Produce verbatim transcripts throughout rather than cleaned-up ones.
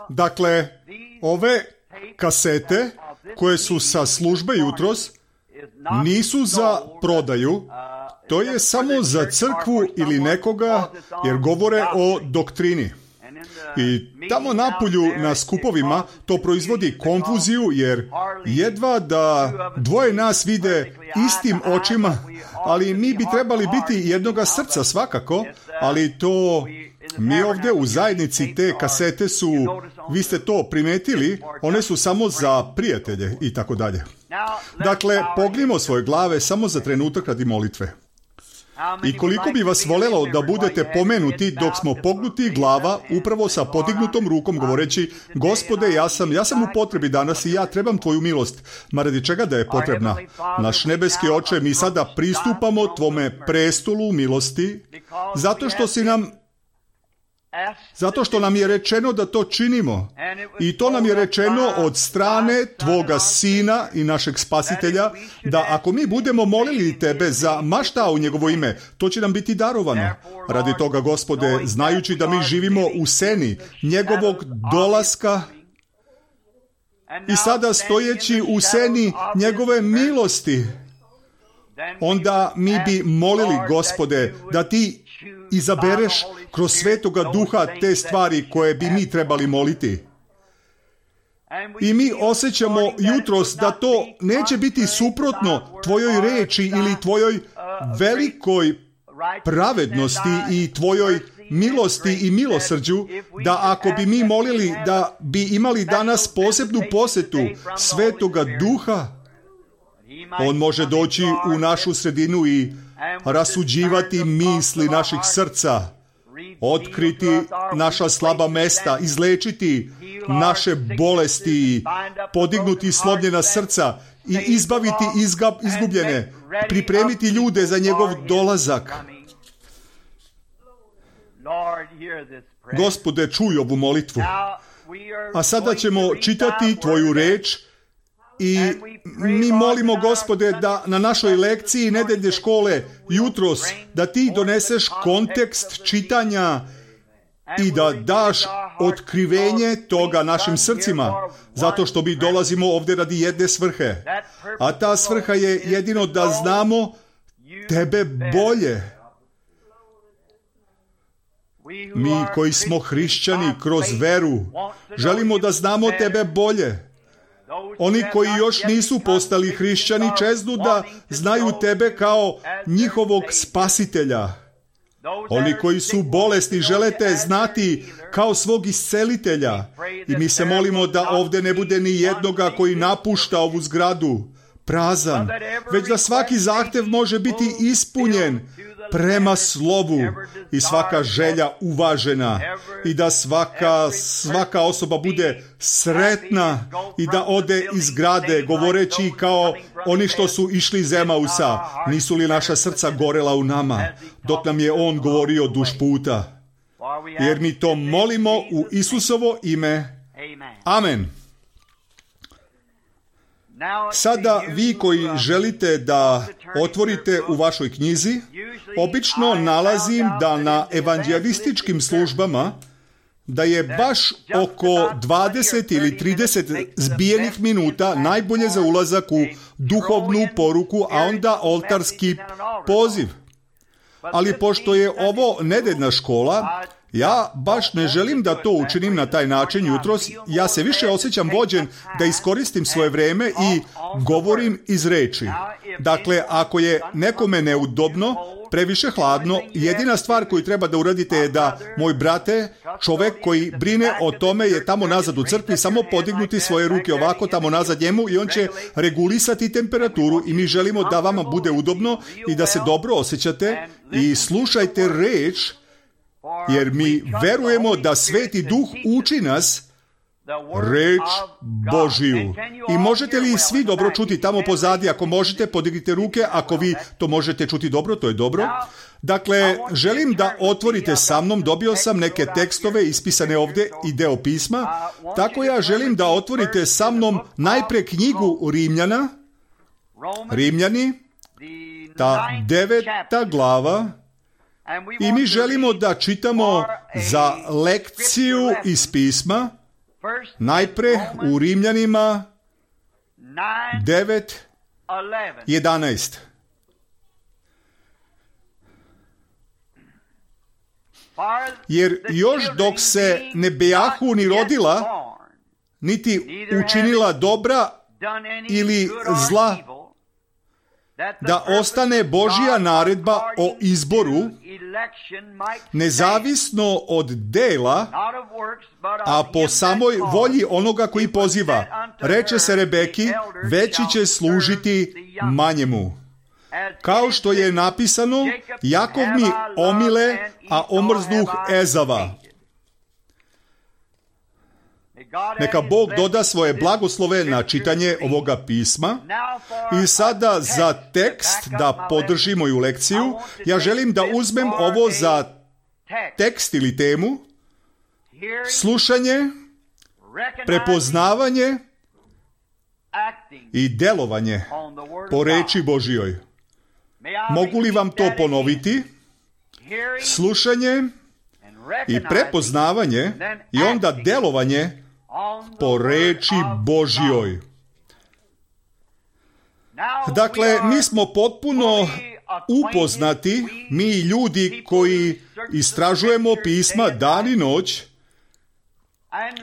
Dakle, ove kasete koje su sa službe jutros nisu za prodaju, to je samo za crkvu ili nekoga jer govore o doktrini. I tamo napolju na skupovima to proizvodi konfuziju jer jedva da dvoje nas vide istim očima, ali mi bi trebali biti jednoga srca svakako, ali to mi ovdje u zajednici te kasete su, vi ste to primetili, one su samo za prijatelje i tako dalje. Dakle, pognimo svoje glave samo za trenutak radi molitve. I koliko bi vas voljelo da budete pomenuti dok smo pognuti glava upravo sa podignutom rukom govoreći: Gospode, ja sam, ja sam u potrebi danas i ja trebam tvoju milost. Ma radi čega da je potrebna? Naš nebeski Oče, mi sada pristupamo tvome prestolu milosti zato što si nam Zato što nam je rečeno da to činimo. I to nam je rečeno od strane tvoga Sina i našeg Spasitelja, da ako mi budemo molili tebe za ma šta u njegovo ime, to će nam biti darovano. Radi toga, Gospode, znajući da mi živimo u seni njegovog dolaska i sada stojeći u seni njegove milosti, onda mi bi molili, Gospode, da ti izabereš kroz Svetoga Duha te stvari koje bi mi trebali moliti. I mi osjećamo jutros da to neće biti suprotno tvojoj reči ili tvojoj velikoj pravednosti i tvojoj milosti i milosrđu, da ako bi mi molili da bi imali danas posebnu posjetu Svetoga Duha, on može doći u našu sredinu i rasuđivati misli naših srca, otkriti naša slaba mesta, izlečiti naše bolesti, podignuti slomljena srca i izbaviti izga, izgubljene, pripremiti ljude za njegov dolazak. Gospode, čuj ovu molitvu. A sada ćemo čitati tvoju reč i mi molimo, Gospode, da na našoj lekciji nedeljne škole jutros da ti doneseš kontekst čitanja i da daš otkrivenje toga našim srcima, zato što mi dolazimo ovdje radi jedne svrhe. A ta svrha je jedino da znamo tebe bolje. Mi koji smo hrišćani kroz veru želimo da znamo tebe bolje. Oni koji još nisu postali hrišćani čeznu da znaju tebe kao njihovog spasitelja. Oni koji su bolesni žele te znati kao svog iscelitelja. I mi se molimo da ovdje ne bude ni jednoga koji napušta ovu zgradu prazan, već da svaki zahtjev može biti ispunjen prema slovu i svaka želja uvažena i da svaka, svaka osoba bude sretna i da ode iz zgrade govoreći kao oni što su išli iz Emausa: nisu li naša srca gorela u nama dok nam je on govorio duž puta. Jer mi to molimo u Isusovo ime. Amen. Sada vi koji želite da otvorite u vašoj knjizi, obično nalazim da na evanđelističkim službama da je baš oko dvadeset ili trideset zbijenih minuta najbolje za ulazak u duhovnu poruku, a onda oltarski poziv. Ali pošto je ovo nedeljna škola, ja baš ne želim da to učinim na taj način jutros. Ja se više osjećam vođen da iskoristim svoje vrijeme i govorim iz reči. Dakle, ako je nekome neudobno, previše hladno, jedina stvar koju treba da uradite je da, moj brate, čovjek koji brine o tome je tamo nazad u crkvi, samo podignuti svoje ruke ovako tamo nazad njemu i on će regulisati temperaturu i mi želimo da vama bude udobno i da se dobro osjećate i slušajte reč, jer mi verujemo da Sveti Duh uči nas reč Božiju. I možete li svi dobro čuti tamo pozadi? Ako možete, podignite ruke. Ako vi to možete čuti dobro, to je dobro. Dakle, želim da otvorite sa mnom. Dobio sam neke tekstove ispisane ovdje i deo pisma. Tako ja želim da otvorite sa mnom najprije knjigu Rimljana. Rimljani, ta deveta glava. I mi želimo da čitamo za lekciju iz pisma Najpre u Rimljanima devet jedanaest. Jer još dok se ne bejahu ni rodila, niti učinila dobra ili zla, da ostane Božja naredba o izboru, nezavisno od dela, a po samoj volji onoga koji poziva. Reče se Rebeki, veći će služiti manjemu. Kao što je napisano, Jakov mi omile, a omrznuh Ezava. Neka Bog doda svoje blagoslove na čitanje ovoga pisma. I sada za tekst, da podrži moju lekciju, ja želim da uzmem ovo za tekst ili temu: slušanje, prepoznavanje i delovanje po reči Božjoj. Mogu li vam to ponoviti? Slušanje i prepoznavanje i onda delovanje po reči Božjoj. Dakle, mi smo potpuno upoznati, mi ljudi koji istražujemo pisma dan i noć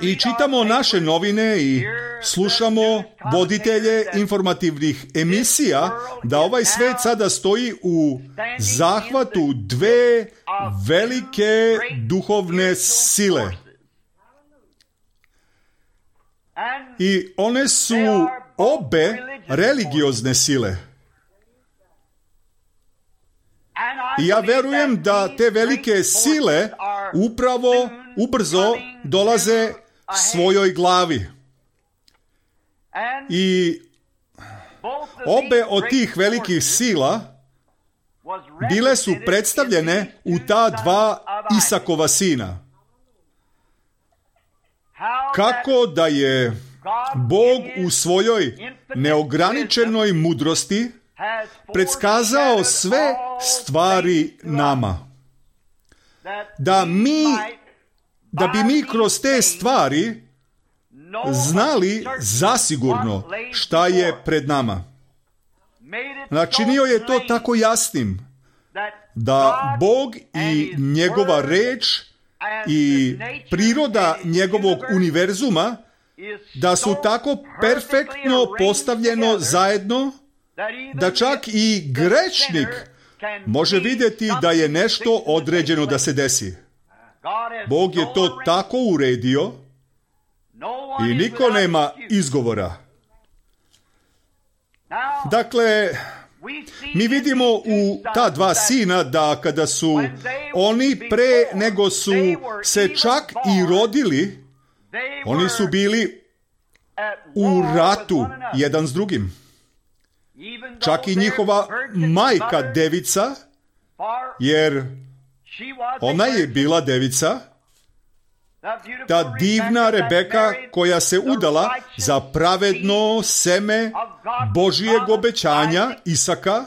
i čitamo naše novine i slušamo voditelje informativnih emisija, da ovaj svet sada stoji u zahvatu dve velike duhovne sile. I one su obe religiozne sile. I ja verujem da te velike sile upravo ubrzo dolaze svojoj glavi. I obe od tih velikih sila bile su predstavljene u ta dva Isakova sina. Kako da je Bog u svojoj neograničenoj mudrosti predskazao sve stvari nama. Da mi, da bi mi kroz te stvari znali zasigurno šta je pred nama. Načinio je to tako jasnim, da Bog i njegova reč i priroda njegovog univerzuma, da su tako perfektno postavljeno zajedno, da čak i grešnik može vidjeti da je nešto određeno da se desi. Bog je to tako uredio i niko nema izgovora. Dakle, mi vidimo u ta dva sina da kada su oni pre nego su se čak i rodili, oni su bili u ratu jedan s drugim. Čak i njihova majka devica, jer ona je bila devica, ta divna Rebeka koja se udala za pravedno seme Božijeg obećanja Isaka,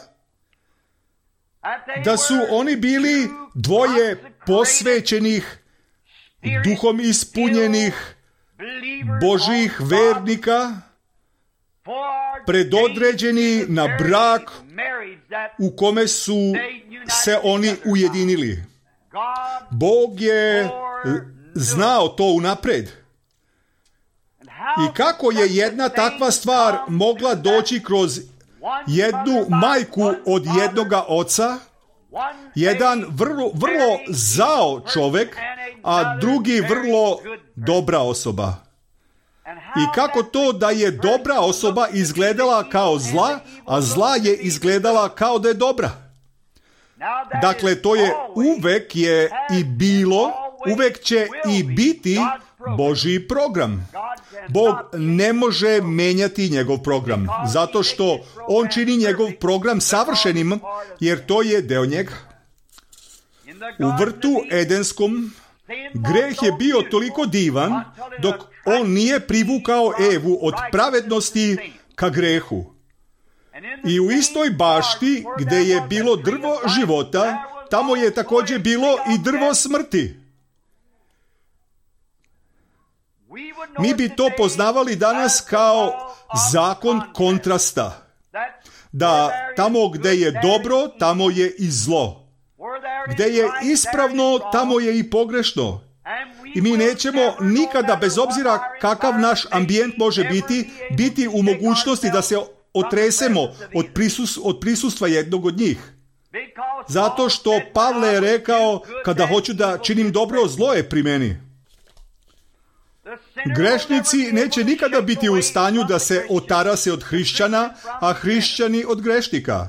da su oni bili dvoje posvećenih, duhom ispunjenih Božijih vernika, predodređeni na brak u kome su se oni ujedinili. Bog je znao to unapred. I kako je jedna takva stvar mogla doći kroz jednu majku od jednoga oca, jedan vrlo, vrlo zao čovjek, a drugi vrlo dobra osoba. I kako to da je dobra osoba izgledala kao zla, a zla je izgledala kao da je dobra. Dakle, to je uvek je i bilo, uvek će i biti Božji program. Bog ne može menjati njegov program, zato što on čini njegov program savršenim, jer to je deo njega. U vrtu Edenskom greh je bio toliko divan dok on nije privukao Evu od pravednosti ka grehu. I u istoj bašti gdje je bilo drvo života, tamo je također bilo i drvo smrti. Mi bi to poznavali danas kao zakon kontrasta. Da tamo gdje je dobro, tamo je i zlo. Gdje je ispravno, tamo je i pogrešno. I mi nećemo nikada, bez obzira kakav naš ambijent može biti, biti u mogućnosti da se otresemo od, prisus, od prisustva jednog od njih. Zato što Pavle je rekao, kada hoću da činim dobro, zlo je pri meni. Grešnici neće nikada biti u stanju da se otarase od hrišćana, a hrišćani od grešnika.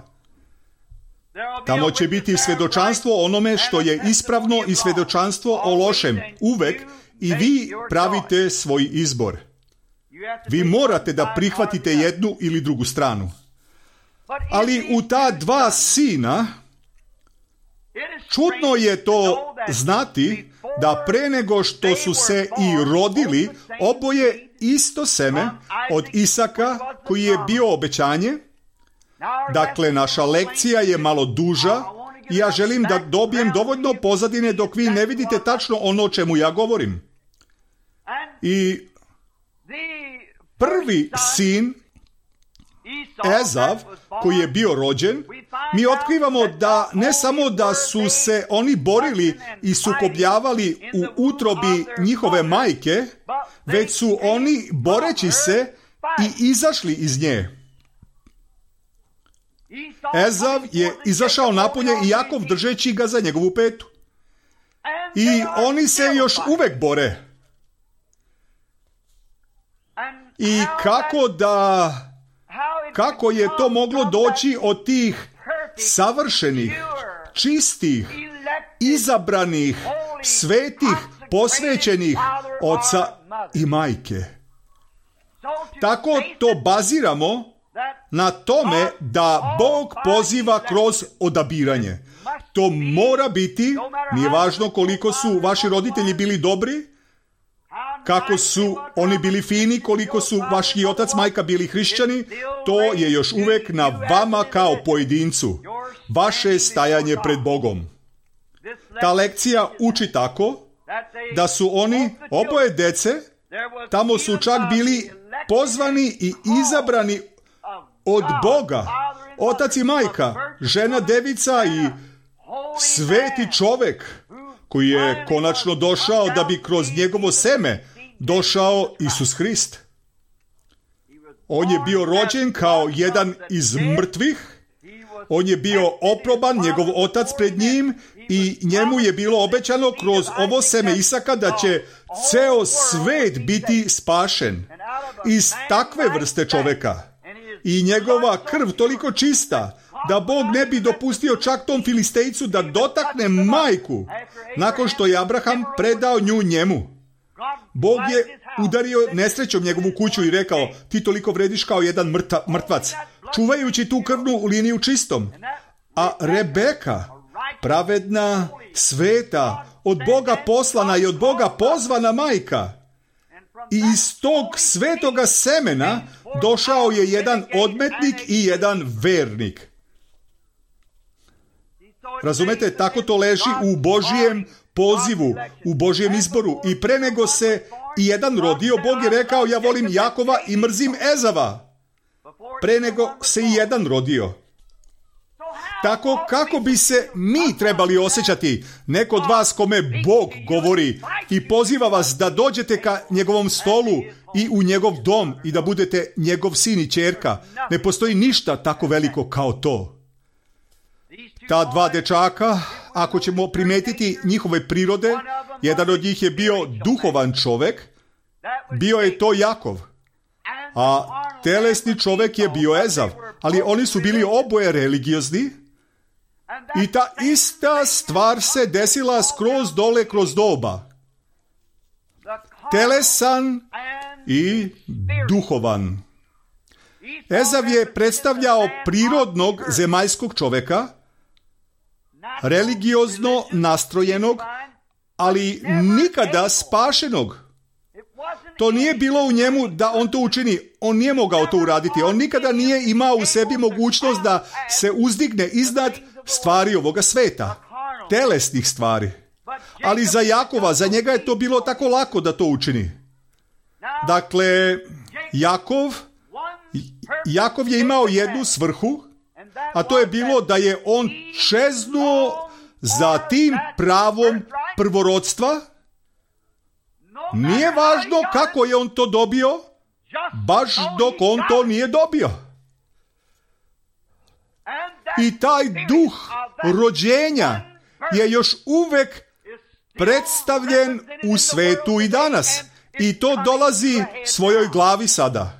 Tamo će biti svjedočanstvo onome što je ispravno i svjedočanstvo o lošem. Uvek i vi pravite svoj izbor. Vi morate da prihvatite jednu ili drugu stranu. Ali u ta dva sina, čudno je to znati da pre nego što su se i rodili, oboje isto seme od Isaka koji je bio obećanje. Dakle, naša lekcija je malo duža i ja želim da dobijem dovoljno pozadine dok vi ne vidite tačno ono o čemu ja govorim. I prvi sin, Ezav, koji je bio rođen, mi otkrivamo da ne samo da su se oni borili i sukobljavali u utrobi njihove majke, već su oni, boreći se, i izašli iz nje. Ezav je izašao napolje i Jakov držeći ga za njegovu petu. I oni se još uvek bore. I kako da... Kako je to moglo doći od tih savršenih, čistih, izabranih, svetih, posvećenih oca i majke? Tako to baziramo na tome da Bog poziva kroz odabiranje. To mora biti, nije važno koliko su vaši roditelji bili dobri, kako su oni bili fini, koliko su vaši otac, majka bili hrišćani, to je još uvek na vama kao pojedincu. Vaše stajanje pred Bogom. Ta lekcija uči tako da su oni, oboje dece, tamo su čak bili pozvani i izabrani od Boga. Otac i majka, žena, devica i sveti čovek koji je konačno došao da bi kroz njegovo seme došao Isus Hrist. On je bio rođen kao jedan iz mrtvih, on je bio oproban, njegov otac pred njim, i njemu je bilo obećano kroz ovo seme Isaka da će ceo svet biti spašen iz takve vrste čoveka. I njegova krv toliko čista da Bog ne bi dopustio čak tom Filistejcu da dotakne majku nakon što je Abraham predao nju njemu. Bog je udario nesrećom njegovu kuću i rekao, ti toliko vrediš kao jedan mrta, mrtvac, čuvajući tu krvnu liniju čistom. A Rebeka, pravedna, sveta, od Boga poslana i od Boga pozvana majka, i iz tog svetoga semena došao je jedan odmetnik i jedan vernik. Razumete, tako to leži u Božijem pozivu, u Božijem izboru. I pre nego se i jedan rodio, Bog je rekao, ja volim Jakova i mrzim Ezava. Pre nego se i jedan rodio. Tako kako bi se mi trebali osjećati, neko od vas kome Bog govori i poziva vas da dođete ka njegovom stolu i u njegov dom i da budete njegov sin i ćerka. Ne postoji ništa tako veliko kao to. Ta dva dečaka, ako ćemo primetiti njihove prirode, jedan od njih je bio duhovan čovek, bio je to Jakov, a telesni čovek je bio Ezav, ali oni su bili oboje religiozni i ta ista stvar se desila skroz dole kroz doba. Telesan i duhovan. Ezav je predstavljao prirodnog zemaljskog čoveka, religiozno nastrojenog, ali nikada spašenog. To nije bilo u njemu da on to učini. On nije mogao to uraditi. On nikada nije imao u sebi mogućnost da se uzdigne iznad stvari ovoga sveta, telesnih stvari. Ali za Jakova, za njega je to bilo tako lako da to učini. Dakle, Jakov, Jakov je imao jednu svrhu, a to je bilo da je on čeznuo za tim pravom prvorodstva. Nije važno kako je on to dobio, baš dok on to nije dobio. I taj duh rođenja je još uvek predstavljen u svetu i danas. I to dolazi svojoj glavi sada.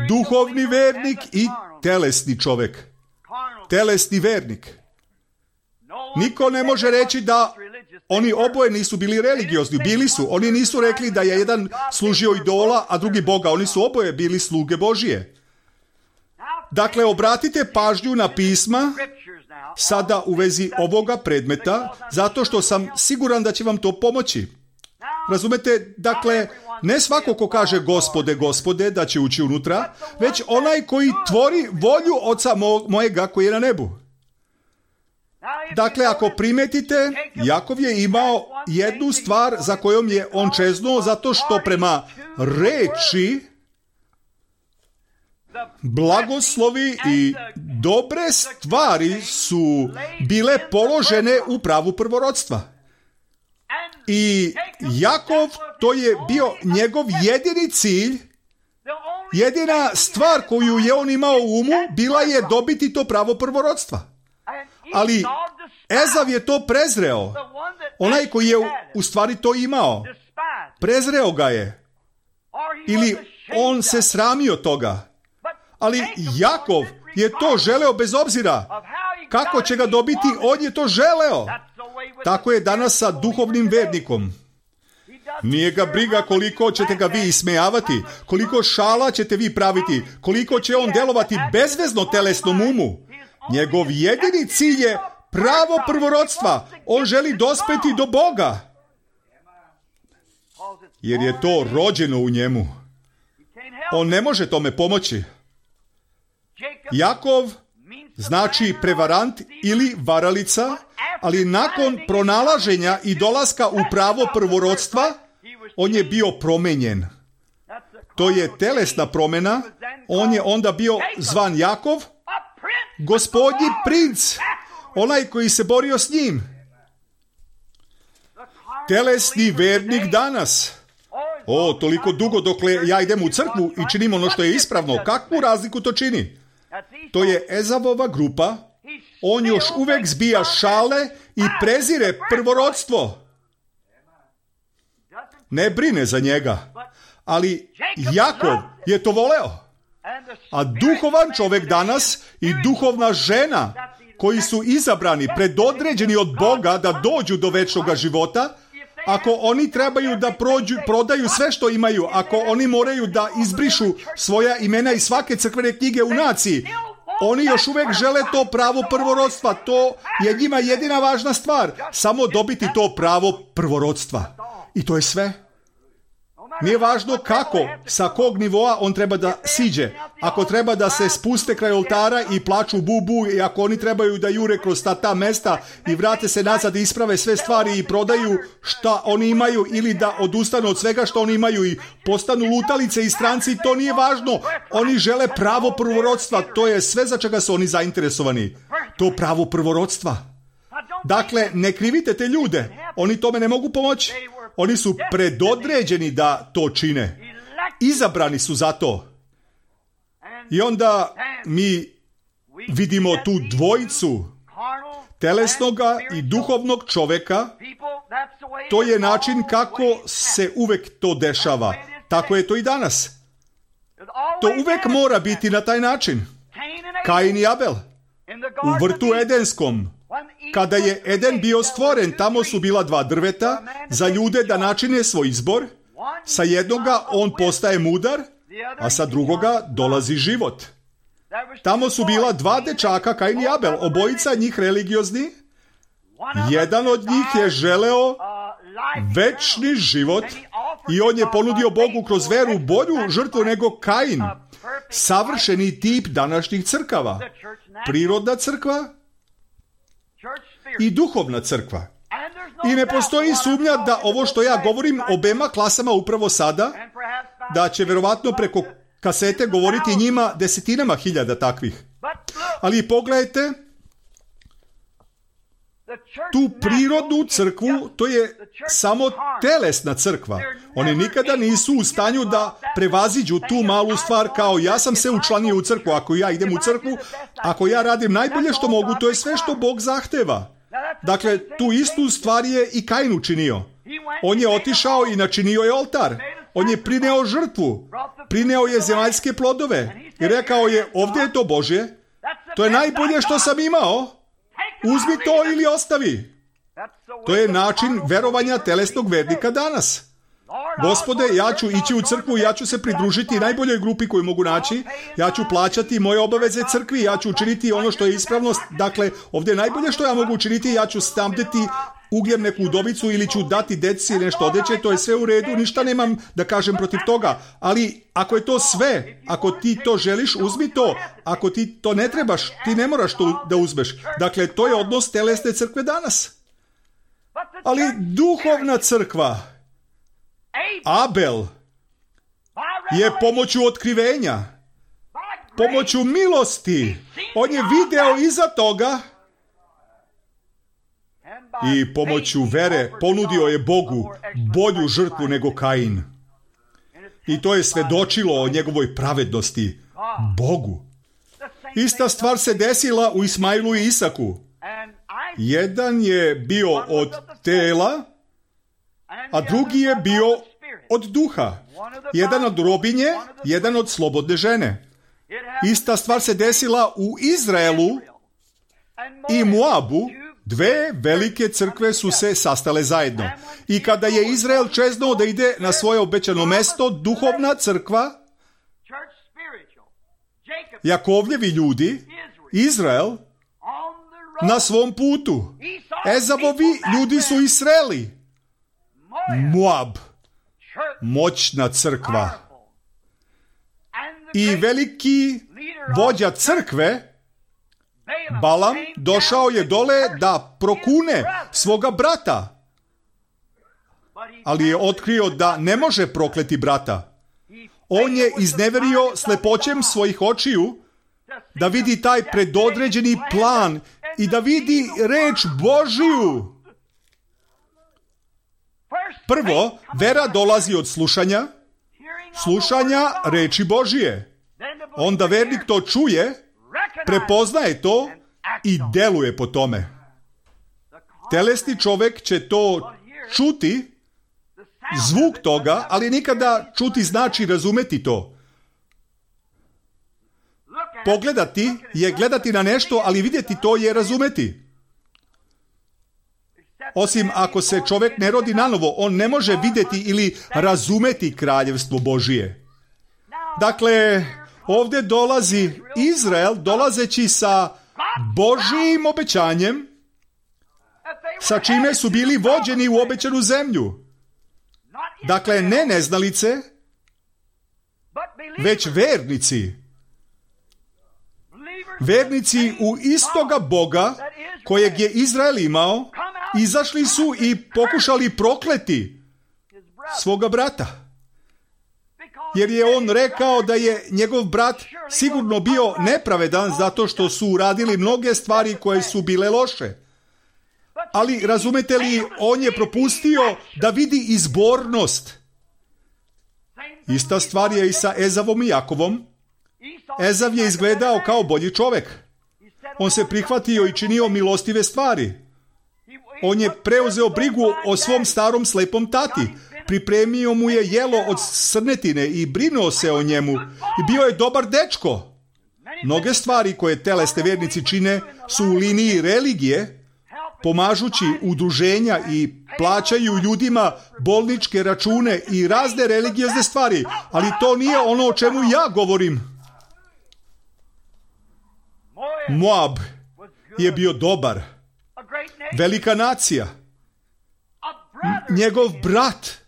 Duhovni vernik i telesni čovjek. Telesni vernik. Niko ne može reći da oni oboje nisu bili religiozni. Bili su. Oni nisu rekli da je jedan služio idola, a drugi Boga. Oni su oboje bili sluge Božije. Dakle, obratite pažnju na pisma sada u vezi ovoga predmeta, zato što sam siguran da će vam to pomoći. Razumete, dakle, ne svako ko kaže Gospode, Gospode, da će ući unutra, već onaj koji tvori volju Oca mo- mojega koji je na nebu. Dakle, ako primetite, Jakov je imao jednu stvar za kojom je on čeznuo, zato što prema reči blagoslovi i dobre stvari su bile položene u pravu prvorodstva. I Jakov, to je bio njegov jedini cilj, jedina stvar koju je on imao u umu, bila je dobiti to pravo prvorodstva. Ali Ezav je to prezreo. Onaj koji je u stvari to imao, prezreo ga je. Ili on se sramio toga. Ali Jakov je to želeo bez obzira kako će ga dobiti, on je to želeo. Tako je danas sa duhovnim vernikom. Nije ga briga koliko ćete ga vi ismejavati, koliko šala ćete vi praviti, koliko će on delovati bezvezno telesnom umu. Njegov jedini cilj je pravo prvorodstva. On želi dospeti do Boga. Jer je to rođeno u njemu. On ne može tome pomoći. Jakov znači prevarant ili varalica, ali nakon pronalaženja i dolaska u pravo prvorodstva, on je bio promenjen. To je telesna promjena. On je onda bio zvan Jakov, gospodnji princ, onaj koji se borio s njim. Telesni vernik danas. O, toliko dugo dokle ja idem u crkvu i činim ono što je ispravno. Kakvu razliku to čini? To je Ezavova grupa. On još uvek zbija šale i prezire prvorodstvo. Ne brine za njega. Ali Jakov je to voleo. A duhovan čovjek danas i duhovna žena koji su izabrani, predodređeni od Boga da dođu do večnog života, ako oni trebaju da prođu, prodaju sve što imaju, ako oni moraju da izbrišu svoja imena iz svake crkvene knjige u naciji, oni još uvijek žele to pravo prvorodstva. To je njima jedina važna stvar. Samo dobiti to pravo prvorodstva. I to je sve. Nije važno kako, sa kog nivoa on treba da siđe. Ako treba da se spuste kraj oltara i plaču bubu, i ako oni trebaju da jure kroz ta, ta mesta i vrate se nazad i isprave sve stvari i prodaju šta oni imaju ili da odustanu od svega što oni imaju i postanu lutalice i stranci, to nije važno. Oni žele pravo prvorodstva. To je sve za čega su oni zainteresovani. To pravo prvorodstva. Dakle, ne krivite te ljude. Oni tome ne mogu pomoći. Oni su predodređeni da to čine. Izabrani su za to. I onda mi vidimo tu dvojicu telesnoga i duhovnog čoveka. To je način kako se uvek to dešava. Tako je to i danas. To uvek mora biti na taj način. Kain i Abel. U vrtu Edenskom. Kada je Eden bio stvoren, tamo su bila dva drveta za ljude da načine svoj izbor. Sa jednoga on postaje mudar, a sa drugoga dolazi život. Tamo su bila dva dečaka, Kain i Abel, obojica njih religiozni. Jedan od njih je želeo večni život i on je ponudio Bogu kroz veru bolju žrtvu nego Kain. Savršeni tip današnjih crkava. Prirodna crkva i duhovna crkva. I ne postoji sumnja da ovo što ja govorim obema klasama upravo sada da će verovatno preko kasete govoriti njima desetinama hiljada takvih. Ali pogledajte, tu prirodnu crkvu, to je samo telesna crkva. Oni nikada nisu u stanju da prevaziđu tu malu stvar kao ja sam se učlanio u crkvu, ako ja idem u crkvu, ako ja radim najbolje što mogu, to je sve što Bog zahteva. Dakle, tu istu stvar je i Kain učinio. On je otišao i načinio je oltar. On je prineo žrtvu, prineo je zemaljske plodove i rekao je, ovdje je to Božje, to je najbolje što sam imao, uzmi to ili ostavi. To je način verovanja telesnog vernika danas. Gospode, ja ću ići u crkvu, ja ću se pridružiti najboljoj grupi koju mogu naći, ja ću plaćati moje obaveze crkvi, ja ću učiniti ono što je ispravnost, dakle, ovdje je najbolje što ja mogu učiniti, ja ću stamdeti ugljem neku udovicu ili ću dati deci nešto odeće, to je sve u redu, ništa nemam da kažem protiv toga, ali ako je to sve, ako ti to želiš, uzmi to, ako ti to ne trebaš, ti ne moraš to da uzmeš. Dakle, to je odnos telesne crkve danas. Ali duhovna crkva, Abel, je pomoću otkrivenja, pomoću milosti, on je video iza toga i pomoću vere ponudio je Bogu bolju žrtvu nego Kain. I to je svedočilo o njegovoj pravednosti Bogu. Ista stvar se desila u Ismailu i Isaku. Jedan je bio od tela, a drugi je bio od duha. Jedan od robinje, jedan od slobodne žene. Ista stvar se desila u Izraelu i Moabu. Dve velike crkve su se sastale zajedno. I kada je Izrael čeznuo da ide na svoje obećano mesto, duhovna crkva, Jakovljevi ljudi, Izrael, na svom putu. Ezavovi ljudi su Israeli. Moab, moćna crkva. I veliki vođa crkve, Balam, došao je dole da prokune svoga brata. Ali je otkrio da ne može prokleti brata. On je izneverio slepoćem svojih očiju da vidi taj predodređeni plan i da vidi reč Božiju. Prvo, vera dolazi od slušanja, slušanja reči Božije. Onda vernik to čuje, prepoznaje to i deluje po tome. Telesni čovjek će to čuti, zvuk toga, ali nikada čuti znači razumeti to. Pogledati je gledati na nešto, ali vidjeti to je razumeti. Osim ako se čovjek ne rodi nanovo, on ne može vidjeti ili razumeti kraljevstvo Božije. Dakle, ovdje dolazi Izrael, dolazeći sa Božijim obećanjem, sa čime su bili vođeni u obećanu zemlju. Dakle, ne neznalice, već vernici. Vernici u istoga Boga kojeg je Izrael imao, izašli su i pokušali prokleti svoga brata. Jer je on rekao da je njegov brat sigurno bio nepravedan zato što su uradili mnoge stvari koje su bile loše. Ali razumete li, on je propustio da vidi izbornost. Ista stvar je i sa Ezavom i Jakovom. Ezav je izgledao kao bolji čovjek. On se prihvatio i činio milostive stvari. On je preuzeo brigu o svom starom slepom tati. Pripremio mu je jelo od srnetine i brinuo se o njemu. I bio je dobar dečko. Mnoge stvari koje telesni vjernici čine su u liniji religije, pomažući udruženja i plaćaju ljudima bolničke račune i razne religiozne stvari. Ali to nije ono o čemu ja govorim. Moab je bio dobar. Velika nacija. Njegov brat.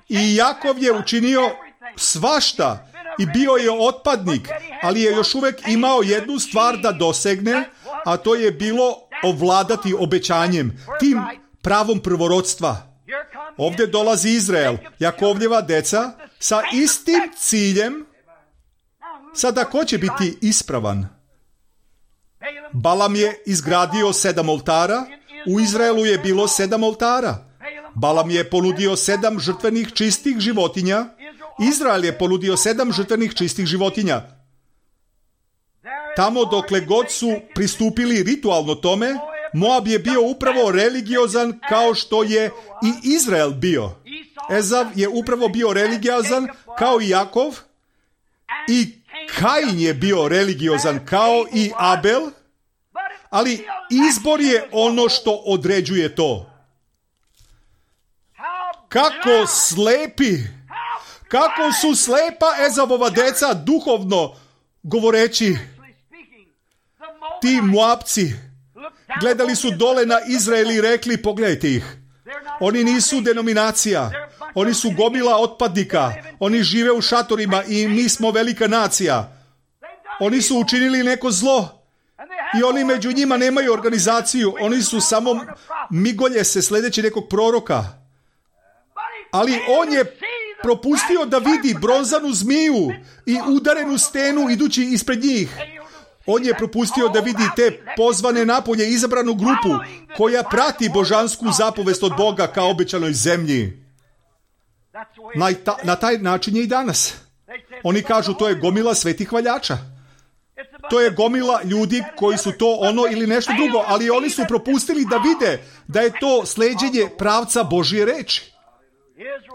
I Jakov je učinio svašta i bio je otpadnik, ali je još uvijek imao jednu stvar da dosegne, a to je bilo ovladati obećanjem, tim pravom prvorodstva. Ovdje dolazi Izrael, Jakovljeva deca, sa istim ciljem. Sada ko će biti ispravan? Balam je izgradio sedam oltara, u Izraelu je bilo sedam oltara. Balam je ponudio sedam žrtvenih čistih životinja, Izrael je ponudio sedam žrtvenih čistih životinja. Tamo dokle god su pristupili ritualno tome, Moab je bio upravo religiozan kao što je i Izrael bio. Ezav je upravo bio religiozan kao i Jakov, i Kain je bio religiozan kao i Abel, ali izbor je ono što određuje to. Kako slepi, kako su slepa Ezavova deca duhovno govoreći. Ti Moabci gledali su dole na Izrael i rekli, pogledajte ih. Oni nisu denominacija, oni su gomila otpadnika, oni žive u šatorima i mi smo velika nacija. Oni su učinili neko zlo i oni među njima nemaju organizaciju, oni su samo migolje se sledeći nekog proroka. Ali on je propustio da vidi bronzanu zmiju i udarenu stenu idući ispred njih. On je propustio da vidi te pozvane napolje izabranu grupu koja prati božansku zapovest od Boga kao obećanoj zemlji. Na, ta, na taj način je i danas. Oni kažu, to je gomila svetih hvaljača. To je gomila ljudi koji su to ono ili nešto drugo, ali oni su propustili da vide da je to sleđenje pravca Božje reči.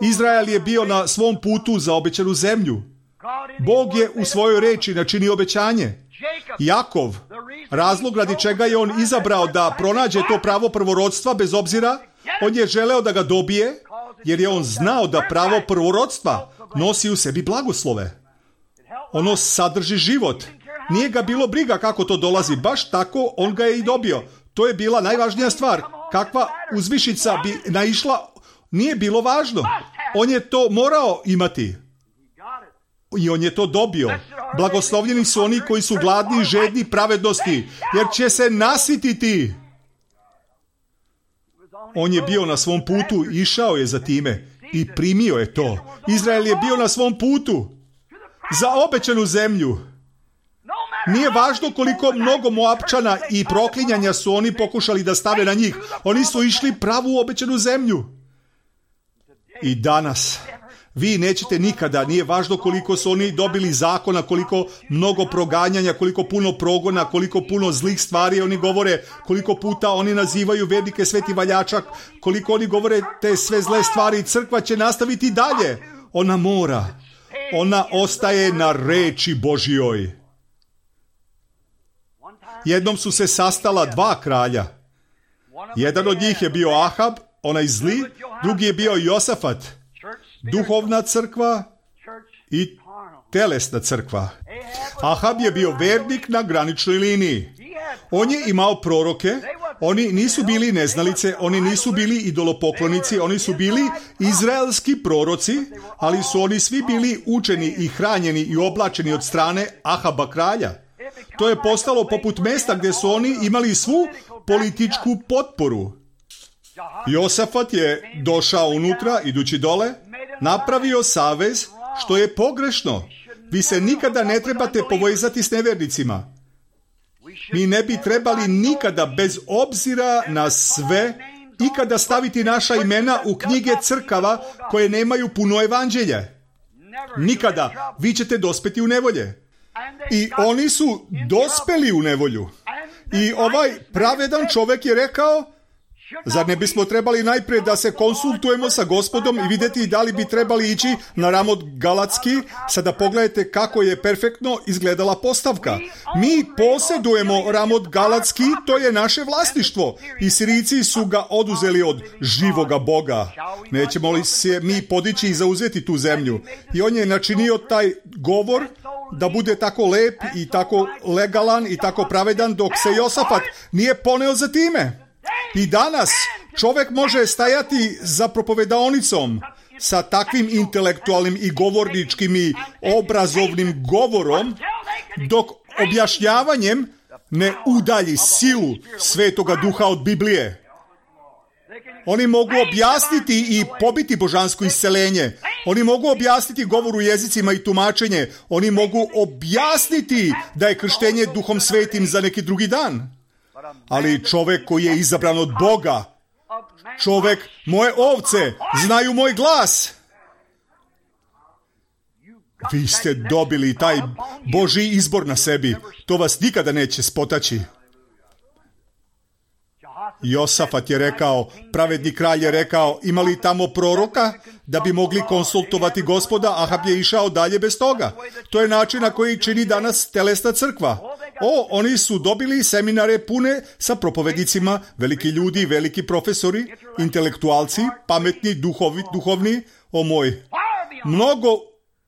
Izrael je bio na svom putu za obećanu zemlju. Bog je u svojoj reči načinio obećanje. Jakov, razlog radi čega je on izabrao da pronađe to pravo prvorodstva bez obzira, on je želeo da ga dobije, jer je on znao da pravo prvorodstva nosi u sebi blagoslove. Ono sadrži život. Nije ga bilo briga kako to dolazi, baš tako on ga je i dobio. To je bila najvažnija stvar. Kakva uzvišica bi naišla, nije bilo važno. On je to morao imati. I on je to dobio. Blagoslovljeni su oni koji su gladni i žedni pravednosti, jer će se nasititi. On je bio na svom putu, išao je za time i primio je to. Izrael je bio na svom putu za obećanu zemlju. Nije važno koliko mnogo Moapčana i proklinjanja su oni pokušali da stave na njih. Oni su išli pravu obećanu zemlju. I danas vi nećete nikada, nije važno koliko su oni dobili zakona, koliko mnogo proganjanja, koliko puno progona, koliko puno zlih stvari oni govore, koliko puta oni nazivaju vernike sveti valjačak, koliko oni govore te sve zle stvari, crkva će nastaviti dalje. Ona mora. Ona ostaje na reči Božjoj. Jednom su se sastala dva kralja. Jedan od njih je bio Ahab, onaj zli, drugi je bio Josafat, duhovna crkva i telesna crkva. Ahab je bio vernik na graničnoj liniji. On je imao proroke, oni nisu bili neznalice, oni nisu bili idolopoklonici, oni su bili izraelski proroci, ali su oni svi bili učeni i hranjeni i oblačeni od strane Ahaba kralja. To je postalo poput mesta gdje su oni imali svu političku potporu. Josafat je došao unutra, idući dole, napravio savez, što je pogrešno. Vi se nikada ne trebate povezati s nevernicima. Mi ne bi trebali nikada, bez obzira na sve, ikada staviti naša imena u knjige crkava koje nemaju puno evanđelje. Nikada. Vi ćete dospeti u nevolje. I oni su dospeli u nevolju. I ovaj pravedan čovjek je rekao, zar ne bismo trebali najprije da se konsultujemo sa Gospodom i vidjeti da li bi trebali ići na Ramot Galatski? Sada pogledajte kako je perfektno izgledala postavka. Mi posjedujemo Ramot Galatski, to je naše vlasništvo. I Sirijci su ga oduzeli od živoga Boga. Nećemo li se mi podići i zauzeti tu zemlju? I on je načinio taj govor da bude tako lep i tako legalan i tako pravedan, dok se Josafat nije poneo za time. I danas čovjek može stajati za propovedaonicom sa takvim intelektualnim i govorničkim i obrazovnim govorom, dok objašnjavanjem ne udalji silu Svetoga Duha od Biblije. Oni mogu objasniti i pobiti božansko isceljenje. Oni mogu objasniti govor u jezicima i tumačenje. Oni mogu objasniti da je krštenje Duhom Svetim za neki drugi dan. Ali čovjek koji je izabran od Boga, čovjek, moje ovce, znaju moj glas. Vi ste dobili taj Božji izbor na sebi. To vas nikada neće spotaći. Josafat je rekao, pravedni kralj je rekao, ima li tamo proroka da bi mogli konsultovati Gospoda? Ahab je išao dalje bez toga. To je način na koji čini danas telesna crkva. O, oni su dobili seminare pune sa propovednicima, veliki ljudi, veliki profesori, intelektualci, pametni, duhovi, duhovni, o moj, mnogo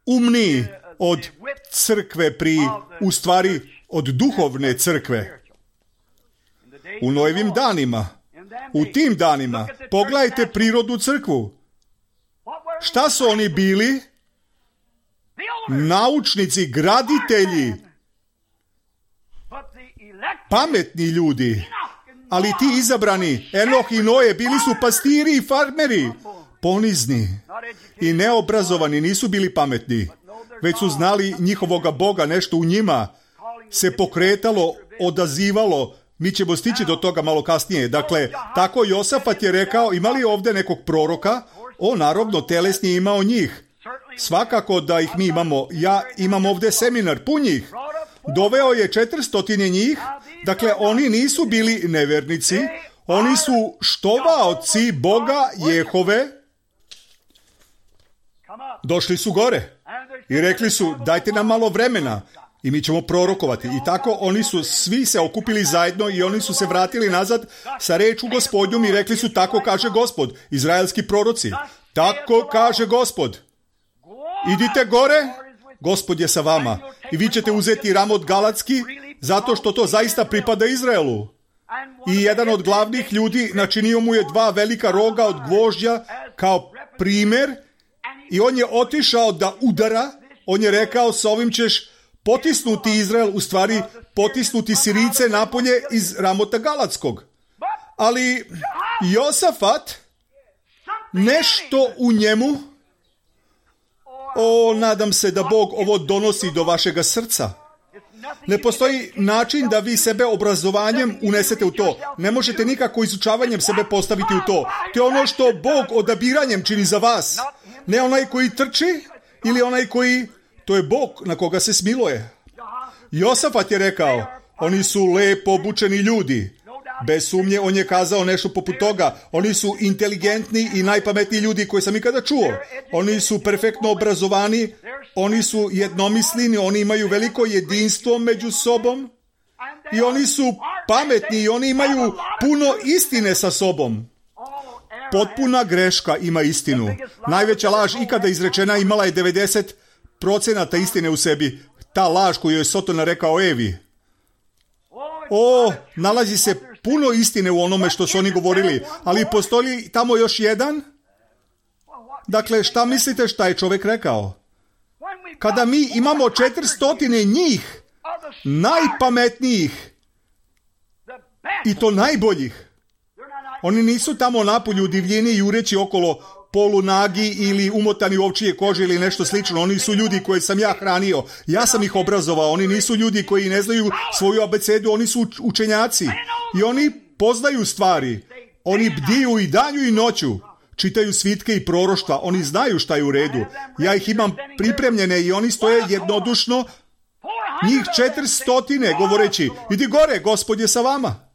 umniji od crkve pri, u stvari, od duhovne crkve. U novim danima, u tim danima, pogledajte prirodnu crkvu. Šta su oni bili? Naučnici, graditelji, pametni ljudi. Ali ti izabrani, Enoh i Noe, bili su pastiri i farmeri, ponizni i neobrazovani, nisu bili pametni, već su znali njihovoga Boga, nešto u njima se pokretalo, odazivalo. Mi ćemo stići do toga malo kasnije. Dakle, tako Josafat je rekao, ima li ovdje nekog proroka? O, naravno, telesni je imao njih. Svakako da ih mi imamo. Ja imam ovdje seminar, pun njih. Doveo je četirstotine njih. Dakle, oni nisu bili nevernici. Oni su štovaoci Boga Jehove. Došli su gore i rekli su, dajte nam malo vremena i mi ćemo prorokovati. I tako oni su svi se okupili zajedno i oni su se vratili nazad sa rečju Gospodnjom i rekli su, tako kaže Gospod, izraelski proroci, tako kaže Gospod, idite gore, Gospod je sa vama i vi ćete uzeti Ramot Galatski zato što to zaista pripada Izraelu. I jedan od glavnih ljudi načinio mu je dva velika roga od gvožđa kao primjer i on je otišao da udara. On je rekao, s ovim ćeš potisnuti Izrael, u stvari potisnuti Sirice napolje iz Ramota Galatskog. Ali Josafat, nešto u njemu, o, nadam se da Bog ovo donosi do vašega srca. Ne postoji način da vi sebe obrazovanjem unesete u to. Ne možete nikako izučavanjem sebe postaviti u to. To je ono što Bog odabiranjem čini za vas. Ne onaj koji trči ili onaj koji... To je Bog na koga se smiluje. Josafat je rekao, oni su lepo obučeni ljudi. Bez sumnje on je kazao nešto poput toga. Oni su inteligentni i najpametniji ljudi koje sam ikada čuo. Oni su perfektno obrazovani, oni su jednomislini, oni imaju veliko jedinstvo među sobom i oni su pametni i oni imaju puno istine sa sobom. Potpuna greška ima istinu. Najveća laž ikada izrečena imala je devedeset procenata istine u sebi. Ta laž koju je Sotona rekao Evi. O, nalazi se puno istine u onome što su oni govorili, ali postoji tamo još jedan? Dakle, šta mislite šta je čovjek rekao? Kada mi imamo četirstotine njih, najpametnijih, i to najboljih, oni nisu tamo napolju divljeni jureći okolo polunagi ili umotani u ovčije kože ili nešto slično. Oni su ljudi koje sam ja hranio. Ja sam ih obrazovao. Oni nisu ljudi koji ne znaju svoju abecedu. Oni su učenjaci. I oni poznaju stvari. Oni bdiju i danju i noću. Čitaju svitke i proroštva. Oni znaju šta je u redu. Ja ih imam pripremljene i oni stoje jednodušno. Njih četirstotine govoreći, idi gore, Gospod je sa vama.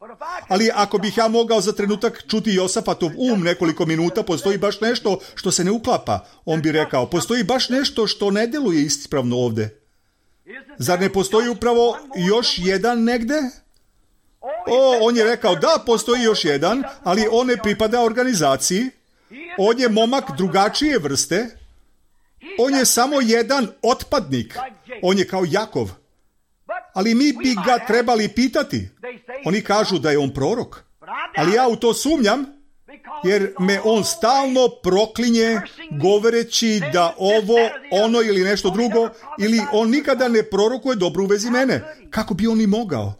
Ali ako bih ja mogao za trenutak čuti Josafatov um nekoliko minuta, postoji baš nešto što se ne uklapa. On bi rekao, postoji baš nešto što ne deluje ispravno ovdje. Zar ne postoji upravo još jedan negde? O, on je rekao, da, postoji još jedan, ali on ne pripada organizaciji. On je momak drugačije vrste. On je samo jedan otpadnik. On je kao Jakov. Ali mi bi ga trebali pitati. Oni kažu da je on prorok. Ali ja u to sumnjam, jer me on stalno proklinje govoreći da ovo, ono ili nešto drugo, ili on nikada ne prorokuje dobro u vezi mene. Kako bi on i mogao?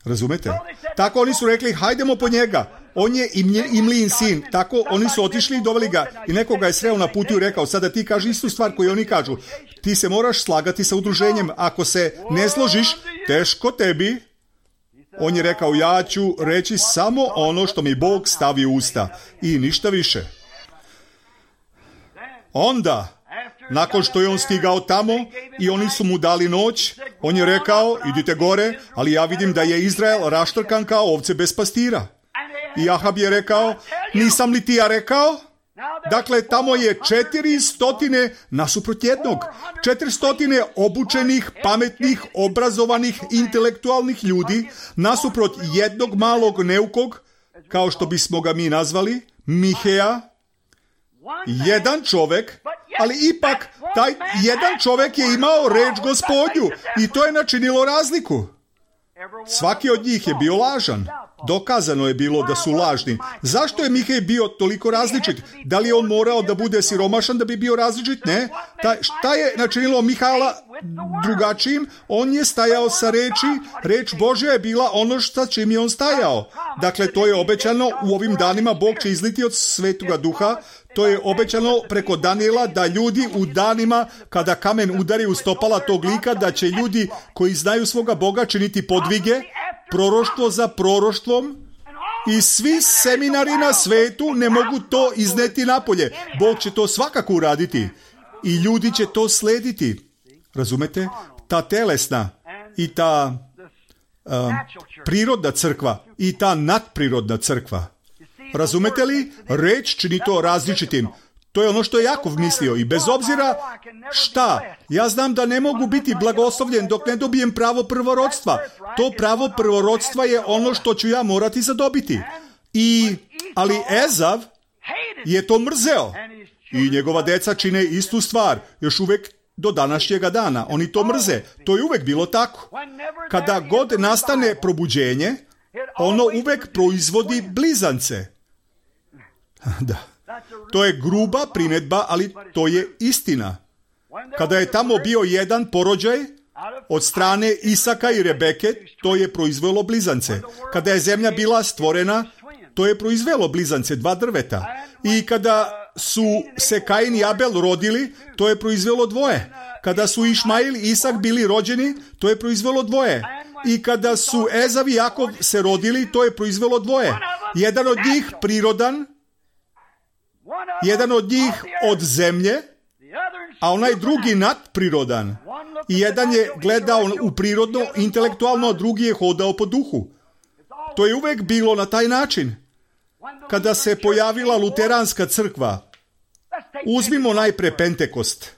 Razumete? Tako oni su rekli, hajdemo po njega. On je Imlijin sin. Tako oni su otišli i doveli ga. I nekoga je sreo na putu i rekao, sada ti kaži istu stvar koju oni kažu. Ti se moraš slagati sa udruženjem. Ako se ne složiš, teško tebi. On je rekao, ja ću reći samo ono što mi Bog stavi u usta. I ništa više. Onda, nakon što je on stigao tamo i oni su mu dali noć, on je rekao, idite gore, ali ja vidim da je Izrael raštrkan kao ovce bez pastira. I Ahab je rekao, nisam li ti ja rekao? Dakle, tamo je četiri stotine nasuprot jednog. Četiri stotine obučenih, pametnih, obrazovanih, intelektualnih ljudi nasuprot jednog malog neukog, kao što bismo ga mi nazvali, Miheja. Jedan čovjek, ali ipak taj jedan čovjek je imao reč Gospodnju i to je načinilo razliku. Svaki od njih je bio lažan. Dokazano je bilo da su lažni. Zašto je Mihej bio toliko različit? Da li je on morao da bude siromašan da bi bio različit? Ne. Ta, šta je načinilo Mihajla drugačijim? On je stajao sa reči. Reč Božja je bila ono što čim je on stajao. Dakle, to je obećano u ovim danima. Bog će izliti od Svetoga Duha. To je obećano preko Danijela da ljudi u danima kada kamen udari u stopala tog lika, da će ljudi koji znaju svoga Boga činiti podvige, proroštvo za proroštvom, i svi seminari na svetu ne mogu to izneti napolje. Bog će to svakako uraditi i ljudi će to slediti. Razumete? Ta telesna i ta uh, prirodna crkva i ta nadprirodna crkva. Razumete li? Reč čini to različitim. To je ono što je Jakov mislio i bez obzira šta, ja znam da ne mogu biti blagoslovljen dok ne dobijem pravo prvorodstva. To pravo prvorodstva je ono što ću ja morati zadobiti. I, ali Ezav je to mrzeo i njegova deca čine istu stvar, još uvijek do današnjega dana. Oni to mrze. To je uvijek bilo tako. Kada god nastane probuđenje, ono uvijek proizvodi blizance. Da. To je gruba primjedba, ali to je istina. Kada je tamo bio jedan porođaj od strane Isaka i Rebeke, to je proizvelo blizance. Kada je zemlja bila stvorena, to je proizvelo blizance, dva drveta. I kada su se Kain i Abel rodili, to je proizvelo dvoje. Kada su Išmail i Isak bili rođeni, to je proizvelo dvoje. I kada su Ezav i Jakov se rodili, to je proizvelo dvoje. Jedan od njih prirodan, jedan od njih od zemlje, a onaj drugi nadprirodan. I jedan je gledao u prirodno, intelektualno, a drugi je hodao po duhu. To je uvijek bilo na taj način. Kada se pojavila luteranska crkva, uzmimo najpre Pentekost.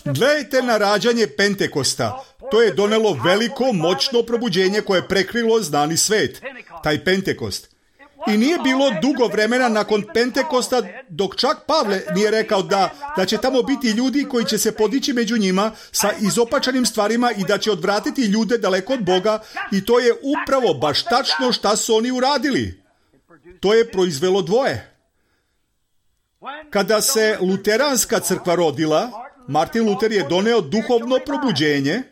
Gledajte na rađanje Pentekosta. To je donelo veliko, moćno probuđenje koje je prekrilo znani svet. Taj Pentekost. I nije bilo dugo vremena nakon Pentekosta dok čak Pavle nije rekao da, da će tamo biti ljudi koji će se podići među njima sa izopačenim stvarima i da će odvratiti ljude daleko od Boga, i to je upravo baš tačno šta su oni uradili. To je proizvelo dvoje. Kada se luteranska crkva rodila, Martin Luther je doneo duhovno probuđenje.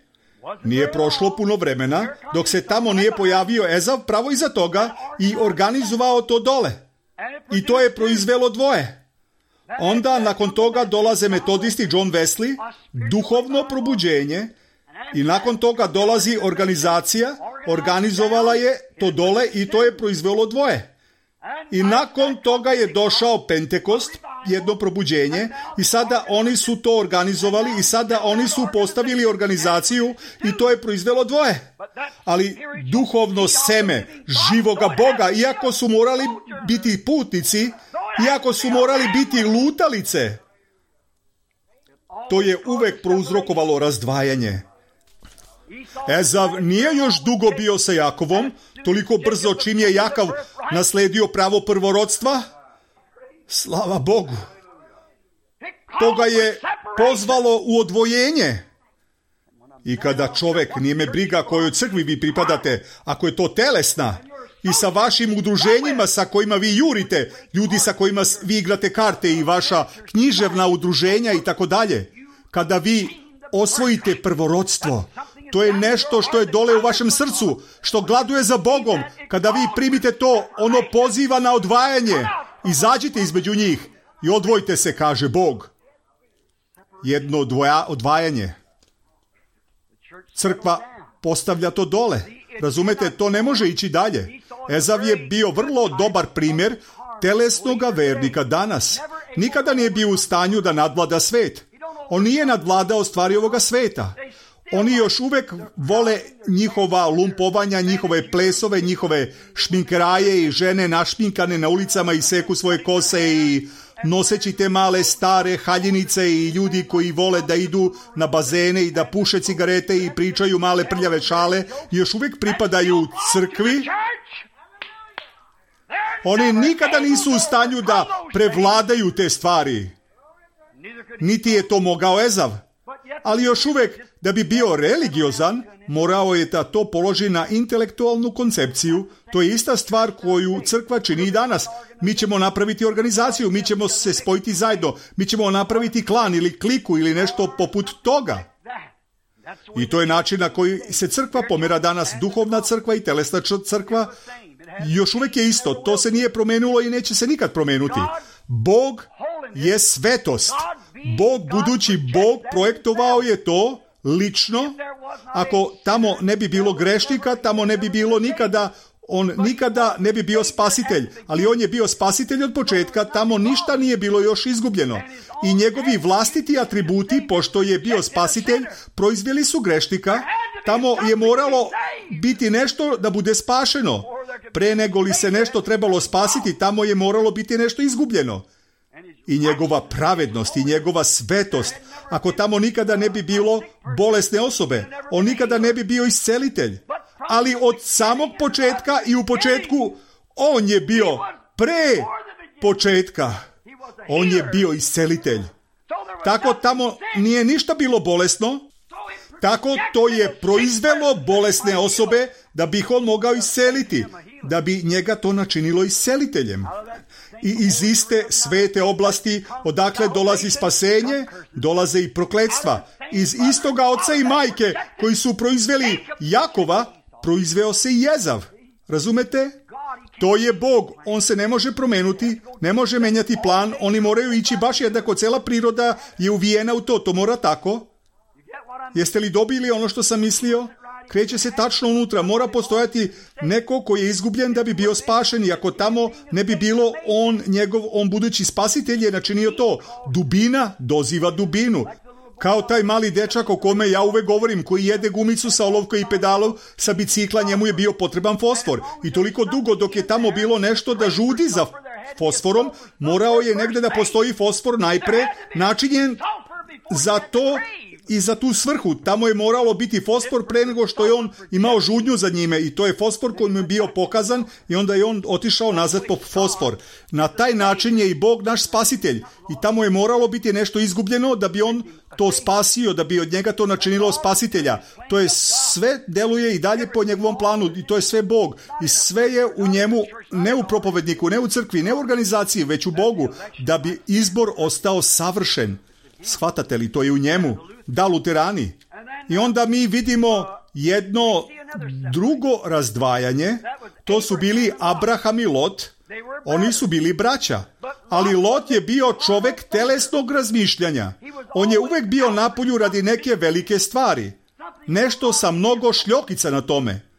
Nije prošlo puno vremena dok se tamo nije pojavio Ezav pravo iza toga i organizovao to dole. I to je proizvelo dvoje. Onda nakon toga dolaze metodisti John Wesley, duhovno probuđenje, i nakon toga dolazi organizacija, organizovala je to dole i to je proizvelo dvoje. I nakon toga je došao Pentekost, jedno probuđenje, i sada oni su to organizovali i sada oni su postavili organizaciju i to je proizvelo dvoje. Ali duhovno seme živoga Boga, iako su morali biti putnici, iako su morali biti lutalice, to je uvek prouzrokovalo razdvajanje. Ezav nije još dugo bio sa Jakovom, toliko brzo čim je Jakov nasledio pravo prvorodstva. Slava Bogu. To ga je pozvalo u odvojenje. I kada čovjek, nije me briga kojoj crkvi vi pripadate, ako je to telesna, i sa vašim udruženjima sa kojima vi jurite, ljudi sa kojima vi igrate karte i vaša književna udruženja i tako dalje, kada vi osvojite prvorodstvo, To je nešto što je dole u vašem srcu, što gladuje za Bogom. Kada vi primite to, ono poziva na odvajanje. Izađite između njih i odvojite se, kaže Bog. Jedno odvoja, odvajanje. Crkva postavlja to dole. Razumete, to ne može ići dalje. Ezav je bio vrlo dobar primjer telesnoga vernika danas. Nikada nije bio u stanju da nadvlada svet. On nije nadvladao stvari ovoga sveta. Oni još uvijek vole njihova lumpovanja, njihove plesove, njihove šminkeraje i žene našminkane na ulicama i seku svoje kose i noseći te male stare haljinice i ljudi koji vole da idu na bazene i da puše cigarete i pričaju male prljave šale, još uvijek pripadaju crkvi. Oni nikada nisu u stanju da prevladaju te stvari. Niti je to mogao Ezav. Ali još uvijek, da bi bio religiozan, morao je da to položi na intelektualnu koncepciju. To je ista stvar koju crkva čini i danas. Mi ćemo napraviti organizaciju, mi ćemo se spojiti zajedno, mi ćemo napraviti klan ili kliku ili nešto poput toga. I to je način na koji se crkva pomera danas, duhovna crkva i telesna crkva. Još uvijek je isto, to se nije promenilo i neće se nikad promenuti. Bog je svetost. Bog, budući Bog, projektovao je to lično. Ako tamo ne bi bilo grešnika, tamo ne bi bilo nikada, on nikada ne bi bio spasitelj. Ali on je bio spasitelj od početka, tamo ništa nije bilo još izgubljeno. I njegovi vlastiti atributi, pošto je bio spasitelj, proizveli su grešnika. Tamo je moralo biti nešto da bude spašeno. Pre nego li se nešto trebalo spasiti, tamo je moralo biti nešto izgubljeno. I njegova pravednost i njegova svetost. Ako tamo nikada ne bi bilo bolesne osobe, on nikada ne bi bio iscelitelj. Ali od samog početka i u početku on je bio pre početka. On je bio iscelitelj. Tako tamo nije ništa bilo bolesno. Tako to je proizvelo bolesne osobe da bi ih on mogao isceliti. Da bi njega to načinilo isceliteljem. I iz iste svete oblasti odakle dolazi spasenje, dolaze i prokletstva. Iz istoga oca i majke koji su proizveli Jakova, proizveo se i Ezav. Razumete? To je Bog. On se ne može promenuti, ne može menjati plan. Oni moraju ići baš jednako. Cela priroda je uvijena u to. To mora tako. Jeste li dobili ono što sam mislio? Kreće se tačno unutra. Mora postojati neko koji je izgubljen da bi bio spašen. I ako tamo ne bi bilo on, njegov, on budući spasitelj je načinio to. Dubina doziva dubinu. Kao taj mali dečak o kome ja uvek govorim, koji jede gumicu sa olovkom i pedalom sa bicikla, njemu je bio potreban fosfor. I toliko dugo dok je tamo bilo nešto da žudi za fosforom, morao je negde da postoji fosfor najpre načinjen za to i za tu svrhu. Tamo je moralo biti fosfor pre nego što je on imao žudnju za njime i to je fosfor koji mu je bio pokazan i onda je on otišao nazad po fosfor. Na taj način je i Bog naš spasitelj i tamo je moralo biti nešto izgubljeno da bi on to spasio, da bi od njega to načinilo spasitelja. To je sve deluje i dalje po njegovom planu i to je sve Bog. I sve je u njemu, ne u propovedniku, ne u crkvi, ne u organizaciji, već u Bogu, da bi izbor ostao savršen. Shvatate li, to je u njemu. Da, luterani. I onda mi vidimo jedno drugo razdvajanje. To su bili Abraham i Lot. Oni su bili braća. Ali Lot je bio čovek telesnog razmišljanja. On je uvek bio na polju radi neke velike stvari. Nešto sa mnogo šljokica na tome.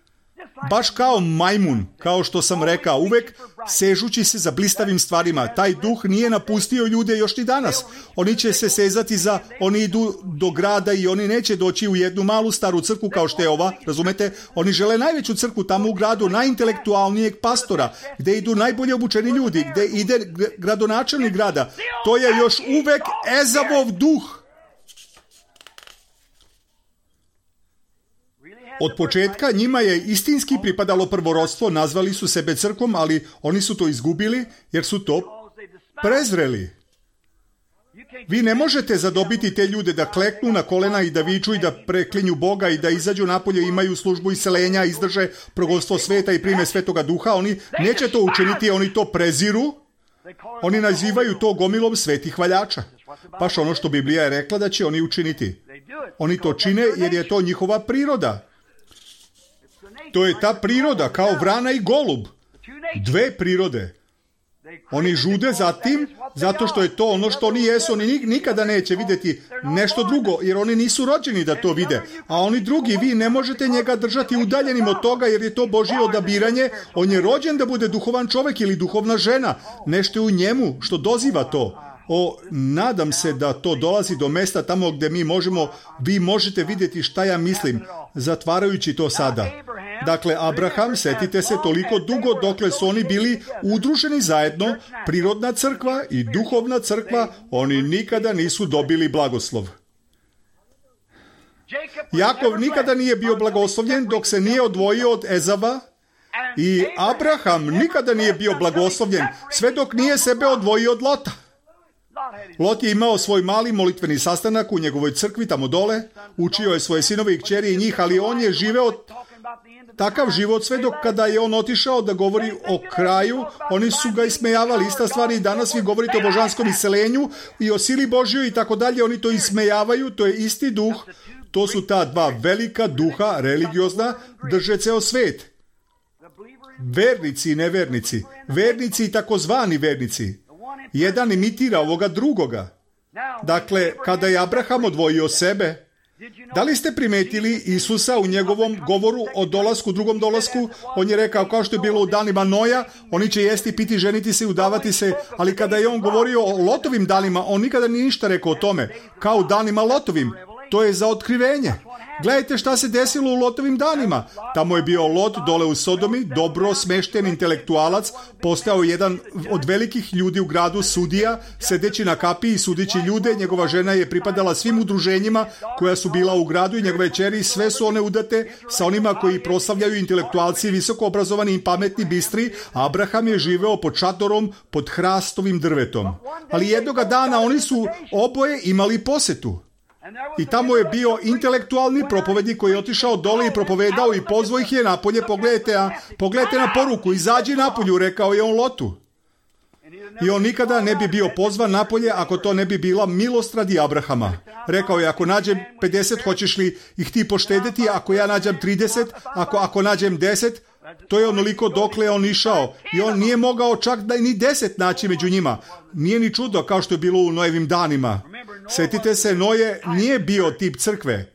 Baš kao majmun, kao što sam rekao, uvek sežući se za blistavim stvarima. Taj duh nije napustio ljude još ni danas. Oni će se sezati za, oni idu do grada i oni neće doći u jednu malu staru crkvu kao što je ova, razumete? Oni žele najveću crkvu tamo u gradu, najintelektualnijeg pastora, gde idu najbolje obučeni ljudi, gde ide gradonačelnik grada. To je još uvek Ezavov duh. Od početka njima je istinski pripadalo prvorodstvo, nazvali su sebe crkvom, ali oni su to izgubili jer su to prezreli. Vi ne možete zadobiti te ljude da kleknu na kolena i da viču i da preklinju Boga i da izađu napolje, imaju službu isceljenja, izdrže progolstvo sveta i prime Svetoga Duha. Oni neće to učiniti, oni to preziru. Oni nazivaju to gomilom svetih hvaljača. Baš ono što Biblija je rekla da će oni učiniti. Oni to čine jer je to njihova priroda. To je ta priroda, kao vrana i golub. Dve prirode. Oni žude za tim, zato što je to ono što oni jesu. Oni nikada neće vidjeti nešto drugo, jer oni nisu rođeni da to vide. A oni drugi, vi ne možete njega držati udaljenim od toga, jer je to Božje odabiranje. On je rođen da bude duhovan čovjek ili duhovna žena. Nešto je u njemu što doziva to. O, nadam se da to dolazi do mesta tamo gdje mi možemo, vi možete vidjeti šta ja mislim, zatvarajući to sada. Dakle, Abraham, setite se, toliko dugo dokle su oni bili udruženi zajedno, prirodna crkva i duhovna crkva, oni nikada nisu dobili blagoslov. Jakov nikada nije bio blagoslovljen dok se nije odvojio od Ezava, i Abraham nikada nije bio blagoslovljen sve dok nije sebe odvojio od Lota. Lot je imao svoj mali molitveni sastanak u njegovoj crkvi tamo dole, učio je svoje sinove i kćeri i njih, ali on je živeo takav život sve dok kada je on otišao da govori o kraju, oni su ga ismejavali. Ista stvar i danas vi govorite o božanskom iscelenju i o sili Božjoj i tako dalje, oni to ismejavaju, to je isti duh, to su ta dva velika duha, religiozna, drže ceo svet. Vernici i nevernici, vernici i takozvani vernici. Jedan imitira ovoga drugoga. Dakle, kada je Abraham odvojio sebe, da li ste primetili Isusa u njegovom govoru o dolasku, drugom dolasku? On je rekao, kao što je bilo u danima Noja, oni će jesti, piti, ženiti se i udavati se, ali kada je on govorio o Lotovim danima, on nikada nije ništa rekao o tome, kao u danima Lotovim. To je za otkrivenje. Gledajte šta se desilo u Lotovim danima. Tamo je bio Lot dole u Sodomi, dobro smešten intelektualac, postao jedan od velikih ljudi u gradu, sudija, sedeći na kapiji i sudići ljude. Njegova žena je pripadala svim udruženjima koja su bila u gradu i njegove ćeri, sve su one udate sa onima koji proslavljaju intelektualci, visoko obrazovani i pametni, bistri. Abraham je živeo pod šatorom, pod hrastovim drvetom. Ali jednoga dana oni su oboje imali posetu. I tamo je bio intelektualni propovednik koji je otišao dole i propovedao i pozvao ih je napolje. Pogledajte, a, pogledajte na poruku, izađi napolju, rekao je on Lotu. I on nikada ne bi bio pozvan napolje ako to ne bi bila milost radi Abrahama. Rekao je, ako nađem pedeset, hoćeš li ih ti poštedeti? Ako ja nađem trideset, ako, ako nađem deset, to je onoliko dokle je on išao. I on nije mogao čak da ni deset naći među njima. Nije ni čudo kao što je bilo u Nojevim danima. Sjetite se, Noje nije bio tip crkve.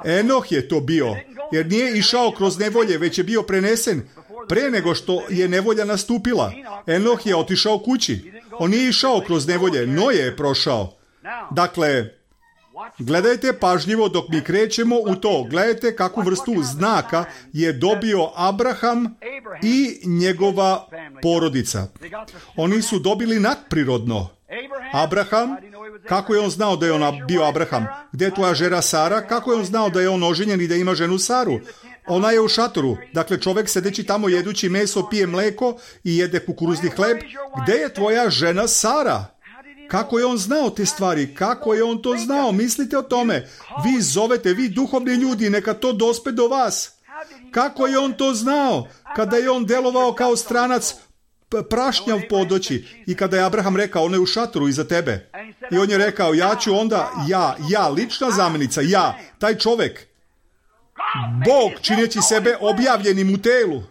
Enoh je to bio, jer nije išao kroz nevolje, već je bio prenesen pre nego što je nevolja nastupila. Enoh je otišao kući. On nije išao kroz nevolje, Noje je prošao. Dakle, gledajte pažljivo dok mi krećemo u to. Gledajte kakvu vrstu znaka je dobio Abraham i njegova porodica. Oni su dobili nadprirodno. Abraham, kako je on znao da je on bio Abraham? Gdje je tvoja žena Sara? Kako je on znao da je on oženjen i da ima ženu Saru? Ona je u šatoru. Dakle, čovjek sedeći tamo jedući meso, pije mleko i jede kukuruzni hleb. Gdje je tvoja žena Sara? Kako je on znao te stvari? Kako je on to znao? Mislite o tome. Vi zovete, vi duhovni ljudi, neka to dospe do vas. Kako je on to znao? Kada je on delovao kao stranac, prašnjav podoći, i kada je Abraham rekao, on je u šatoru iza tebe. I on je rekao, ja ću onda, ja, ja, lična zamjenica, ja, taj čovjek, Bog čineći sebe objavljenim u telu.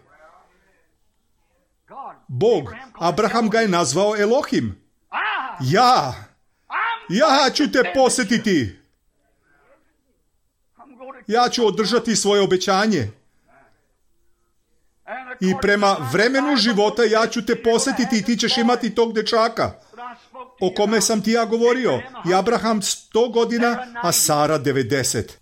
Bog, Abraham ga je nazvao Elohim. Ja, ja ću te posjetiti. Ja ću održati svoje obećanje. I prema vremenu života ja ću te posjetiti i ti ćeš imati tog dečaka o kome sam ti ja govorio. I Abraham sto godina, a Sara devedeset.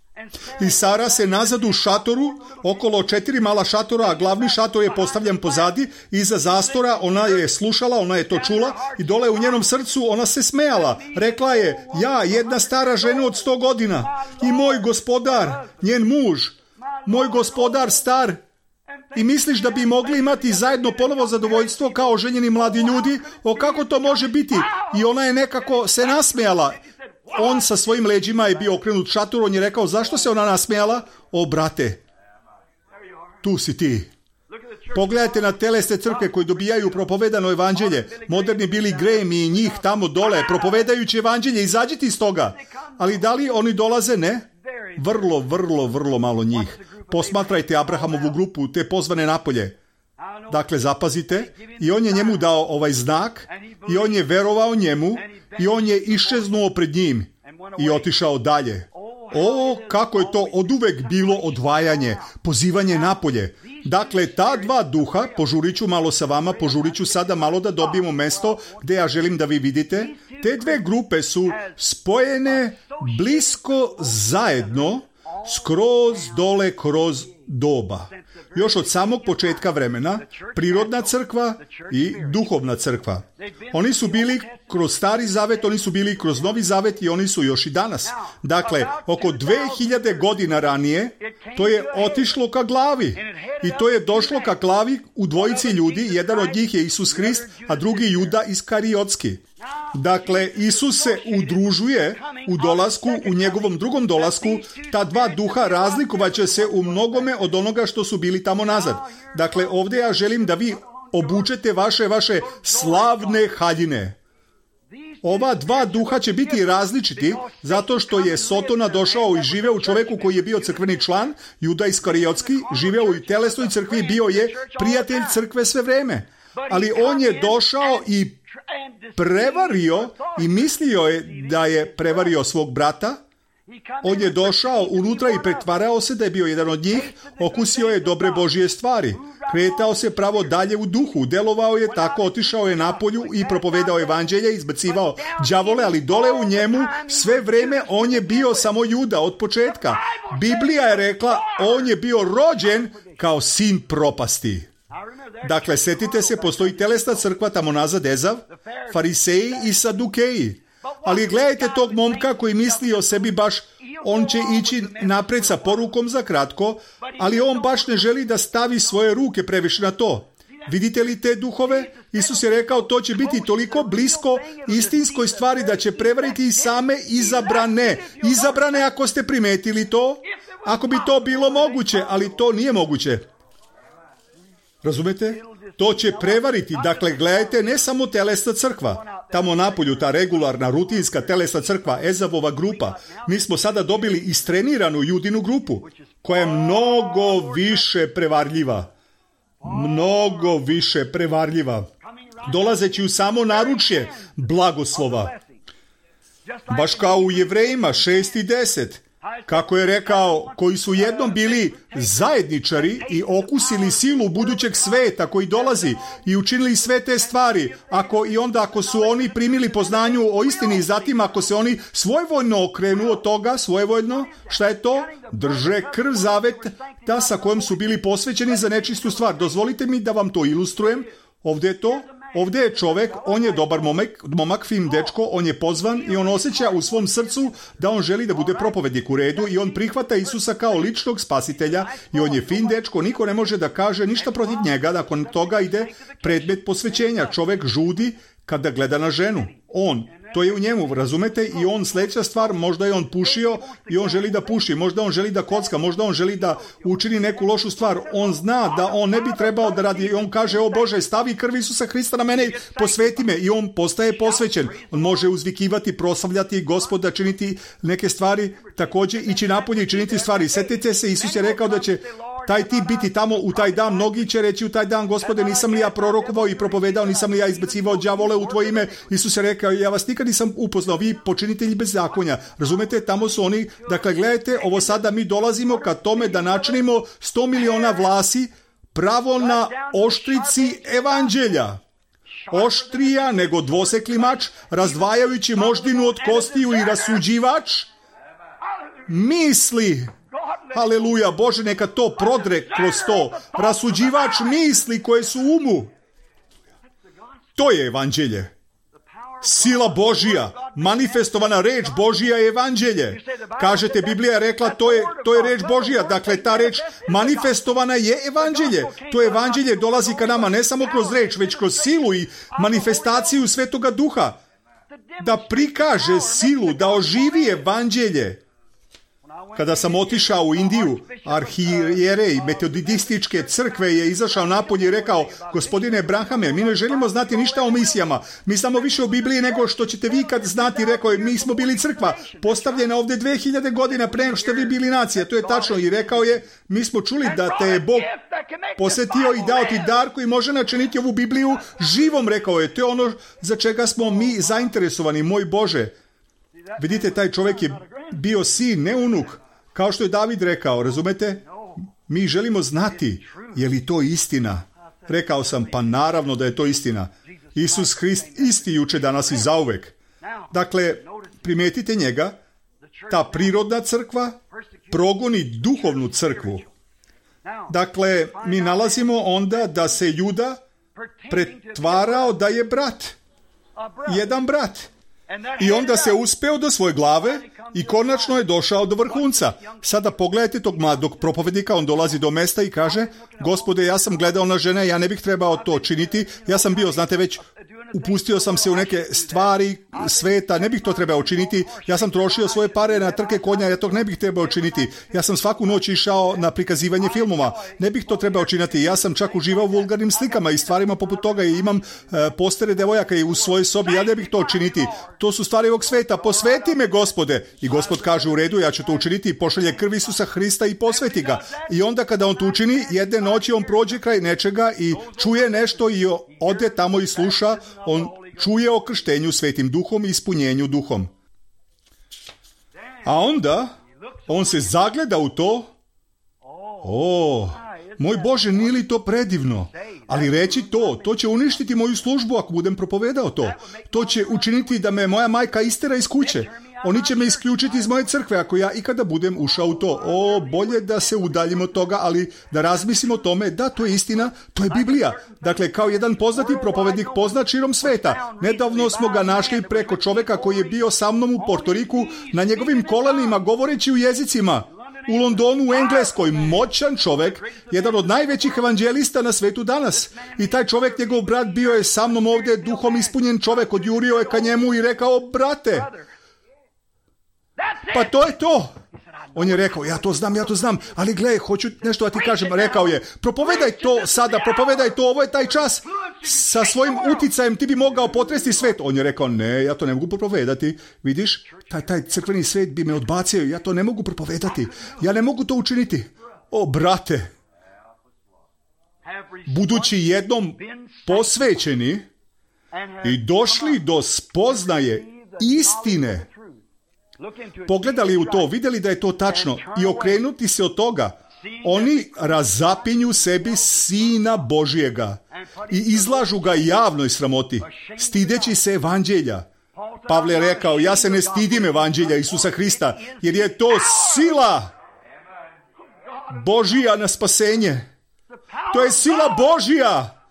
I Sara se nazad u šatoru, okolo četiri mala šatora, a glavni šator je postavljen pozadi, iza zastora. Ona je slušala, ona je to čula i dole u njenom srcu ona se smejala. Rekla je, ja, jedna stara žena od sto godina i moj gospodar, njen muž, moj gospodar star. I misliš da bi mogli imati zajedno ponovo zadovoljstvo kao ženjeni mladi ljudi? O, kako to može biti? I ona je nekako se nasmejala. On sa svojim leđima je bio okrenut šatoru, on je rekao, zašto se ona nasmejala? O, brate, tu si ti. Pogledajte na telesne crkve koji dobijaju propovedano evanđelje. Moderni Billy Graham i njih tamo dole, propovedajući evanđelje, izađite iz toga. Ali da li oni dolaze? Ne. Vrlo, vrlo, vrlo malo njih. Posmatrajte Abrahamovu grupu, te pozvane napolje. Dakle, zapazite, i on je njemu dao ovaj znak, i on je verovao njemu, i on je iščeznuo pred njim i otišao dalje. O, kako je to oduvek bilo odvajanje, pozivanje napolje. Dakle, ta dva duha, požurit ću malo sa vama, požurit ću sada malo da dobijemo mesto gde ja želim da vi vidite, te dve grupe su spojene blisko zajedno, skroz dole kroz doba. Još od samog početka vremena, prirodna crkva i duhovna crkva. Oni su bili kroz Stari Zavet, oni su bili kroz Novi Zavet i oni su još i danas. Dakle, oko dve hiljade godina ranije, to je otišlo ka glavi. I to je došlo ka glavi u dvojici ljudi, jedan od njih je Isus Hrist, a drugi Juda Iskariotski. Dakle, Isus se udružuje u dolasku, u njegovom drugom dolasku, ta dva duha razlikovaće se u mnogome od onoga što su bili tamo nazad. Dakle, ovdje ja želim da vi obučete vaše, vaše slavne haljine. Ova dva duha će biti različiti zato što je Sotona došao i živeo u čoveku koji je bio crkveni član, Juda Iskariotski, živeo u telesnoj crkvi, bio je prijatelj crkve sve vreme. Ali on je došao i prevario i mislio je da je prevario svog brata. On je došao unutra i pretvarao se da je bio jedan od njih, okusio je dobre Božje stvari, kretao se pravo dalje u duhu, delovao je tako, otišao je napolju i propovedao evanđelje, izbacivao đavole, ali dole u njemu sve vreme on je bio samo Juda od početka. Biblija je rekla, on je bio rođen kao sin propasti. Dakle, setite se, postoji telesna crkva tamo nazad, Ezav, fariseji i sadukeji. Ali gledajte tog momka koji misli o sebi baš, on će ići napred sa porukom za kratko, ali on baš ne želi da stavi svoje ruke previše na to. Vidite li te duhove? Isus je rekao, to će biti toliko blisko istinskoj stvari da će prevariti i same izabrane. Izabrane, ako ste primetili to, ako bi to bilo moguće, ali to nije moguće. Razumete? To će prevariti. Dakle, gledajte, ne samo telesna crkva. Tamo napolju, ta regularna, rutinska telesna crkva, Ezavova grupa. Mi smo sada dobili istreniranu Judinu grupu, koja je mnogo više prevarljiva. Mnogo više prevarljiva. Dolazeći u samo naručje blagoslova. Baš kao u Jevrejima šest i deset. Kako je rekao, koji su jednom bili zajedničari i okusili silu budućeg sveta koji dolazi i učinili sve te stvari, ako i onda ako su oni primili poznanju o istini i zatim ako se oni svojevoljno okrenu od toga, svojevoljno, šta je to? Drže krv zaveta sa kojom su bili posvećeni za nečistu stvar. Dozvolite mi da vam to ilustrujem. Ovdje je to. Ovdje je čovjek, on je dobar momak, momak, fin dečko, on je pozvan i on osjeća u svom srcu da on želi da bude propovednik u redu i on prihvata Isusa kao ličnog spasitelja i on je fin dečko, niko ne može da kaže ništa protiv njega, nakon toga ide predmet posvećenja. Čovjek žudi kada gleda na ženu. On, to je u njemu, razumete? I on sljedeća stvar, možda je on pušio i on želi da puši, možda on želi da kocka, možda on želi da učini neku lošu stvar. On zna da on ne bi trebao da radi i on kaže, o Bože, stavi krv Isusa Hrista na mene, posveti me i on postaje posvećen. On može uzvikivati, proslavljati Gospoda, činiti neke stvari, također ići napolje i činiti stvari. Sjetite se, Isus je rekao da će taj tip biti tamo u taj dan, mnogi će reći u taj dan, Gospode, nisam li ja prorokovao i propovedao, nisam li ja izbacivao đavole u tvoje ime. Isus je rekao, ja vas nikad nisam upoznao, vi počinitelji bezakonja. Razumete, tamo su oni. Dakle, gledajte, ovo sada mi dolazimo ka tome da načinimo sto miliona vlasi pravo na oštrici evanđelja. Oštrija nego dvosekli mač, razdvajajući moždinu od kostiju i rasuđivač misli. Haleluja, Bože, neka to prodre kroz to. Rasuđivač misli koje su u umu. To je evanđelje. Sila Božija, manifestovana reč Božija je evanđelje. Kažete, Biblija je rekla, to je, to je reč Božija. Dakle, ta reč manifestovana je evanđelje. To evanđelje dolazi ka nama ne samo kroz reč, već kroz silu i manifestaciju Svetoga Duha. Da prikaže silu, da oživi evanđelje. Kada sam otišao u Indiju, arhijerej metodističke crkve je izašao napolje i rekao: gospodine Branhame, mi ne želimo znati ništa o misijama. Mi znamo više o Bibliji nego što ćete vi kad znati. Rekao je: mi smo bili crkva, postavljena ovdje dve hiljade godina pre nego što vi bili nacija. To je tačno. I rekao je: mi smo čuli da te je Bog posvetio i dao ti dar koji može načiniti ovu Bibliju živom. Rekao je: to je ono za čega smo mi zainteresovani, moj Bože. Vidite, taj čovjek je bio sin, ne unuk, kao što je David rekao, razumete? Mi želimo znati, je li to istina? Rekao sam: pa naravno da je to istina. Isus Hrist isti juče, danas i zauvek. Dakle, primijetite njega, ta prirodna crkva progoni duhovnu crkvu. Dakle, mi nalazimo onda da se Juda pretvarao da je brat. Jedan brat. I onda se uspeo do svoje glave i konačno je došao do vrhunca. Sada pogledajte tog mladog propovednika, on dolazi do mesta i kaže: gospode, ja sam gledao na žene, ja ne bih trebao to činiti, ja sam bio, znate već, upustio sam se u neke stvari sveta, ne bih to trebao činiti, ja sam trošio svoje pare na trke konja, ja to ne bih trebao činiti, ja sam svaku noć išao na prikazivanje filmova, ne bih to trebao činiti, ja sam čak uživao u vulgarnim slikama i stvarima poput toga i imam e, postere devojaka i u svojoj sobi, ja ne bih to činiti, to su stvari ovog sveta, posveti me, gospode. I Gospod kaže: u redu, ja ću to učiniti, i pošalje krv Isusa Hrista i posveti ga. I onda kada on to učini, jedne noći on prođe kraj nečega i čuje nešto i ode tamo i sluša, on čuje o krštenju Svetim Duhom i ispunjenju Duhom. A onda on se zagleda u to. O, moj Bože, nije li to predivno? Ali reći to, to će uništiti moju službu ako budem propovedao to. To će učiniti da me moja majka istera iz kuće. Oni će me isključiti iz moje crkve ako ja ikada budem ušao u to. O, bolje da se udaljimo od toga, ali da razmislimo o tome da to je istina, to je Biblija. Dakle, kao jedan poznati propovednik poznat širom sveta. Nedavno smo ga našli preko čoveka koji je bio sa mnom u Portoriku na njegovim kolenima govoreći u jezicima. U Londonu, u Engleskoj, moćan čovjek, jedan od najvećih evanđelista na svetu danas. I taj čovjek, njegov brat, bio je sa mnom ovdje, duhom ispunjen čovjek, odjurio je ka njemu i rekao: brate, pa to je to. On je rekao: ja to znam, ja to znam, ali gle, hoću nešto da ti kažem. Rekao je: propovedaj to sada, propovedaj to, ovo je taj čas. Sa svojim uticajem ti bi mogao potresti svet. On je rekao: ne, ja to ne mogu propovedati. Vidiš, taj, taj crkveni svet bi me odbacio, ja to ne mogu propovedati. Ja ne mogu to učiniti. O, brate, budući jednom posvećeni i došli do spoznaje istine, pogledali u to, vidjeli da je to tačno i okrenuti se od toga, oni razapinju sebi Sina Božijega i izlažu ga javnoj sramoti, stideći se evanđelja. Pavle je rekao: ja se ne stidim evanđelja Isusa Hrista, jer je to sila Božija na spasenje. To je sila Božija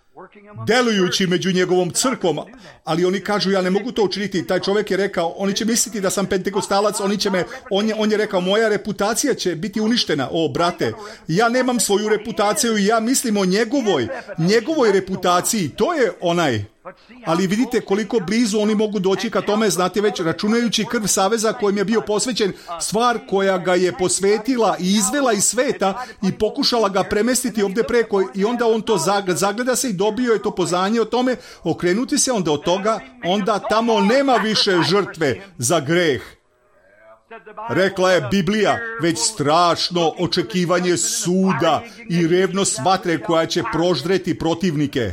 delujući među njegovom crkvom, ali oni kažu: ja ne mogu to učiniti. Taj čovjek je rekao: oni će misliti da sam pentekostalac, oni će me, on je, on je rekao: moja reputacija će biti uništena. O, brate, ja nemam svoju reputaciju i ja mislim o njegovoj, njegovoj reputaciji, to je onaj. Ali vidite koliko blizu oni mogu doći ka tome, znate već, računajući krv saveza kojim je bio posvećen, stvar koja ga je posvetila i izvela iz sveta i pokušala ga premestiti ovdje preko, i onda on to zagleda se i dobio je to poznanje o tome, okrenuti se onda od toga, onda tamo nema više žrtve za greh. Rekla je Biblija, već strašno očekivanje suda i revnost vatre koja će proždreti protivnike.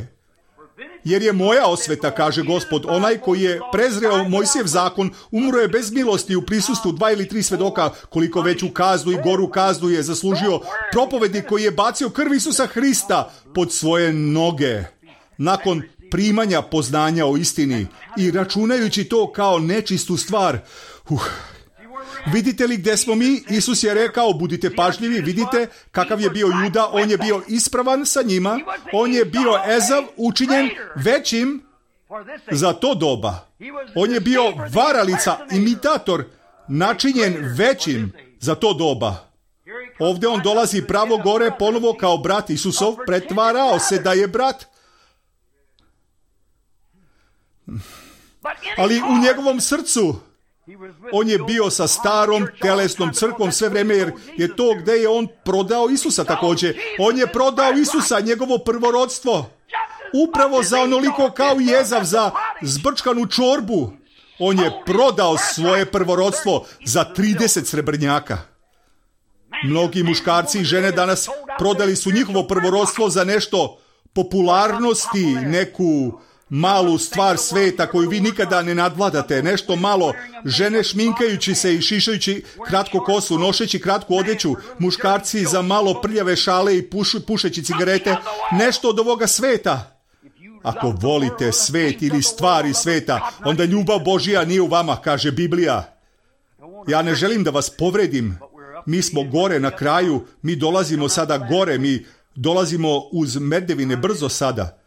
Jer je moja osveta, kaže Gospod, onaj koji je prezreo Mojsijev zakon, umro je bez milosti u prisustvu dva ili tri svedoka, koliko veću kaznu i goru kaznu je zaslužio propovednik koji je bacio krv Isusa Hrista pod svoje noge, nakon primanja poznanja o istini i računajući to kao nečistu stvar. Uh. Vidite li gdje smo mi? Isus je rekao: budite pažljivi, vidite kakav je bio Juda, on je bio ispravan sa njima, on je bio Ezav učinjen većim za to doba. On je bio varalica, imitator, načinjen većim za to doba. Ovdje on dolazi pravo gore ponovo kao brat Isusov, pretvarao se da je brat. Ali u njegovom srcu On je bio sa starom telesnom crkvom sve vreme, jer je to gde je on prodao Isusa također. On je prodao Isusa, njegovo prvorodstvo. Upravo za onoliko kao i Ezav za zbrčkanu čorbu. On je prodao svoje prvorodstvo za trideset srebrnjaka. Mnogi muškarci i žene danas prodali su njihovo prvorodstvo za nešto popularnosti, neku malu stvar sveta koju vi nikada ne nadvladate, nešto malo, žene šminkajući se i šišajući kratku kosu, nošeći kratku odeću, muškarci za malo prljave šale i puš, pušeći cigarete, nešto od ovoga sveta. Ako volite svet ili stvari sveta, onda ljubav Božja nije u vama, kaže Biblija. Ja ne želim da vas povredim. Mi smo gore na kraju, mi dolazimo sada gore, mi dolazimo uz merdevine brzo sada.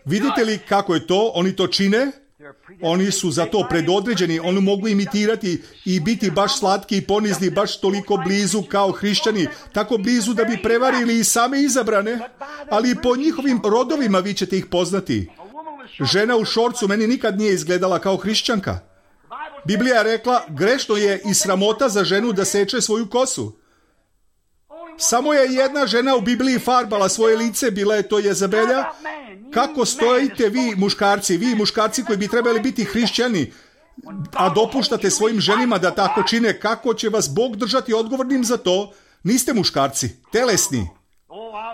Vidite li kako je to? Oni to čine? Oni su za to predodređeni, oni mogu imitirati i biti baš slatki i ponizni, baš toliko blizu kao hrišćani, tako blizu da bi prevarili i same izabrane, ali po njihovim rodovima vi ćete ih poznati. Žena u šorcu meni nikad nije izgledala kao hrišćanka. Biblija je rekla, grešno je i sramota za ženu da seče svoju kosu. Samo je jedna žena u Bibliji farbala svoje lice, bila je to Jezabelja. Kako stojite vi muškarci, vi muškarci koji bi trebali biti hrišćani, a dopuštate svojim ženima da tako čine, kako će vas Bog držati odgovornim za to? Niste muškarci, telesni.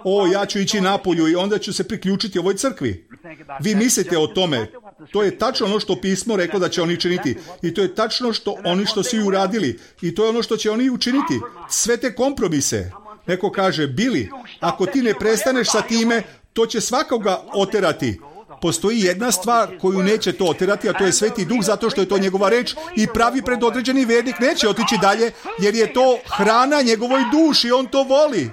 O, ja ću ići napolju i onda ću se priključiti ovoj crkvi. Vi mislite o tome. To je tačno ono što pismo reklo da će oni činiti. I to je tačno što oni što su i uradili. I to je ono što će oni učiniti. Sve te kompromise. Neko kaže, Bili, ako ti ne prestaneš sa time, to će svakoga oterati. Postoji jedna stvar koju neće to oterati, a to je Sveti Duh, zato što je to njegova reč i pravi predodređeni vernik neće otići dalje, jer je to hrana njegovoj duši, on to voli.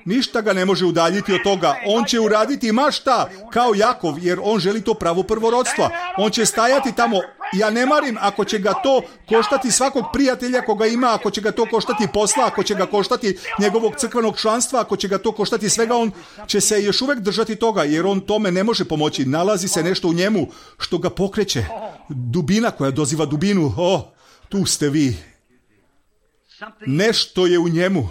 Ništa ga ne može udaljiti od toga. On će uraditi ma šta, kao Jakov, jer on želi to pravo prvorodstva. On će stajati tamo. Ja ne marim ako će ga to koštati svakog prijatelja koga ima, ako će ga to koštati posla, ako će ga koštati njegovog crkvenog članstva, ako će ga to koštati svega, on će se još uvek držati toga, jer on tome ne može pomoći. Nalazi se nešto u njemu što ga pokreće. Dubina koja doziva dubinu. O, tu ste vi. Nešto je u njemu.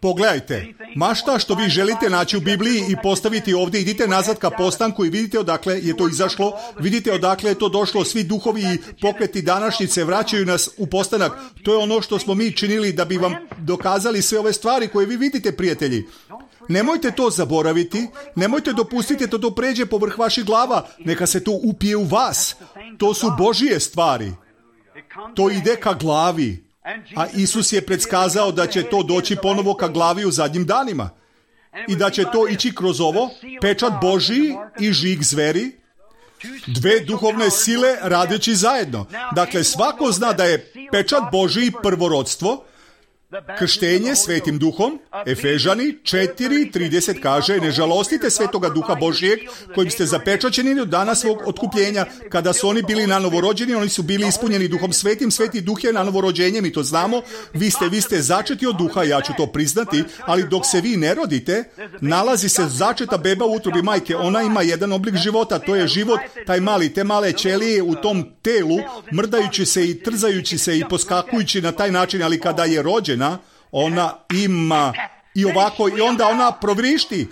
Pogledajte, ma šta što vi želite naći u Bibliji i postaviti ovdje, idite nazad ka postanku i vidite odakle je to izašlo, vidite odakle je to došlo, svi duhovi i pokreti današnjice vraćaju nas u postanak. To je ono što smo mi činili da bi vam dokazali sve ove stvari koje vi vidite, prijatelji. Nemojte to zaboraviti, nemojte dopustiti da to pređe povrh vaših glava, neka se to upije u vas. To su Božije stvari. To ide ka glavi. A Isus je predskazao da će to doći ponovo ka glavi u zadnjim danima. I da će to ići kroz ovo, pečat Božiji i žig zveri, dve duhovne sile radeći zajedno. Dakle, svako zna da je pečat Božiji prvorodstvo, krštenje Svetim Duhom. Efežani četiri trideset kaže, ne žalostite Svetoga Duha Božijeg kojim ste zapečaćeni do dana svog otkupljenja. Kada su oni bili na novorođeni, oni su bili ispunjeni Duhom Svetim. Sveti Duh je na novorođenje, mi to znamo. Vi ste, vi ste začeti od Duha, ja ću to priznati, ali dok se vi ne rodite, nalazi se začeta beba u utrobi majke. Ona ima jedan oblik života, to je život, taj mali, te male ćelije u tom telu, mrdajući se i trzajući se i poskakujući na taj način, ali kada je rođena, ona ima i ovako, i onda ona provrišti,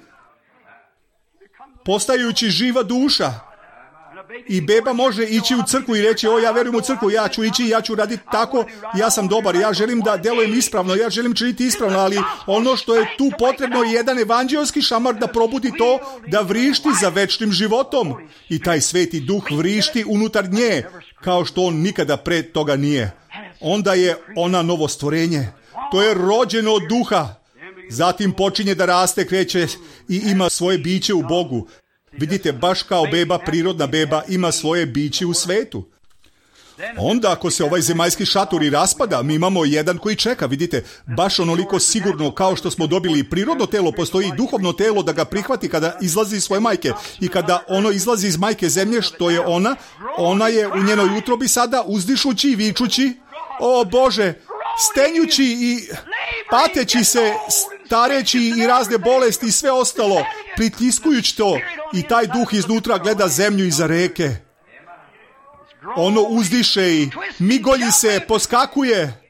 postajući živa duša. I beba može ići u crkvu i reći, o, ja verujem u crkvu, ja ću ići, ja ću raditi tako, ja sam dobar, ja želim da delujem ispravno, ja želim činiti ispravno, ali ono što je tu potrebno je jedan evanđelski šamar da probudi to, da vrišti za večnim životom. I taj Sveti Duh vrišti unutar nje, kao što on nikada pre toga nije. Onda je ona novo stvorenje. To je rođeno od Duha. Zatim počinje da raste, kreće i ima svoje biće u Bogu. Vidite, baš kao beba, prirodna beba, ima svoje biće u svetu. Onda ako se ovaj zemaljski šator i raspada, mi imamo jedan koji čeka, vidite, baš onoliko sigurno kao što smo dobili prirodno telo, postoji duhovno telo da ga prihvati kada izlazi iz svoje majke. I kada ono izlazi iz majke zemlje, što je ona, ona je u njenoj utrobi sada uzdišući i vičući, o Bože, stenjući i pateći se, stareći i razne bolesti i sve ostalo, pritiskujući to, i taj duh iznutra gleda zemlju iza reke. ono uzdiše i migolji se, poskakuje.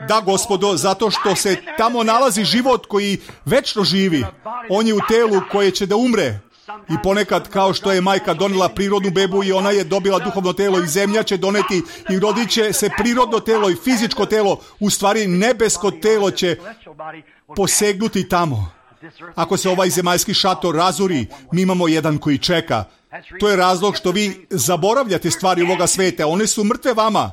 Da, Gospodo, zato što se tamo nalazi život koji večno živi. On je u telu koje će da umre. I ponekad, kao što je majka donela prirodnu bebu i ona je dobila duhovno telo i zemlja će doneti i rodit će se prirodno telo i fizičko telo, u stvari nebesko telo će posegnuti tamo. Ako se ovaj zemaljski šator razori, mi imamo jedan koji čeka. To je razlog što vi zaboravljate stvari ovoga sveta. One su mrtve vama.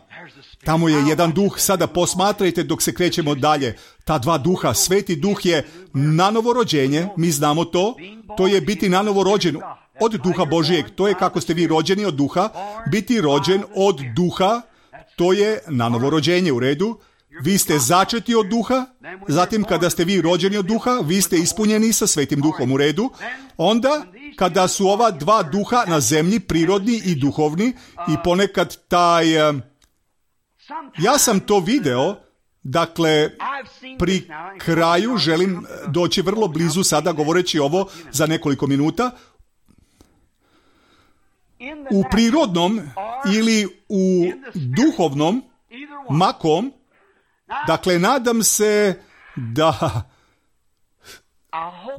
Tamo je jedan duh, sada posmatrajte dok se krećemo dalje. Ta dva duha, sveti duh je nanovo rođenje, mi znamo to, to je biti nanovo rođen od duha Božijeg. To je kako ste vi rođeni od duha, biti rođen od duha, to je nanovo rođenje, u redu. Vi ste začeti od duha, zatim kada ste vi rođeni od duha, vi ste ispunjeni sa svetim duhom, u redu. Onda, kada su ova dva duha na zemlji, prirodni i duhovni, i ponekad taj... Ja sam to video, dakle, pri kraju želim doći vrlo blizu sada govoreći ovo za nekoliko minuta. U prirodnom ili u duhovnom, makom, dakle, nadam se da,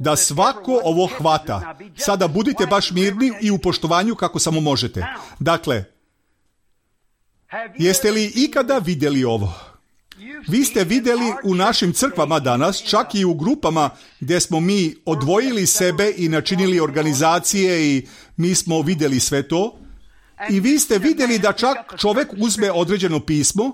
da svako ovo hvata. Sada budite baš mirni i u poštovanju kako samo možete. Dakle, jeste li ikada vidjeli ovo? Vi ste vidjeli u našim crkvama danas, čak i u grupama gdje smo mi odvojili sebe i načinili organizacije i mi smo vidjeli sve to. I vi ste vidjeli da čak čovjek uzme određeno pismo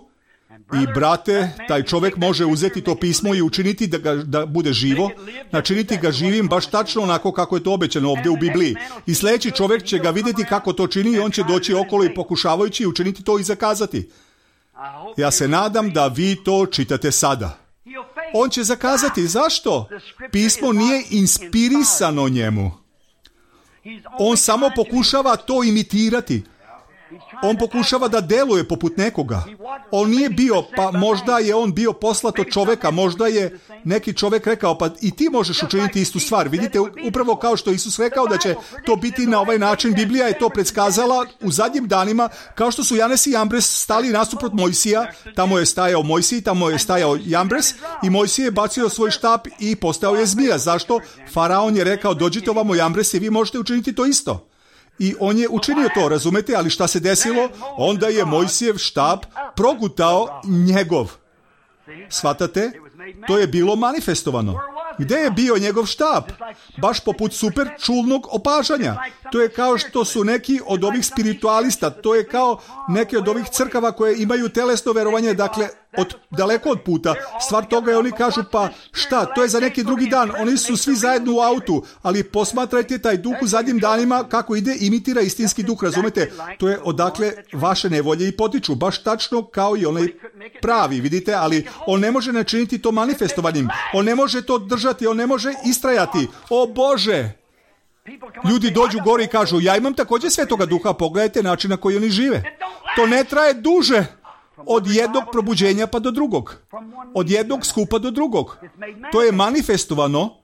i, brate, taj čovjek može uzeti to pismo i učiniti da, ga, da bude živo, načiniti ga živim baš tačno onako kako je to obećano ovdje u Bibliji. I sljedeći čovjek će ga vidjeti kako to čini i on će doći okolo i pokušavajući učiniti to i zakazati. Ja se nadam da vi to čitate sada. On će zakazati. Zašto? Pismo nije inspirisano njemu. On samo pokušava to imitirati. On pokušava da deluje poput nekoga. On nije bio, pa možda je on bio poslat od čoveka, možda je neki čovek rekao, pa i ti možeš učiniti istu stvar. Vidite, upravo kao što Isus rekao da će to biti na ovaj način, Biblija je to predskazala u zadnjim danima, kao što su Janes i Jambres stali nasuprot Mojsija. Tamo je stajao Mojsij, tamo je stajao Jambres i Mojsij je bacio svoj štap i postao je zmija. Zašto? Faraon je rekao, dođite ovamo Jambres i vi možete učiniti to isto. I on je učinio to, razumete, ali šta se desilo? Onda je Mojsijev štap progutao njegov. Shvatate? To je bilo manifestovano. Gdje je bio njegov štap? Baš poput super čulnog opažanja. To je kao što su neki od ovih spiritualista, to je kao neke od ovih crkava koje imaju telesno verovanje, dakle, od, daleko od puta. Stvar toga je, oni kažu, pa šta, to je za neki drugi dan, oni su svi zajedno u autu, ali posmatrajte taj duh u zadnjim danima kako ide, imitira istinski duh, razumete? To je odakle vaše nevolje i potiču, baš tačno kao i onaj pravi, vidite, ali on ne može načiniti to manifestovanjem, on ne može to držati, on ne može istrajati. O Bože! Ljudi dođu gore i kažu, ja imam također Svetoga Duha, pogledajte način na koji oni žive. To ne traje duže od jednog probuđenja pa do drugog. Od jednog skupa do drugog. To je manifestovano.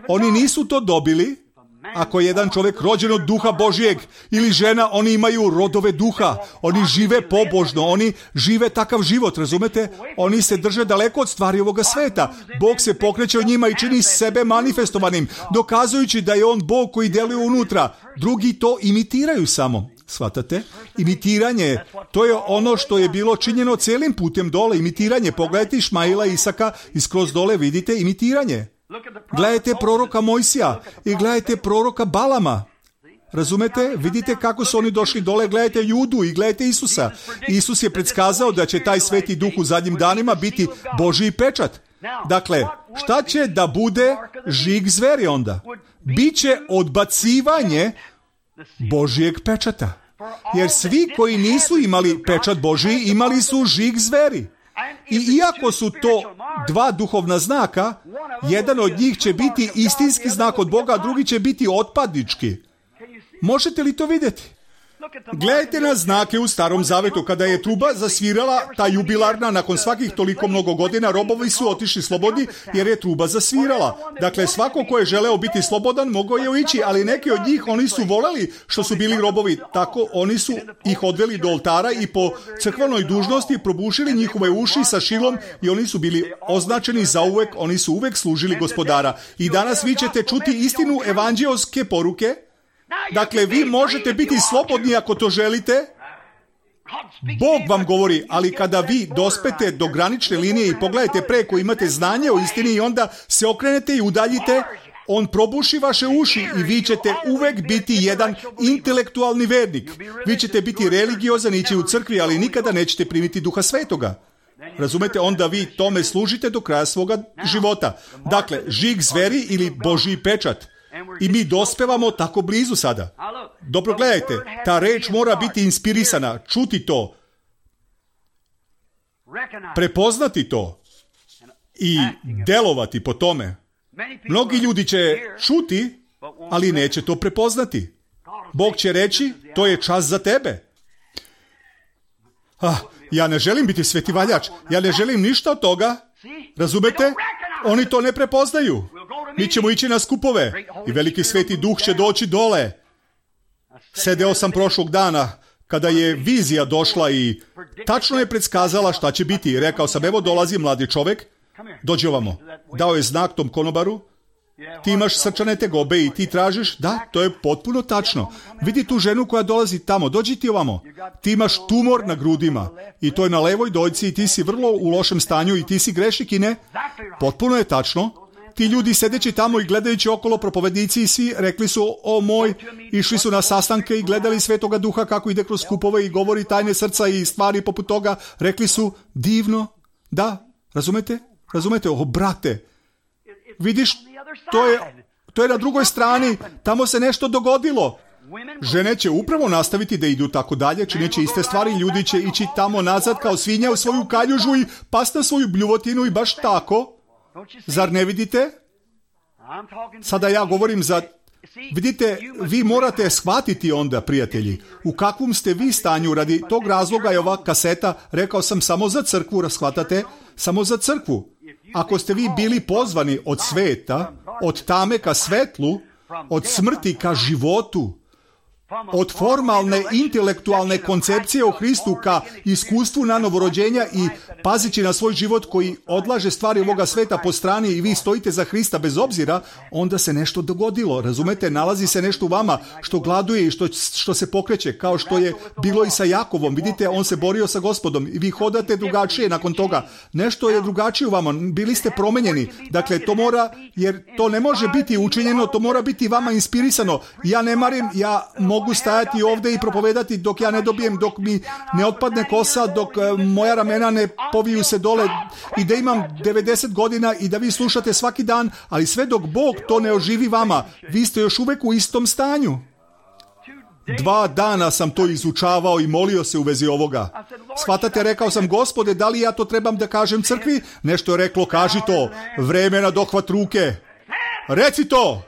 Oni nisu to dobili. Ako je jedan čovjek rođen od Duha Božijeg ili žena, oni imaju rodove duha. Oni žive pobožno, oni žive takav život, razumete? Oni se drže daleko od stvari ovoga sveta. Bog se pokreće u njima i čini sebe manifestovanim, dokazujući da je on Bog koji deluje unutra. Drugi to imitiraju samo. Shvatate? Imitiranje, to je ono što je bilo činjeno cijelim putem dole. Imitiranje, pogledajte Išmaila, Isaka i skroz dole vidite imitiranje. Gledajte proroka Mojsija i gledajte proroka Balama. Razumete? Vidite kako su oni došli dole, gledajte Judu i gledajte Isusa. Isus je predskazao da će taj sveti duh u zadnjim danima biti Božji pečat. Dakle, šta će da bude žig zveri onda? Biće odbacivanje Božijeg pečata. Jer svi koji nisu imali pečat Božji, imali su žig zveri. I iako su to dva duhovna znaka, jedan od njih će biti istinski znak od Boga, a drugi će biti otpadnički. Možete li to vidjeti? Gledajte na znake u Starom Zavetu. Kada je truba zasvirala, ta jubilarna, nakon svakih toliko mnogo godina, robovi su otišli slobodni jer je truba zasvirala. Dakle, svako ko je želeo biti slobodan, mogao je ići, ali neki od njih, oni su voleli što su bili robovi. Tako, oni su ih odveli do oltara i po crkvenoj dužnosti probušili njihove uši sa šilom i oni su bili označeni za uvek, oni su uvek služili Gospodara. I danas vi ćete čuti istinu evanđelske poruke. Dakle, vi možete biti slobodni ako to želite. Bog vam govori, ali kada vi dospete do granične linije i pogledajte preko, imate znanje o istini i onda se okrenete i udaljite, on probuši vaše uši i vi ćete uvek biti jedan intelektualni vernik. Vi ćete biti religiozan, ići u crkvi, ali nikada nećete primiti Duha Svetoga. Razumete, onda vi tome služite do kraja svoga života. Dakle, žig zveri ili Božji pečat. I mi dospevamo tako blizu sada. Dobro, gledajte, ta reč mora biti inspirisana, čuti to, prepoznati to i delovati po tome. Mnogi ljudi će čuti, ali neće to prepoznati. Bog će reći, to je čas za tebe. Ah, ja ne želim biti svetivaljač, ja ne želim ništa od toga. Razumete? Oni to ne prepoznaju. Mi ćemo ići na skupove i veliki sveti duh će doći dole. Sedeo sam prošlog dana kada je vizija došla i tačno je predskazala šta će biti. Rekao sam, evo dolazi mladi čovjek, dođi ovamo. Dao je znak tom konobaru. Ti imaš srčane tegobe i ti tražiš? Da, to je potpuno tačno. Vidi tu ženu koja dolazi tamo, dođi ti ovamo. Ti imaš tumor na grudima i to je na levoj dojci i ti si vrlo u lošem stanju i ti si grešnik i ne? Potpuno je tačno. Ti ljudi sedeći tamo i gledajući okolo, propovednici i svi rekli su, o moj, išli su na sastanke i gledali Svetoga Duha kako ide kroz skupove i govori tajne srca i stvari poput toga. Rekli su, divno. Da, razumete? Razumete? O, brate, vidiš, to je, to je na drugoj strani, tamo se nešto dogodilo. Žene će upravo nastaviti da idu tako dalje, čineći iste stvari, ljudi će ići tamo nazad kao svinja u svoju kaljužu i pas na svoju bljuvotinu i baš tako. Zar ne vidite? Sada ja govorim za... Vidite, vi morate shvatiti onda, prijatelji, u kakvom ste vi stanju. Radi tog razloga je ova kaseta, rekao sam, samo za crkvu, shvatate? Samo za crkvu. Ako ste vi bili pozvani od sveta, od tame ka svetlu, od smrti ka životu, od formalne intelektualne koncepcije o Hristu ka iskustvu na novorođenja i pazići na svoj život koji odlaže stvari ovoga sveta po strani i vi stojite za Hrista bez obzira, onda se nešto dogodilo. Razumete, nalazi se nešto u vama što gladuje i što, što se pokreće, kao što je bilo i sa Jakovom. Vidite, on se borio sa Gospodom i vi hodate drugačije nakon toga. Nešto je drugačije u vama, bili ste promenjeni. Dakle, to mora, jer to ne može biti učinjeno, to mora biti vama inspirisano. Ja ne marim, ja mogu stajati ovdje i propovedati dok ja ne dobijem, dok mi ne otpadne kosa, dok moja ramena ne poviju se dole i da imam devedeset godina i da vi slušate svaki dan, ali sve dok Bog to ne oživi vama, vi ste još uvek u istom stanju. Dva dana sam to izučavao i molio se u vezi ovoga. Shvatate, rekao sam, Gospode, da li ja to trebam da kažem crkvi? Nešto je reklo, kaži to, vreme na dohvat ruke. Reci to!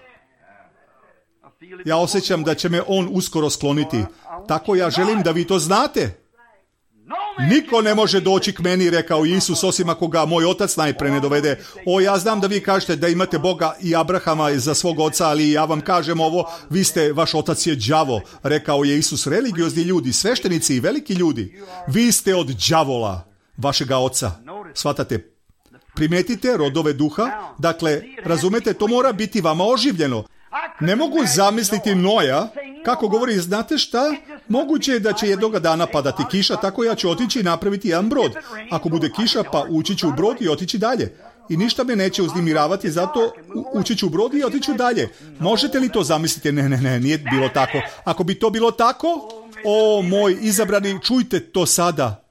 Ja osjećam da će me on uskoro skloniti. Tako ja želim da vi to znate. Niko ne može doći k meni, rekao Isus, osim ako ga moj otac najpre ne dovede. O, ja znam da vi kažete da imate Boga i Abrahama za svog oca, ali ja vam kažem ovo, vi ste, vaš otac je đavo, rekao je Isus. Religiozni ljudi, sveštenici i veliki ljudi, vi ste od đavola, vašega oca. Shvatate? Primetite rodove duha, dakle, razumete, to mora biti vama oživljeno. Ne mogu zamisliti Noja, kako govori, znate šta? Moguće je da će jednoga dana padati kiša, tako ja ću otići i napraviti jedan brod. Ako bude kiša, pa ući ću u brod i otići dalje. I ništa me neće uznemiravati, zato ući ću u brod i otiću dalje. Možete li to zamisliti? Ne, ne, ne, nije bilo tako. Ako bi to bilo tako, o moj izabrani, čujte to sada.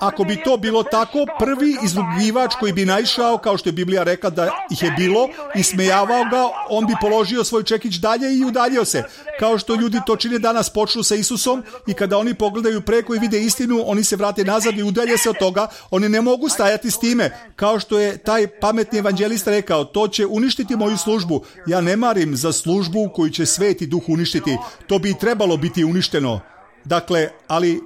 Ako bi to bilo tako, prvi izrugivač koji bi naišao, kao što je Biblija rekla da ih je bilo, i smejavao ga, on bi položio svoj čekić dalje i udaljio se. Kao što ljudi to čine danas, počnu sa Isusom i kada oni pogledaju preko i vide istinu, oni se vrate nazad i udalje se od toga. Oni ne mogu stajati s time. Kao što je taj pametni evanđelista rekao, to će uništiti moju službu. Ja ne marim za službu koju će Sveti Duh uništiti. To bi trebalo biti uništeno. Dakle, ali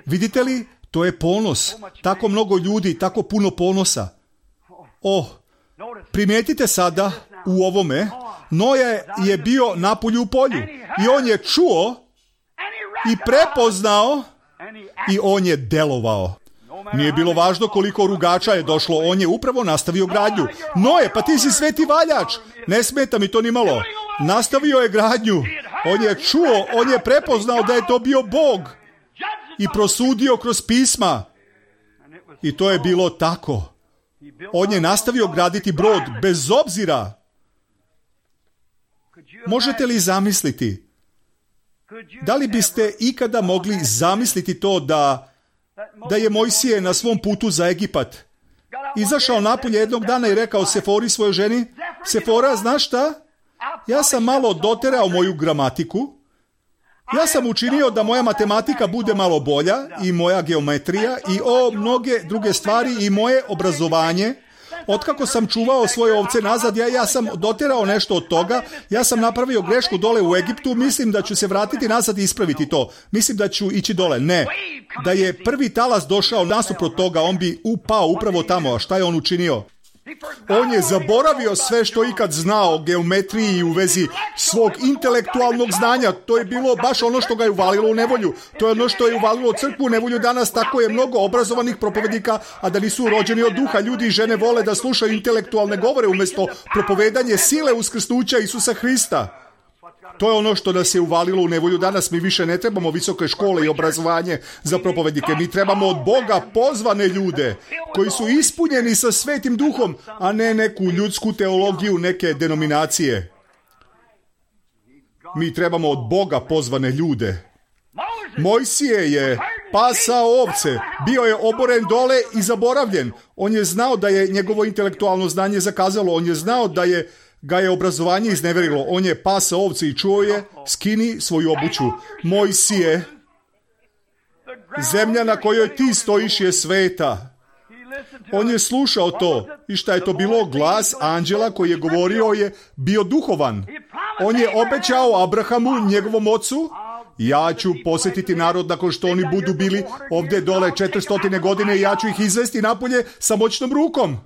vidite li, to je ponos. Tako mnogo ljudi, tako puno ponosa. Oh, primijetite sada u ovome, Noe je bio napolju u polju i on je čuo i prepoznao i on je delovao. Nije bilo važno koliko rugača je došlo, on je upravo nastavio gradnju. Noe, pa ti si sveti valjač, ne smeta mi to ni malo. Nastavio je gradnju, on je čuo, on je prepoznao da je to bio Bog i prosudio kroz pisma. I to je bilo tako. On je nastavio graditi brod bez obzira. Možete li zamisliti? Da li biste ikada mogli zamisliti to da, da je Mojsije na svom putu za Egipat izašao napolje jednog dana i rekao Sefori svojoj ženi, Sefora, znaš šta? Ja sam malo doterao moju gramatiku. Ja sam učinio da moja matematika bude malo bolja i moja geometrija i o mnoge druge stvari i moje obrazovanje. Otkako sam čuvao svoje ovce nazad, ja, ja sam doterao nešto od toga. Ja sam napravio grešku dole u Egiptu. Mislim da ću se vratiti nazad i ispraviti to. Mislim da ću ići dole. Ne. Da je prvi talas došao nasuprot toga, on bi upao upravo tamo. A šta je on učinio? On je zaboravio sve što ikad znao o geometriji u vezi svog intelektualnog znanja. To je bilo baš ono što ga je uvalilo u nevolju. To je ono što je uvalilo crkvu u nevolju danas. Tako je mnogo obrazovanih propovednika, a da nisu rođeni od duha. Ljudi i žene vole da slušaju intelektualne govore umjesto propovedanje sile uskrsnuća Isusa Hrista. To je ono što nas je uvalilo u nevolju danas. Mi više ne trebamo visoke škole i obrazovanje za propovednike. Mi trebamo od Boga pozvane ljude koji su ispunjeni sa Svetim Duhom, a ne neku ljudsku teologiju, neke denominacije. Mi trebamo od Boga pozvane ljude. Mojsije je pasao ovce, bio je oboren dole i zaboravljen. On je znao da je njegovo intelektualno znanje zakazalo. On je znao da je ga je obrazovanje izneverilo. On je pasao ovce i čuo je, skini svoju obuću. Mojsije, zemlja na kojoj ti stojiš je sveta. On je slušao to. I šta je to bilo? Glas anđela koji je govorio je bio duhovan. On je obećao Abrahamu, njegovom ocu, ja ću posjetiti narod nakon što oni budu bili ovdje dole četiristo godine i ja ću ih izvesti napolje sa moćnom rukom.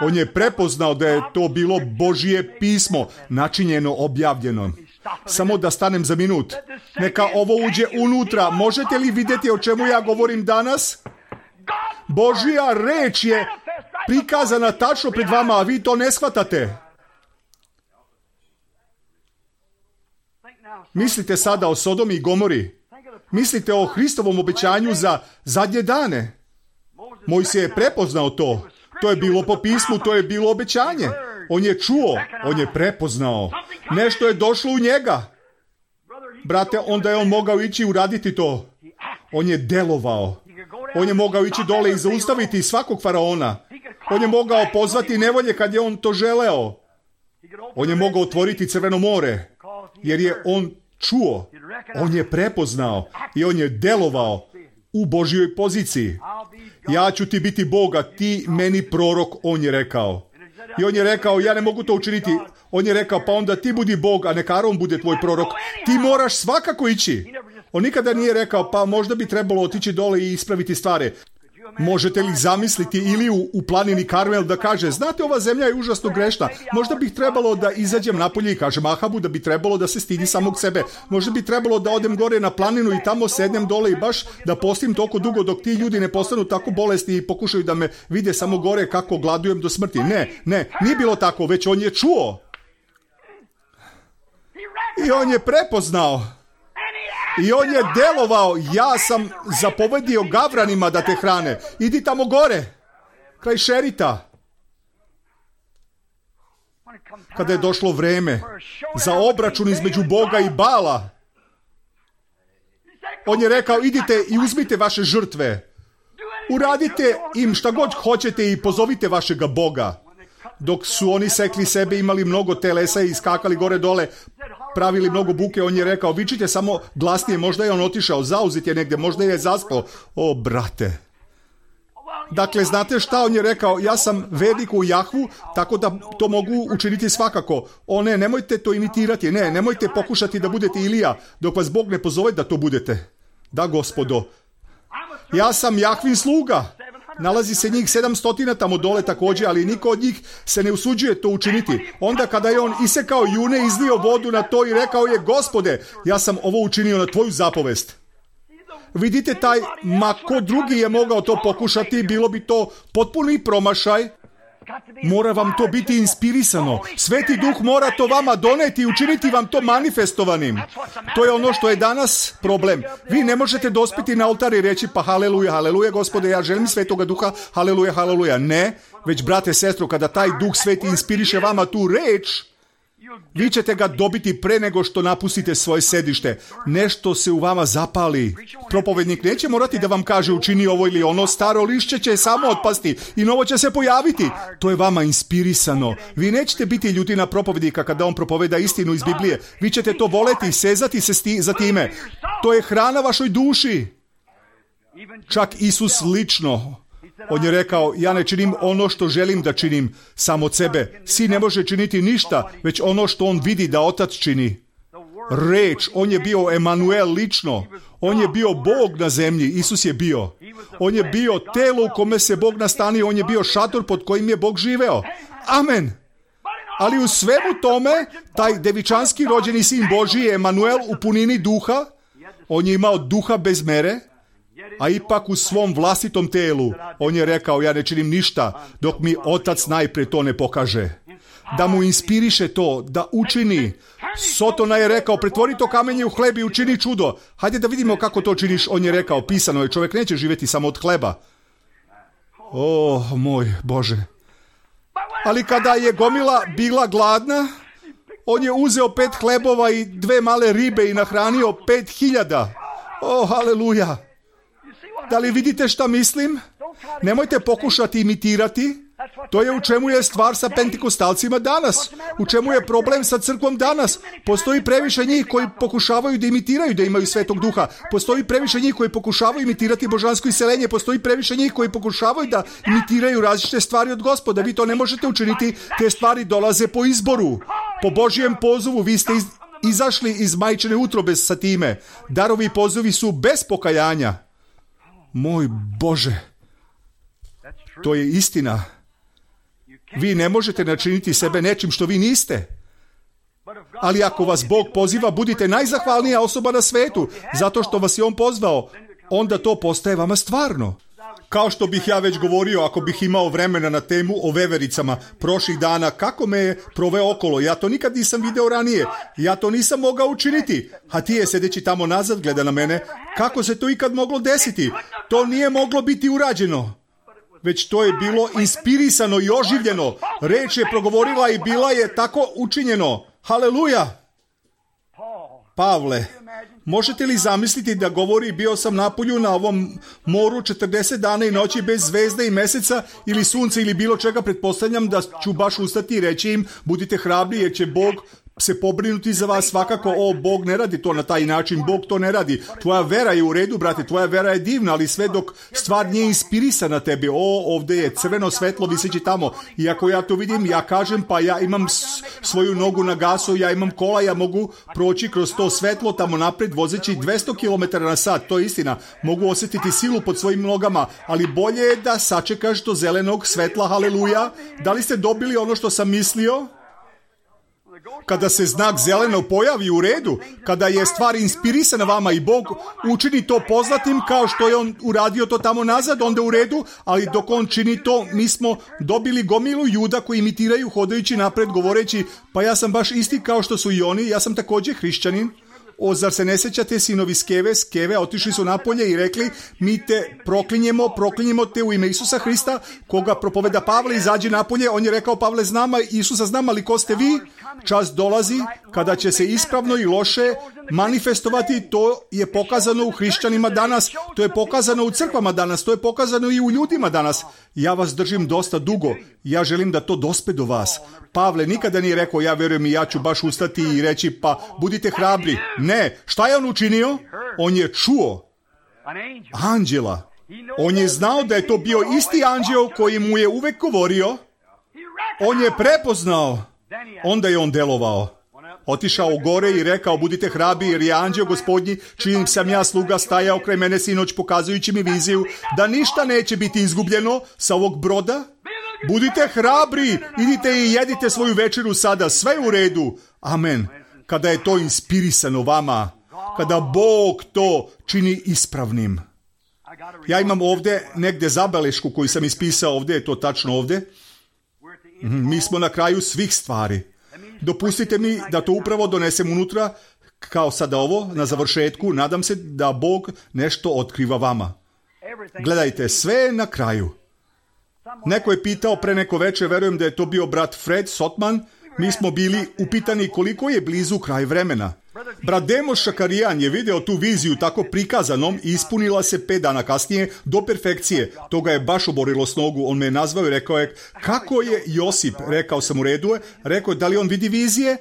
On je prepoznao da je to bilo Božje pismo, načinjeno, objavljeno. Samo da stanem za minut. Neka ovo uđe unutra. Možete li vidjeti o čemu ja govorim danas? Božja reč je prikazana tačno pred vama, a vi to ne shvatate. Mislite sada o Sodomi i Gomori. Mislite o Hristovom obećanju za zadnje dane. Mojsije je prepoznao to. To je bilo po pismu, to je bilo obećanje. On je čuo, on je prepoznao. Nešto je došlo u njega. Brate, onda je on mogao ići uraditi to. On je delovao. On je mogao ići dole i zaustaviti svakog faraona. On je mogao pozvati nevolje kad je on to želeo. On je mogao otvoriti Crveno more. Jer je on čuo, on je prepoznao i on je delovao u Božjoj poziciji. Ja ću ti biti Bog, a ti meni prorok, on je rekao. I on je rekao, ja ne mogu to učiniti. On je rekao, pa onda ti budi Bog, a neka Aron bude tvoj prorok. Ti moraš svakako ići. On nikada nije rekao, pa možda bi trebalo otići dole i ispraviti stvari. Možete li zamisliti Iliju u planini Karmel da kaže, znate, ova zemlja je užasno grešna. Možda bih trebalo da izađem napolje i kažem Ahabu da bi trebalo da se stidi samog sebe. Možda bi trebalo da odem gore na planinu i tamo sednem dole i baš da postim toliko dugo dok ti ljudi ne postanu tako bolesni i pokušaju da me vide samo gore kako gladujem do smrti. Ne, ne, nije bilo tako, već on je čuo. I on je prepoznao. I on je delovao, ja sam zapovedio gavranima da te hrane. Idi tamo gore, kraj Šerita. Kada je došlo vreme za obračun između Boga i Bala, On je rekao, idite i uzmite vaše žrtve. Uradite im šta god hoćete i pozovite vašega Boga. Dok su oni sekli sebe, imali mnogo telesa i skakali gore dole, pravili mnogo buke, on je rekao, vičite samo glasnije, možda je on otišao, zauzet je negdje, možda je zaspao. O, brate. Dakle, znate šta on je rekao? Ja sam vernik u Jahvu, tako da to mogu učiniti svakako. O ne, nemojte to imitirati, ne, nemojte pokušati da budete Ilija, dok vas Bog ne pozove da to budete. Da, gospodo. Ja sam Jahvin sluga. Nalazi se njih sedamstotina tamo dole također, ali niko od njih se ne usuđuje to učiniti. Onda kada je on isekao june, izlio vodu na to i rekao je, Gospode, ja sam ovo učinio na tvoju zapovest. Vidite taj, ma ko drugi je mogao to pokušati, bilo bi to potpuni promašaj. Mora vam to biti inspirisano. Sveti Duh mora to vama doneti i učiniti vam to manifestovanim. To je ono što je danas problem. Vi ne možete dospiti na oltar i reći pa haleluja, haleluja, Gospode, ja želim Svetoga Duha, haleluja, haleluja. Ne, već brate, sestro, kada taj Duh Sveti inspiriše vama tu reč, vi ćete ga dobiti pre nego što napustite svoje sedište. Nešto se u vama zapali. Propovednik neće morati da vam kaže učini ovo ili ono, staro lišće će samo otpasti i novo će se pojaviti. To je vama inspirisano. Vi nećete biti ljutina propovednika kada on propoveda istinu iz Biblije. Vi ćete to voleti, sezati se sti, za time. To je hrana vašoj duši. Čak Isus lično. On je rekao, ja ne činim ono što želim da činim sam od sebe. Sin ne može činiti ništa, već ono što on vidi da Otac čini. Reč, on je bio Emanuel lično. On je bio Bog na zemlji, Isus je bio. On je bio telo u kome se Bog nastanio, on je bio šator pod kojim je Bog živeo. Amen. Ali u svemu tome, taj devičanski rođeni sin Božji, Emanuel u punini duha, on je imao duha bez mere, a ipak u svom vlastitom telu on je rekao, ja ne činim ništa dok mi Otac najprije to ne pokaže. Da mu inspiriše to, da učini. Sotona je rekao, pretvori to kamenje u hleb i učini čudo. Hajde da vidimo kako to činiš. On je rekao, pisano je, čovjek neće živjeti samo od hleba. O, moj Bože. Ali kada je gomila bila gladna, on je uzeo pet hlebova i dve male ribe i nahranio pet hiljada. O, haleluja. Da li vidite šta mislim? Nemojte pokušati imitirati. To je u čemu je stvar sa pentekostalcima danas. U čemu je problem sa crkvom danas. Postoji previše njih koji pokušavaju da imitiraju da imaju Svetog Duha. Postoji previše njih koji pokušavaju imitirati božansko iseljenje. Postoji previše njih koji pokušavaju da imitiraju različite stvari od Gospoda. Vi to ne možete učiniti. Te stvari dolaze po izboru. Po Božijem pozivu vi ste iz, izašli iz majčine utrobe sa time. Darovi i pozivi su bez pokajanja. Moj Bože, to je istina. Vi ne možete načiniti sebe nečim što vi niste. Ali ako vas Bog poziva, budite najzahvalnija osoba na svetu, zato što vas je On pozvao, onda to postaje vama stvarno. Kao što bih ja već govorio, ako bih imao vremena na temu o vevericama prošlih dana, kako me je proveo okolo, ja to nikad nisam video ranije, ja to nisam mogao učiniti, a ti je sedeći tamo nazad gleda na mene, kako se to ikad moglo desiti? To nije moglo biti urađeno, već to je bilo inspirisano i oživljeno, reč je progovorila i bila je tako učinjeno. Haleluja! Pavle, možete li zamisliti da govori bio sam na polju na ovom moru četrdeset dana i noći bez zvezde i meseca ili sunca ili bilo čega, pretpostavljam da ću baš ustati i reći im budite hrabri jer će Bog se pobrinuti za vas. Svakako, o, Bog ne radi to na taj način, Bog to ne radi. Tvoja vera je u redu, brate, tvoja vera je divna, ali sve dok stvar nije inspirisana tebi. O, ovdje je crveno svetlo viseći tamo. I ako ja to vidim, ja kažem, pa ja imam svoju nogu na gasu, ja imam kola, ja mogu proći kroz to svetlo tamo napred vozeći dvesta kilometara na sat. To je istina. Mogu osjetiti silu pod svojim nogama, ali bolje je da sačekaš do zelenog svetla. Haleluja. Da li ste dobili ono što sam mislio? Kada se znak zeleno pojavi u redu, kada je stvar inspirisana vama i Bog učini to poznatim kao što je On uradio to tamo nazad, onda u redu, ali dok On čini to, mi smo dobili gomilu Juda koji imitiraju hodajući napred govoreći, pa ja sam baš isti kao što su i oni, ja sam također hrišćanin. O, zar se ne sjećate, sinovi Skeve, Skeve otišli su napolje i rekli, mi te proklinjemo, proklinjemo te u ime Isusa Hrista, koga propoveda Pavle, izađi napolje. On je rekao, Pavle, znam, Isusa znam, ali ko ste vi? Čas dolazi kada će se ispravno i loše manifestovati, to je pokazano u hrišćanima danas, to je pokazano u crkvama danas, to je pokazano i u ljudima danas. Ja vas držim dosta dugo, ja želim da to dospe do vas. Pavle nikada nije rekao, ja vjerujem i ja ću baš ustati i reći, pa budite hrabri. Ne, šta je on učinio? On je čuo anđela. On je znao da je to bio isti anđeo koji mu je uvek govorio. On je prepoznao. Onda je on delovao. Otišao gore i rekao, budite hrabri jer je anđeo gospodnji, čijim sam ja sluga, stajao kraj mene sinoć pokazujući mi viziju da ništa neće biti izgubljeno sa ovog broda. Budite hrabri, idite i jedite svoju večeru sada, sve je u redu. Amen. Kada je to inspirisano vama, kada Bog to čini ispravnim. Ja imam ovdje negdje zabelešku koju sam ispisao, ovdje je to tačno ovdje. Mi smo na kraju svih stvari. Dopustite mi da to upravo donesem unutra, kao sada ovo, na završetku. Nadam se da Bog nešto otkriva vama. Gledajte, sve je na kraju. Neko je pitao pre neko večer, verujem da je to bio brat Fred Sotman, mi smo bili upitani koliko je blizu kraj vremena. Brat Demo Šakarijan je video tu viziju tako prikazanom i ispunila se pet dana kasnije do perfekcije. To ga je baš oborilo s nogu. On me je nazvao i rekao je, kako je Josip? Rekao sam u redu je. Rekao je, da li on vidi vizije?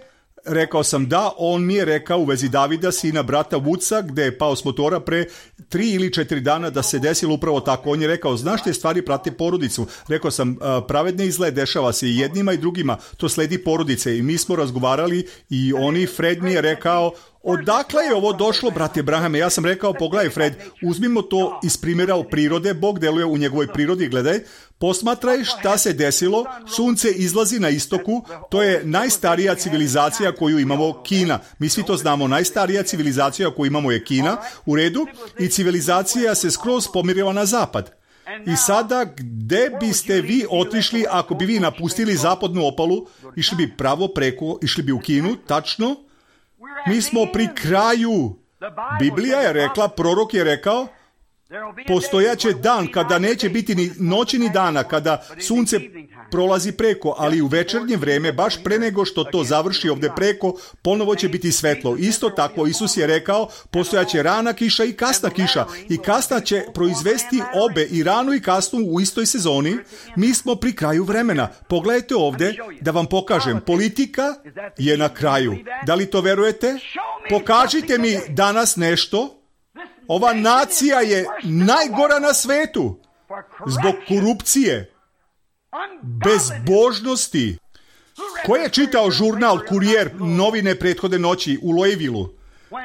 Rekao sam da, on mi je rekao u vezi Davida, sina brata Vuca, gde je pao s motora pre tri ili četiri dana da se desilo upravo tako. On je rekao, znaš te stvari prate porodicu. Rekao sam, pravedne izgled dešava se i jednima i drugima, to sledi porodice. I mi smo razgovarali i oni, Fred mi je rekao, odakle je ovo došlo, brate Abrahame? Ja sam rekao, pogledaj Fred, uzmimo to iz primjera u prirode, Bog deluje u njegovoj prirodi, gledaj, posmatraj šta se desilo, sunce izlazi na istoku, to je najstarija civilizacija koju imamo, Kina. Mi svi to znamo, najstarija civilizacija koju imamo je Kina, u redu, i civilizacija se skroz pomirila na zapad. I sada, gde biste vi otišli ako bi vi napustili zapadnu obalu, išli bi pravo preko, išli bi u Kinu, tačno? Mi smo pri kraju. Biblija je rekla, prorok je rekao, postojaće dan kada neće biti ni noći ni dana, kada sunce prolazi preko, ali u večernje vreme, baš pre nego što to završi ovdje preko, ponovo će biti svetlo. Isto tako, Isus je rekao, postojaće rana kiša i kasna kiša. I kasna će proizvesti obe, i ranu i kasnu u istoj sezoni. Mi smo pri kraju vremena. Pogledajte ovdje da vam pokažem. Politika je na kraju. Da li to verujete? Pokažite mi danas nešto. Ova nacija je najgora na svetu zbog korupcije, bezbožnosti. Ko je čitao žurnal Kurijer, novine prethodne noći u Louisvilleu,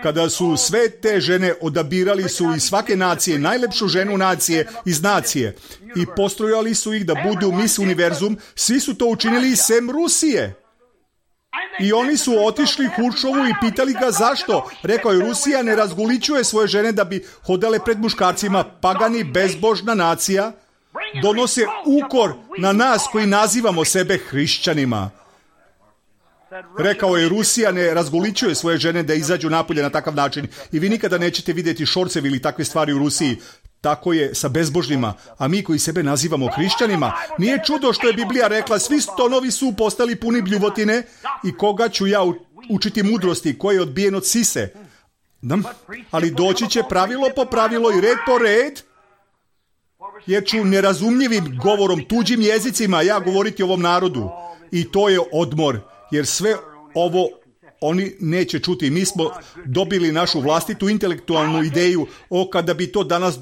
kada su sve te žene odabirali su iz svake nacije najlepšu ženu nacije iz nacije i postrojali su ih da budu Miss Univerzum, svi su to učinili sem Rusije. I oni su otišli Huršovu i pitali ga zašto. Rekao je, Rusija ne razgolićuje svoje žene da bi hodale pred muškarcima. Pagani, bezbožna nacija donose ukor na nas koji nazivamo sebe hrišćanima. Rekao je, Rusija ne razgolićuje svoje žene da izađu napolje na takav način. I vi nikada nećete vidjeti šorcevi ili takve stvari u Rusiji. Tako je sa bezbožnima, a mi koji sebe nazivamo hrišćanima, nije čudo što je Biblija rekla, svi stonovi su postali puni bljuvotine i koga ću ja učiti mudrosti, koji je odbijen od sise. Ali doći će pravilo po pravilo i red po red, jer ću nerazumljivim govorom, tuđim jezicima ja govoriti ovom narodu. I to je odmor, jer sve ovo oni neće čuti. Mi smo dobili našu vlastitu intelektualnu ideju o kada bi to danas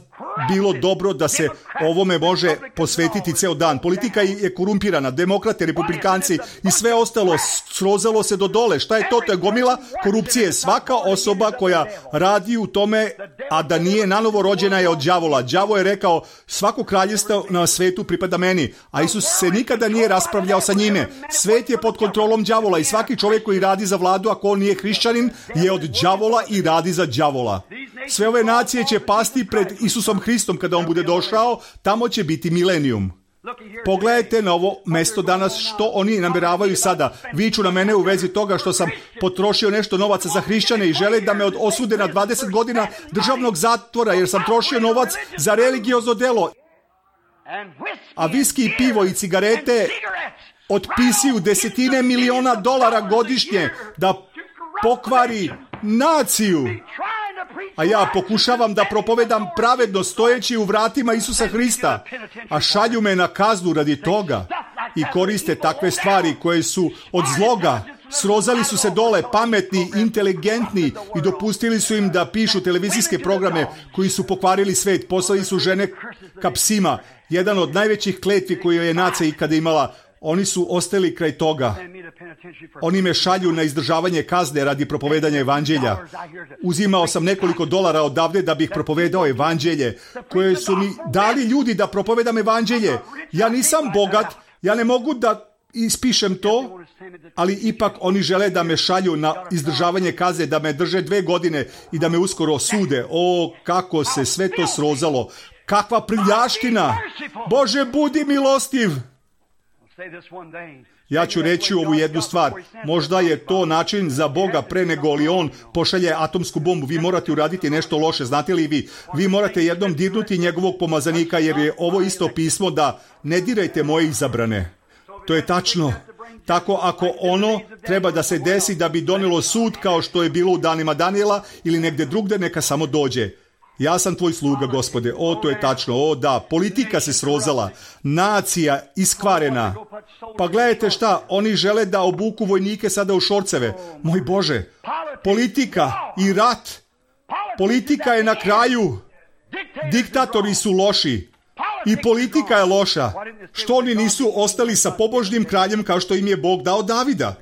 bilo dobro da se ovome može posvetiti ceo dan. Politika je korumpirana, demokrate, republikanci i sve ostalo srozalo se do dole. Šta je to? To je gomila korupcije. Svaka osoba koja radi u tome, a da nije nanovo rođena, je od đavola. Đavo je rekao, svako kraljevstvo na svetu pripada meni, a Isus se nikada nije raspravljao sa njime. Svet je pod kontrolom đavola i svaki čovjek koji radi za vladu, ako on nije hrišćanin, je od đavola i radi za đavola. Sve ove nacije će pasti pred Isusom Hristom kada on bude došao, tamo će biti milenijum. Pogledajte na ovo mesto danas što oni namjeravaju sada. Viču na mene u vezi toga što sam potrošio nešto novaca za hrišćane i žele da me osude na dvadeset godina državnog zatvora jer sam trošio novac za religiozno delo. A viski i pivo i cigarete otpisuju desetine miliona dolara godišnje da pokvari naciju. A ja pokušavam da propovedam pravedno stojeći u vratima Isusa Hrista, a šalju me na kaznu radi toga i koriste takve stvari koje su od zloga. Srozali su se dole, pametni, inteligentni i dopustili su im da pišu televizijske programe koji su pokvarili svet. Poslali su žene ka psima. Jedan od najvećih kletvi koju je nacija ikada imala. Oni su ostali kraj toga. Oni me šalju na izdržavanje kazne radi propovedanja evanđelja. Uzimao sam nekoliko dolara odavde da bih propovedao evanđelje, koje su mi dali ljudi da propovedam evanđelje. Ja nisam bogat, ja ne mogu da ispišem to, ali ipak oni žele da me šalju na izdržavanje kazne, da me drže dve godine i da me uskoro sude. O, kako se sve to srozalo. Kakva prljaština! Bože, budi milostiv! Ja ću reći ovu jednu stvar. Možda je to način za Boga pre nego li on pošalje atomsku bombu. Vi morate uraditi nešto loše, znate li vi? Vi morate jednom dirnuti njegovog pomazanika, jer je ovo isto pismo da ne dirajte moje izabrane. To je tačno. Tako ako ono treba da se desi da bi donelo sud kao što je bilo u danima Danijela ili negde drugde, neka samo dođe. Ja sam tvoj sluga, Gospode. O, to je tačno. O, da. Politika se srozala. Nacija iskvarena. Pa gledajte šta, oni žele da obuku vojnike sada u šorceve. Moj Bože. Politika i rat. Politika je na kraju. Diktatori su loši. I politika je loša. Što oni nisu ostali sa pobožnim kraljem kao što im je Bog dao Davida?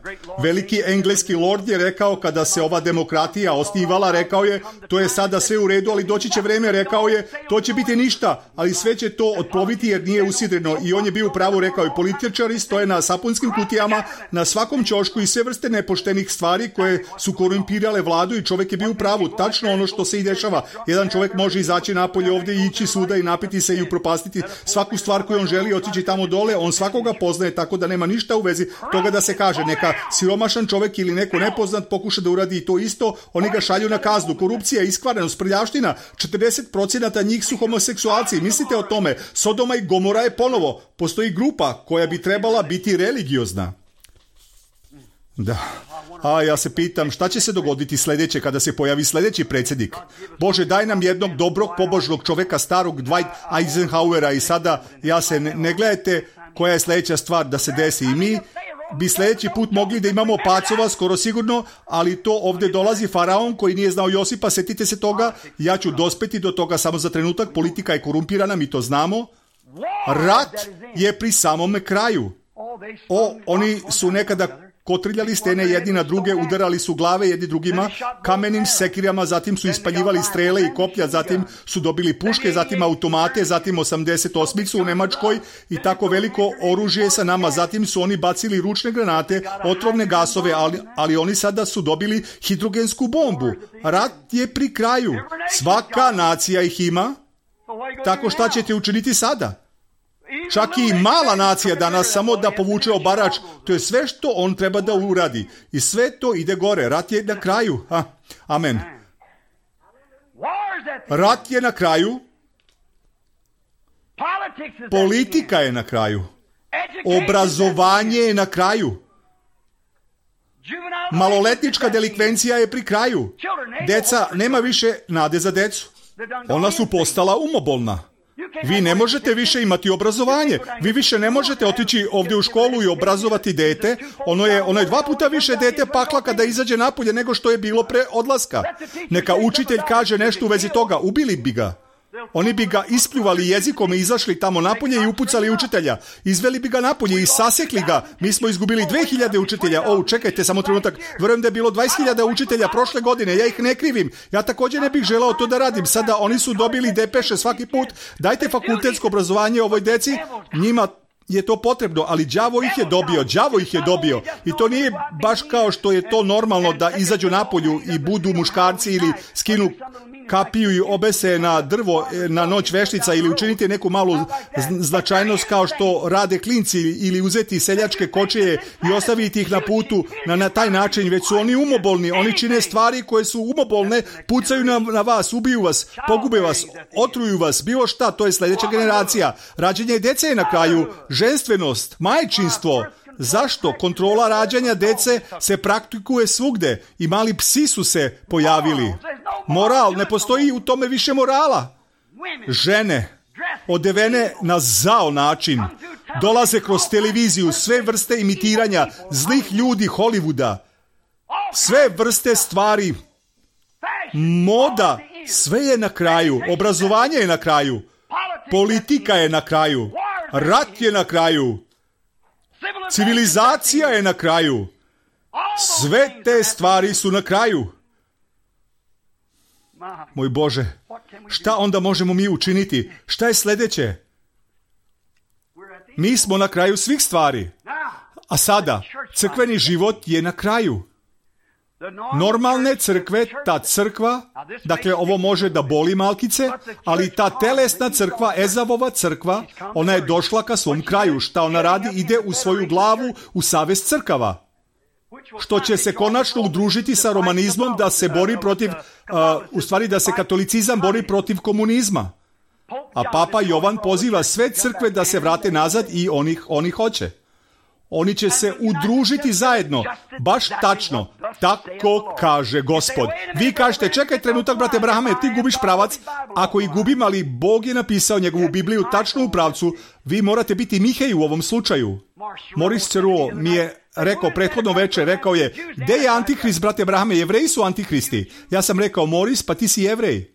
Veliki engleski lord je rekao kada se ova demokratija osnivala, rekao je, to je sada sve u redu, ali doći će vreme, rekao je, to će biti ništa, ali sve će to otploviti jer nije usidreno. I on je bio u pravu, rekao je, političari stoje na sapunskim kutijama, na svakom ćošku i sve vrste nepoštenih stvari koje su korumpirale vladu i čovjek je bio u pravu. Tačno ono što se i dešava. Jedan čovjek može izaći napolje ovdje i ići svuda i napiti se i upropastiti svaku stvar koju on želi, otići tamo dole, on svakoga poznaje, tako da nema ništa u vezi toga da se kaže neka siromašan čovjek ili neko nepoznat pokuša da uradi to isto, oni ga šalju na kaznu. Korupcija, iskvarenost, prljavština, četrdeset posto njih su homoseksualci. Mislite o tome, Sodoma i Gomora je ponovo. Postoji grupa koja bi trebala biti religiozna. Da. A ja se pitam šta će se dogoditi sljedeće kada se pojavi sljedeći predsjednik. Bože, daj nam jednog dobrog pobožnog čovjeka, starog Dwight Eisenhowera i sada ja se ne, ne gledajte koja je sljedeća stvar da se desi. I mi bi sljedeći put mogli da imamo pacova, skoro sigurno, ali to ovdje dolazi faraon koji nije znao Josipa, setite se toga, ja ću dospeti do toga samo za trenutak, politika je korumpirana, mi to znamo. Rat je pri samome kraju. O, oni su nekada kotrljali stene jedni na druge, udarali su glave jedni drugima kamenim sekirama, zatim su ispaljivali strele i koplja, zatim su dobili puške, zatim automate, zatim osamdeset osmicu u Nemačkoj i tako veliko oružje sa nama, zatim su oni bacili ručne granate, otrovne gasove, ali, ali oni sada su dobili hidrogensku bombu. Rat je pri kraju. Svaka nacija ih ima, tako šta ćete učiniti sada? Čak i mala nacija danas samo da povuče obarač, to je sve što on treba da uradi. I sve to ide gore. Rat je na kraju. Ha. Amen. Rat je na kraju. Politika je na kraju. Obrazovanje je na kraju. Maloletnička delikvencija je pri kraju. Deca, nema više nade za decu. Ona su postala umobolna. Vi ne možete više imati obrazovanje. Vi više ne možete otići ovdje u školu i obrazovati dete. Ono je, ono je dva puta više dete pakla kada izađe napolje nego što je bilo pre odlaska. Neka učitelj kaže nešto u vezi toga, ubili bi ga. Oni bi ga ispljuvali jezikom i izašli tamo napolje i upucali učitelja. Izveli bi ga napolje i sasekli ga. Mi smo izgubili dve hiljade učitelja. O, čekajte samo trenutak. Vjerujem da je bilo dvadeset hiljada učitelja prošle godine. Ja ih ne krivim. Ja također ne bih želeo to da radim. Sada oni su dobili depeše svaki put. Dajte fakultetsko obrazovanje ovoj deci. Njima je to potrebno, ali đavo ih je dobio, đavo ih je dobio. I to nije baš kao što je to normalno da izađu napolju i budu muškarci ili skinu kapiju i obese na drvo na noć veštica ili učiniti neku malu značajnost kao što rade klinci ili uzeti seljačke kočije i ostaviti ih na putu na, na taj način, već su oni umobolni, oni čine stvari koje su umobolne, pucaju na, na vas, ubiju vas, pogube vas, otruju vas, bilo šta, to je sljedeća generacija. Rađenje dece je na kraju, ženstvenost, majčinstvo, Zašto? Kontrola rađanja dece se praktikuje svugde i mali psi su se pojavili. Moral, ne postoji u tome više morala. Žene, odevene na zao način, dolaze kroz televiziju, sve vrste imitiranja zlih ljudi Hollywooda, sve vrste stvari, moda, sve je na kraju, obrazovanje je na kraju, politika je na kraju, rat je na kraju, civilizacija je na kraju, sve te stvari su na kraju. Moj Bože, šta onda možemo mi učiniti? Šta je sljedeće? Mi smo na kraju svih stvari. A sada, crkveni život je na kraju. Normalne crkve, ta crkva, dakle ovo može da boli malkice, ali ta telesna crkva, Ezavova crkva, ona je došla ka svom kraju. Šta ona radi? Ide u svoju glavu u savez crkava. Što će se konačno udružiti sa romanizmom da se bori protiv, uh, u stvari da se katolicizam bori protiv komunizma. A Papa Jovan poziva sve crkve da se vrate nazad i oni, oni hoće. Oni će se udružiti zajedno. Baš tačno. Tako kaže Gospod. Vi kažete, čekaj trenutak, brate Brahame, ti gubiš pravac. Ako i gubim, ali Bog je napisao njegovu Bibliju tačno u pravcu, vi morate biti Mihej u ovom slučaju. Maurice Ceruo mi je rekao prethodno večer, rekao je, gde je Antihrist, brate Brahame, Jevreji su Antihristi. Ja sam rekao, Maurice, pa ti si Jevrej.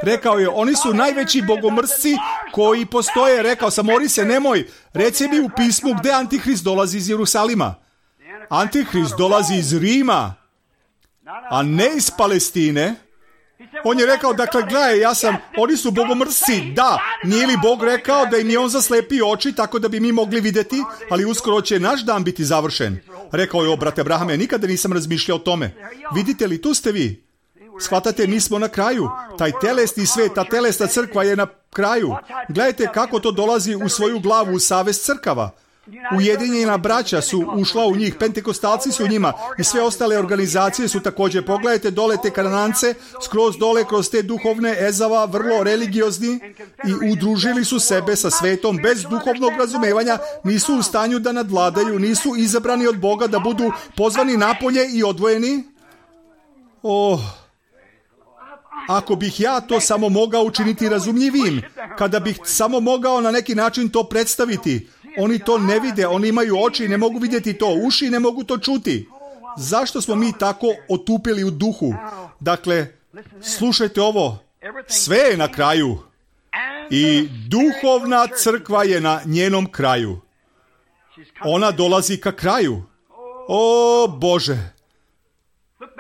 Rekao je, oni su najveći bogomrsci koji postoje. Rekao sam, Maurice, nemoj, reci mi u pismu gde Antihrist dolazi iz Jerusalima. Antihrist dolazi iz Rima, a ne iz Palestine. On je rekao, dakle, gledaj, ja sam, oni su bogomrsci, da, nije li Bog rekao da im je on zaslepio oči tako da bi mi mogli vidjeti, ali uskoro će naš dan biti završen. Rekao je, o, brate Brahame, nikada nisam razmišljao o tome. Vidite li, tu ste vi. Shvatate, mi smo na kraju. Taj telesni svet, ta telesna crkva je na kraju. Gledajte kako to dolazi u svoju glavu, u savez crkava. Ujedinjena braća su ušla u njih, pentekostalci su u njima i sve ostale organizacije su također. Pogledajte dole te Kanance, skroz dole kroz te duhovne Ezava, vrlo religiozni, i udružili su sebe sa svetom bez duhovnog razumevanja, nisu u stanju da nadvladaju, nisu izabrani od Boga da budu pozvani napolje i odvojeni. Oh, ako bih ja to samo mogao učiniti razumljivim, kada bih samo mogao na neki način to predstaviti. Oni to ne vide, oni imaju oči i ne mogu vidjeti to, uši i ne mogu to čuti. Zašto smo mi tako otupili u duhu? Dakle, slušajte ovo, sve je na kraju i duhovna crkva je na njenom kraju. Ona dolazi ka kraju. O Bože!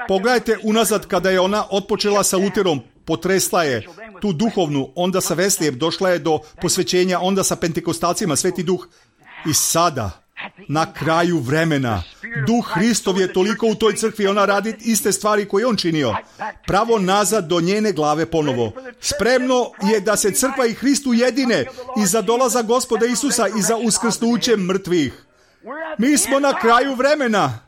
Pogledajte unazad kada je ona otpočela sa Luterom, potresla je tu duhovnu, onda sa Veslijem, došla je do posvećenja, onda sa Pentekostalcima, Sveti Duh. I sada, na kraju vremena, Duh Hristov je toliko u toj crkvi, ona radi iste stvari koje on činio. Pravo nazad do njene glave ponovo. Spremno je da se crkva i Hrist ujedine i za dolazak Gospoda Isusa i za uskrsnuće mrtvih. Mi smo na kraju vremena.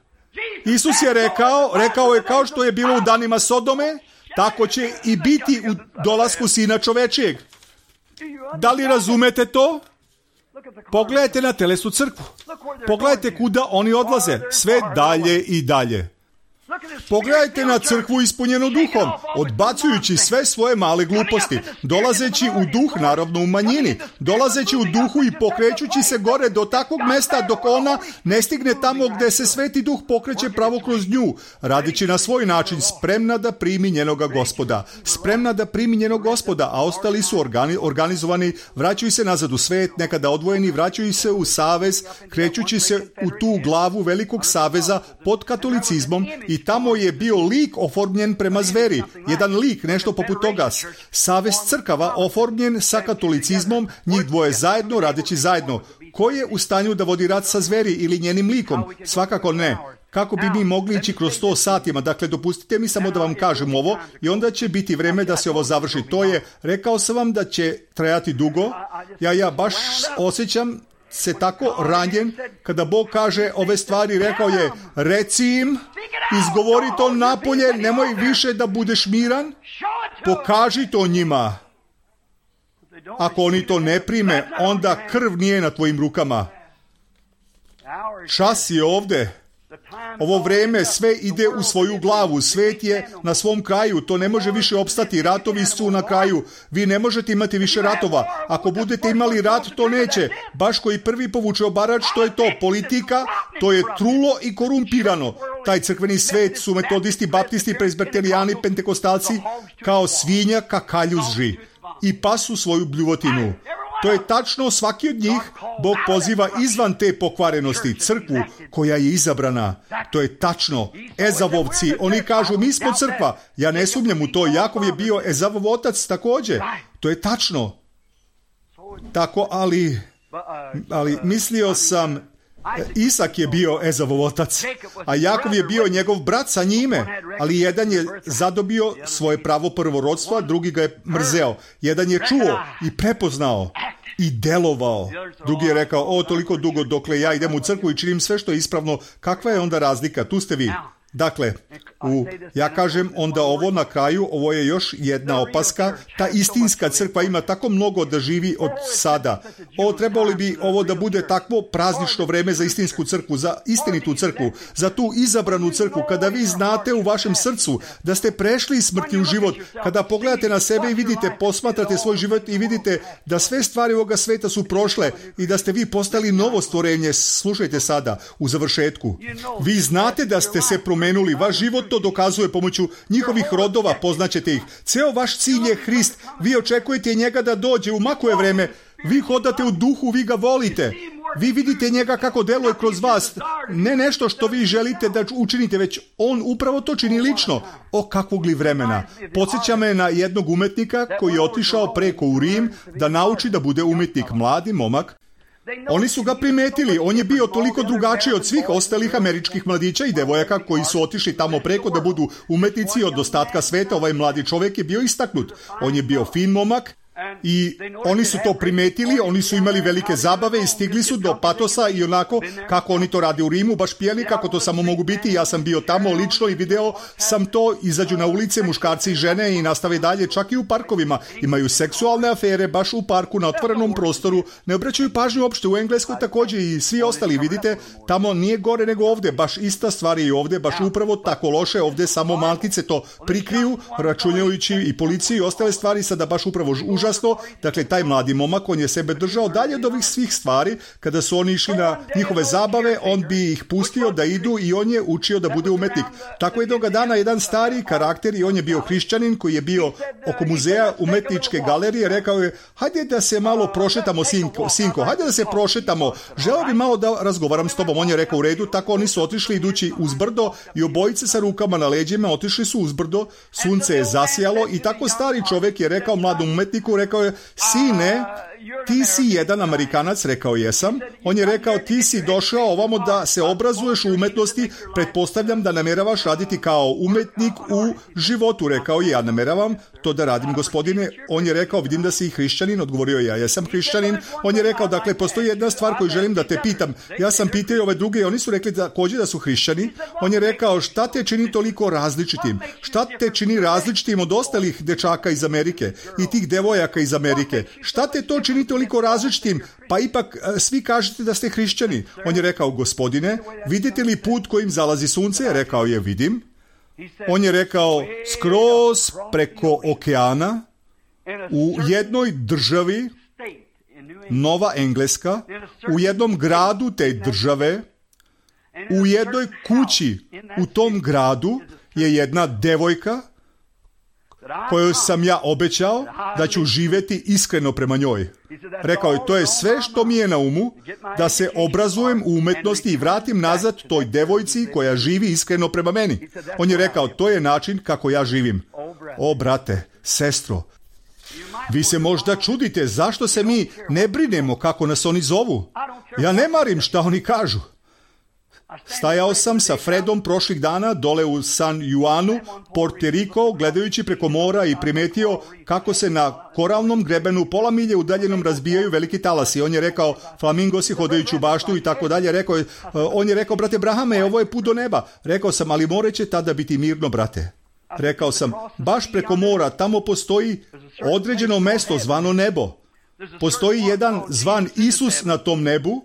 Isus je rekao, rekao je kao što je bilo u danima Sodome, tako će i biti u dolasku Sina čovečijeg. Da li razumete to? Pogledajte na telesnu crkvu. Pogledajte kuda oni odlaze. Sve dalje i dalje. Pogledajte na crkvu ispunjenu duhom, odbacujući sve svoje male gluposti, dolazeći u duh, naravno u manjini, dolazeći u duhu i pokrećući se gore do takvog mesta dok ona ne stigne tamo gdje se Sveti Duh pokreće pravo kroz nju, radići na svoj način, spremna da primi njenoga Gospoda, spremna da primi njenog Gospoda, a ostali su organi, organizovani, vraćaju se nazad u svet, nekada odvojeni, vraćaju se u savez, krećući se u tu glavu velikog saveza pod katolicizmom. I tamo je bio lik oformljen prema zveri. Jedan lik, nešto poput toga. Savez crkava oformljen sa katolicizmom, njih dvoje zajedno, radeći zajedno. Ko je u stanju da vodi rat sa zveri ili njenim likom? Svakako ne. Kako bi mi mogli ići kroz sto satima? Dakle, dopustite mi samo da vam kažem ovo i onda će biti vreme da se ovo završi. To je, rekao sam vam da će trajati dugo. Ja, ja baš osjećam se tako ranjen kada Bog kaže ove stvari. Rekao je, reci im, izgovori to napolje, nemoj više da budeš miran, pokaži to njima. Ako oni to ne prime, onda krv nije na tvojim rukama. Čas je ovde. Ovo vreme sve ide u svoju glavu. Svet je na svom kraju. To ne može više opstati. Ratovi su na kraju. Vi ne možete imati više ratova. Ako budete imali rat, to neće. Baš koji prvi povuče obarač, to je to. Politika, to je trulo i korumpirano. Taj crkveni svet su metodisti, baptisti, prezbertelijani, pentekostalci kao svinja kakaljuži i pasu svoju bljuvotinu. To je tačno, svaki od njih Bog poziva izvan te pokvarenosti, crkvu koja je izabrana. To je tačno. Ezavovci, oni kažu mi smo crkva. Ja ne sumnjam u to. Jakov je bio Ezavov otac također. To je tačno. Tako, ali, ali mislio sam, Isak je bio Ezavov otac, a Jakov je bio njegov brat sa njime, ali jedan je zadobio svoje pravo prvorodstva, drugi ga je mrzeo. Jedan je čuo i prepoznao i delovao. Drugi je rekao, o, toliko dugo dokle ja idem u crkvu i činim sve što je ispravno. Kakva je onda razlika? Tu ste vi. Dakle, u, ja kažem onda ovo na kraju, ovo je još jedna opaska, ta istinska crkva ima tako mnogo da živi od sada. O, trebalo bi ovo da bude takvo praznično vreme za istinsku crkvu, za istinitu crkvu, za tu izabranu crkvu, kada vi znate u vašem srcu da ste prešli iz smrti u život, kada pogledate na sebe i vidite, posmatrate svoj život i vidite da sve stvari ovoga sveta su prošle i da ste vi postali novo stvorenje. Slušajte sada, u završetku. Vi znate da ste se promenuli, vaš život to dokazuje pomoću njihovih rodova, poznaćete ih. Ceo vaš cilj je Hrist. Vi očekujete njega da dođe u makuje vreme. Vi hodate u duhu, vi ga volite. Vi vidite njega kako deluje kroz vas. Ne nešto što vi želite da učinite, već on upravo to čini lično. O, kakvog li vremena. Podsjeća me na jednog umetnika koji je otišao preko u Rim da nauči da bude umetnik. Mladi momak. Oni su ga primetili, on je bio toliko drugačiji od svih ostalih američkih mladića i devojaka koji su otišli tamo preko da budu umetnici od ostatka sveta. Ovaj mladi čovjek je bio istaknut. On je bio fin momak i oni su to primetili, oni su imali velike zabave i stigli su do patosa i onako kako oni to rade u Rimu, baš pijeli kako to samo mogu biti. Ja sam bio tamo lično i video sam to, izađu na ulice muškarci i žene i nastave dalje, čak i u parkovima. Imaju seksualne afere baš u parku na otvorenom prostoru, ne obraćaju pažnju uopšte. U Engleskoj također i svi ostali, vidite, tamo nije gore nego ovdje, baš ista stvar je i ovdje, baš upravo tako loše, ovdje samo malkice to prikriju, računajući i policiju i ostale stvari, sada baš upravo užasno. Dakle, taj mladi momak, on je sebe držao dalje od ovih svih stvari. Kada su oni išli na njihove zabave, on bi ih pustio da idu i on je učio da bude umetnik. Tako jednoga dana jedan stari karakter, i on je bio hrišćanin koji je bio oko muzeja umetničke galerije, rekao je, hajde da se malo prošetamo, sinko, sinko, hajde da se prošetamo, želeo bi malo da razgovaram s tobom. On je rekao u redu, tako oni su otišli idući uz brdo i obojice sa rukama na leđima otišli su uz brdo, sunce je zasijalo i tako stari čovjek je rekao mladom umetniku, rekao je, sine, ti si jedan Amerikanac, rekao jesam. On je rekao, ti si došao ovamo da se obrazuješ u umetnosti, pretpostavljam da nameravaš raditi kao umetnik u životu. Rekao je, ja nameravam to da radim, gospodine. On je rekao, vidim da si hrišćanin, odgovorio je, ja jesam hrišćanin. On je rekao, dakle, postoji jedna stvar koju želim da te pitam. Ja sam pitao ove druge i oni su rekli također da su hrišćani. On je rekao, šta te čini toliko različitim? Šta te čini različitim od ostalih dečaka iz Amerike i tih devojaka iz Amerike? Šta te to čini toliko različitim, pa ipak svi kažete da ste hrišćani? On je rekao, gospodine, vidite li put kojim zalazi sunce? Rekao je, vidim. On je rekao, skroz preko okeana, u jednoj državi, Nova Engleska, u jednom gradu te države, u jednoj kući u tom gradu je jedna devojka kojoj sam ja obećao da ću živjeti iskreno prema njoj. Rekao je, to je sve što mi je na umu, da se obrazujem u umetnosti i vratim nazad toj devojci koja živi iskreno prema meni. On je rekao, to je način kako ja živim. O, brate, sestro, vi se možda čudite zašto se mi ne brinemo kako nas oni zovu. Ja ne marim šta oni kažu. Stajao sam sa Fredom prošlih dana dole u San Juanu, Puerto Rico, gledajući preko mora i primetio kako se na koralnom grebenu pola milje udaljenom razbijaju veliki talasi. On je rekao, flamingosi hodajući u baštu i tako dalje. Rekao je, on je rekao, brate Brahame, ovo je put do neba. Rekao sam, ali more će tada biti mirno, brate. Rekao sam, baš preko mora, tamo postoji određeno mesto zvano nebo. Postoji jedan zvan Isus na tom nebu,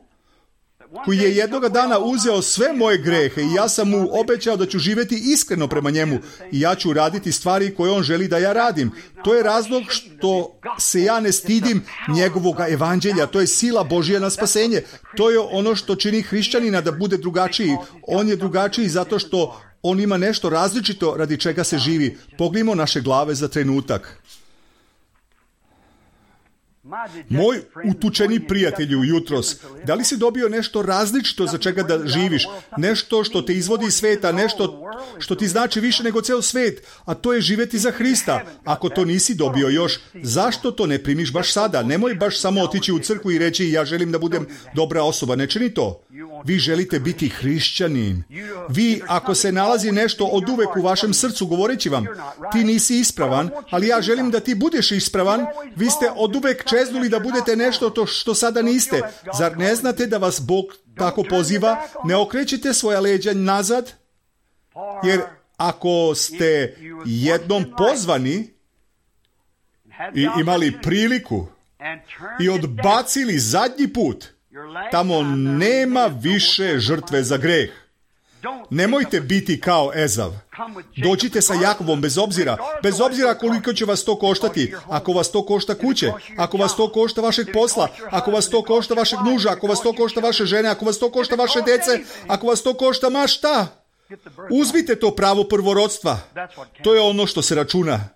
koji je jednoga dana uzeo sve moje grehe i ja sam mu obećao da ću živjeti iskreno prema njemu i ja ću raditi stvari koje on želi da ja radim. To je razlog što se ja ne stidim njegovog evanđelja. To je sila Božja na spasenje. To je ono što čini hrišćanina da bude drugačiji. On je drugačiji zato što on ima nešto različito radi čega se živi. Pogledajmo naše glave za trenutak. Moj utučeni prijatelju jutros, da li si dobio nešto različito za čega da živiš? Nešto što te izvodi iz sveta, nešto što ti znači više nego ceo svet, a to je živjeti za Hrista. Ako to nisi dobio još, zašto to ne primiš baš sada? Nemoj baš samo otići u crkvu i reći ja želim da budem dobra osoba. Ne čini to. Vi želite biti hrišćanin. Vi, ako se nalazi nešto od uvek u vašem srcu govoreći vam, ti nisi ispravan, ali ja želim da ti budeš ispravan, vi ste od uvek čeznuli da budete nešto to što sada niste. Zar ne znate da vas Bog tako poziva? Ne okrećite svoja leđa nazad, jer ako ste jednom pozvani i imali priliku i odbacili zadnji put, tamo nema više žrtve za greh. Nemojte biti kao Ezav. Dođite sa Jakovom bez obzira, bez obzira koliko će vas to koštati. Ako vas to košta kuće, ako vas to košta vašeg posla, ako vas to košta vašeg muža, ako vas to košta vaše žene, ako vas to košta vaše dece, ako vas to košta ma šta, uzmite to pravo prvorodstva. To je ono što se računa.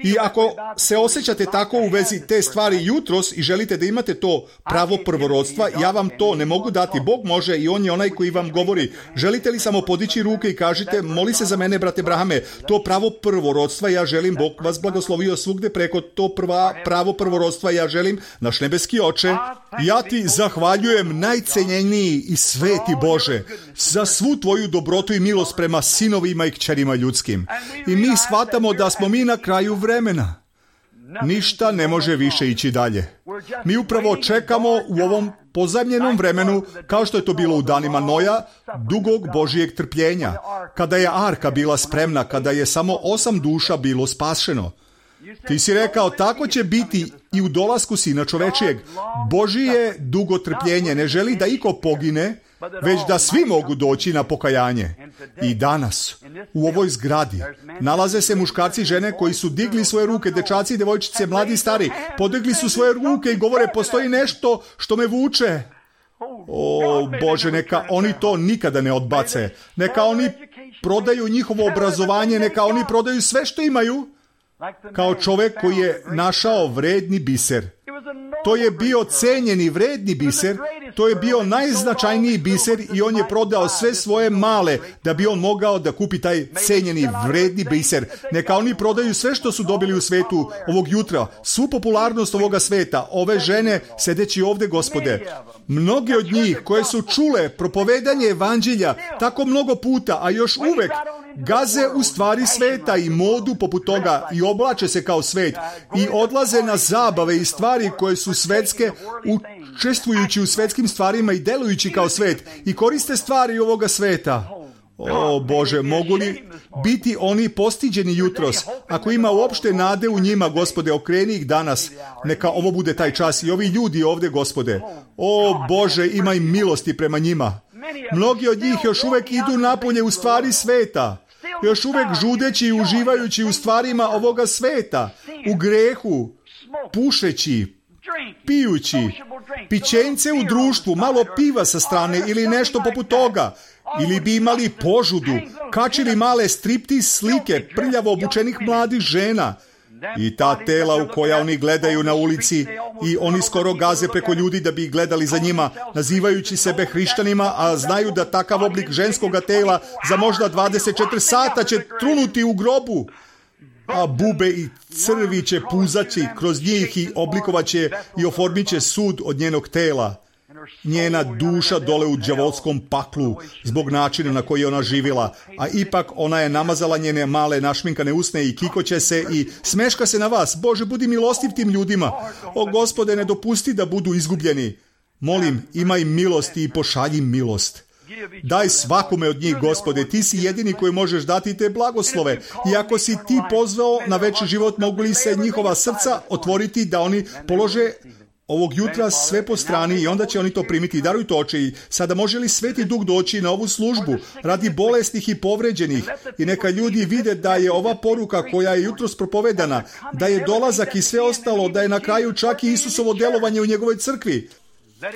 I ako se osjećate tako u vezi te stvari jutros i želite da imate to pravo prvorodstva, ja vam to ne mogu dati. Bog može i On je onaj koji vam govori. Želite li samo podići ruke i kažite, moli se za mene, brate Brahame, to pravo prvorodstva, ja želim, Bog vas blagoslovio svugde preko to prva, pravo prvorodstva, ja želim, naš nebeski Oče, ja ti zahvaljujem najcenjeniji i sveti Bože za svu tvoju dobrotu i milost prema sinovima i kćerima ljudskim. I mi shvatamo da smo mi na kraju vremena. Ništa ne može više ići dalje. Mi upravo čekamo u ovom pozajmljenom vremenu, kao što je to bilo u danima Noja, dugog Božijeg trpljenja, kada je arka bila spremna, kada je samo osam duša bilo spašeno. Ti si rekao, tako će biti i u dolasku Sina čovečijeg. Božije dugo trpljenje ne želi da iko pogine, već da svi mogu doći na pokajanje. I danas, u ovoj zgradi, nalaze se muškarci i žene koji su digli svoje ruke, dečaci i devojčice, mladi i stari, podigli su svoje ruke i govore, postoji nešto što me vuče. O Bože, neka oni to nikada ne odbace. Neka oni prodaju njihovo obrazovanje, neka oni prodaju sve što imaju, kao čovjek koji je našao vredni biser. To je bio cenjeni vredni biser, to je bio najznačajniji biser i on je prodao sve svoje male da bi on mogao da kupi taj cenjeni vredni biser. Neka oni prodaju sve što su dobili u svetu ovog jutra, svu popularnost ovoga sveta, ove žene sedeći ovde, Gospode. Mnogi od njih koje su čule propovedanje evanđelja tako mnogo puta, a još uvek gaze u stvari sveta i modu poput toga i oblače se kao svet i odlaze na zabave i stvari koje su svetske, učestvujući u svetskim stvarima i delujući kao svet i koriste stvari ovoga sveta. O Bože, mogu li biti oni postiđeni jutros? Ako ima uopšte nade u njima, Gospode, okreni ih danas. Neka ovo bude taj čas i ovi ljudi ovde, Gospode. O Bože, imaj milosti prema njima. Mnogi od njih još uvek idu napolje u stvari sveta. Još uvek žudeći i uživajući u stvarima ovoga sveta. U grehu, pušeći, pijući, pićence u društvu, malo piva sa strane ili nešto poput toga. Ili bi imali požudu, kačili male striptiz slike prljavo obučenih mladih žena. I ta tela u koja oni gledaju na ulici i oni skoro gaze preko ljudi da bi ih gledali za njima, nazivajući sebe hrišćanima, a znaju da takav oblik ženskoga tela za možda dvadeset četiri sata će trunuti u grobu. A bube i crvi će puzaći kroz njih i oblikovaće i oformit će sud od njenog tela. Njena duša dole u đavolskom paklu zbog načina na koji je ona živjela, a ipak ona je namazala njene male našminkane usne i kikoće se i smeška se na vas. Bože, budi milostiv tim ljudima. O Gospode, ne dopusti da budu izgubljeni. Molim, imaj milosti i pošalji milost. Daj svakome od njih, Gospode, ti si jedini koji možeš dati te blagoslove. I ako si ti pozvao na veći život, mogu li se njihova srca otvoriti da oni polože ovog jutra sve po strani i onda će oni to primiti. Darujte oče i sada može li Sveti Duh doći na ovu službu radi bolesnih i povređenih i neka ljudi vide da je ova poruka koja je jutros propovedana, da je dolazak i sve ostalo, da je na kraju čak i Isusovo djelovanje u njegovoj crkvi.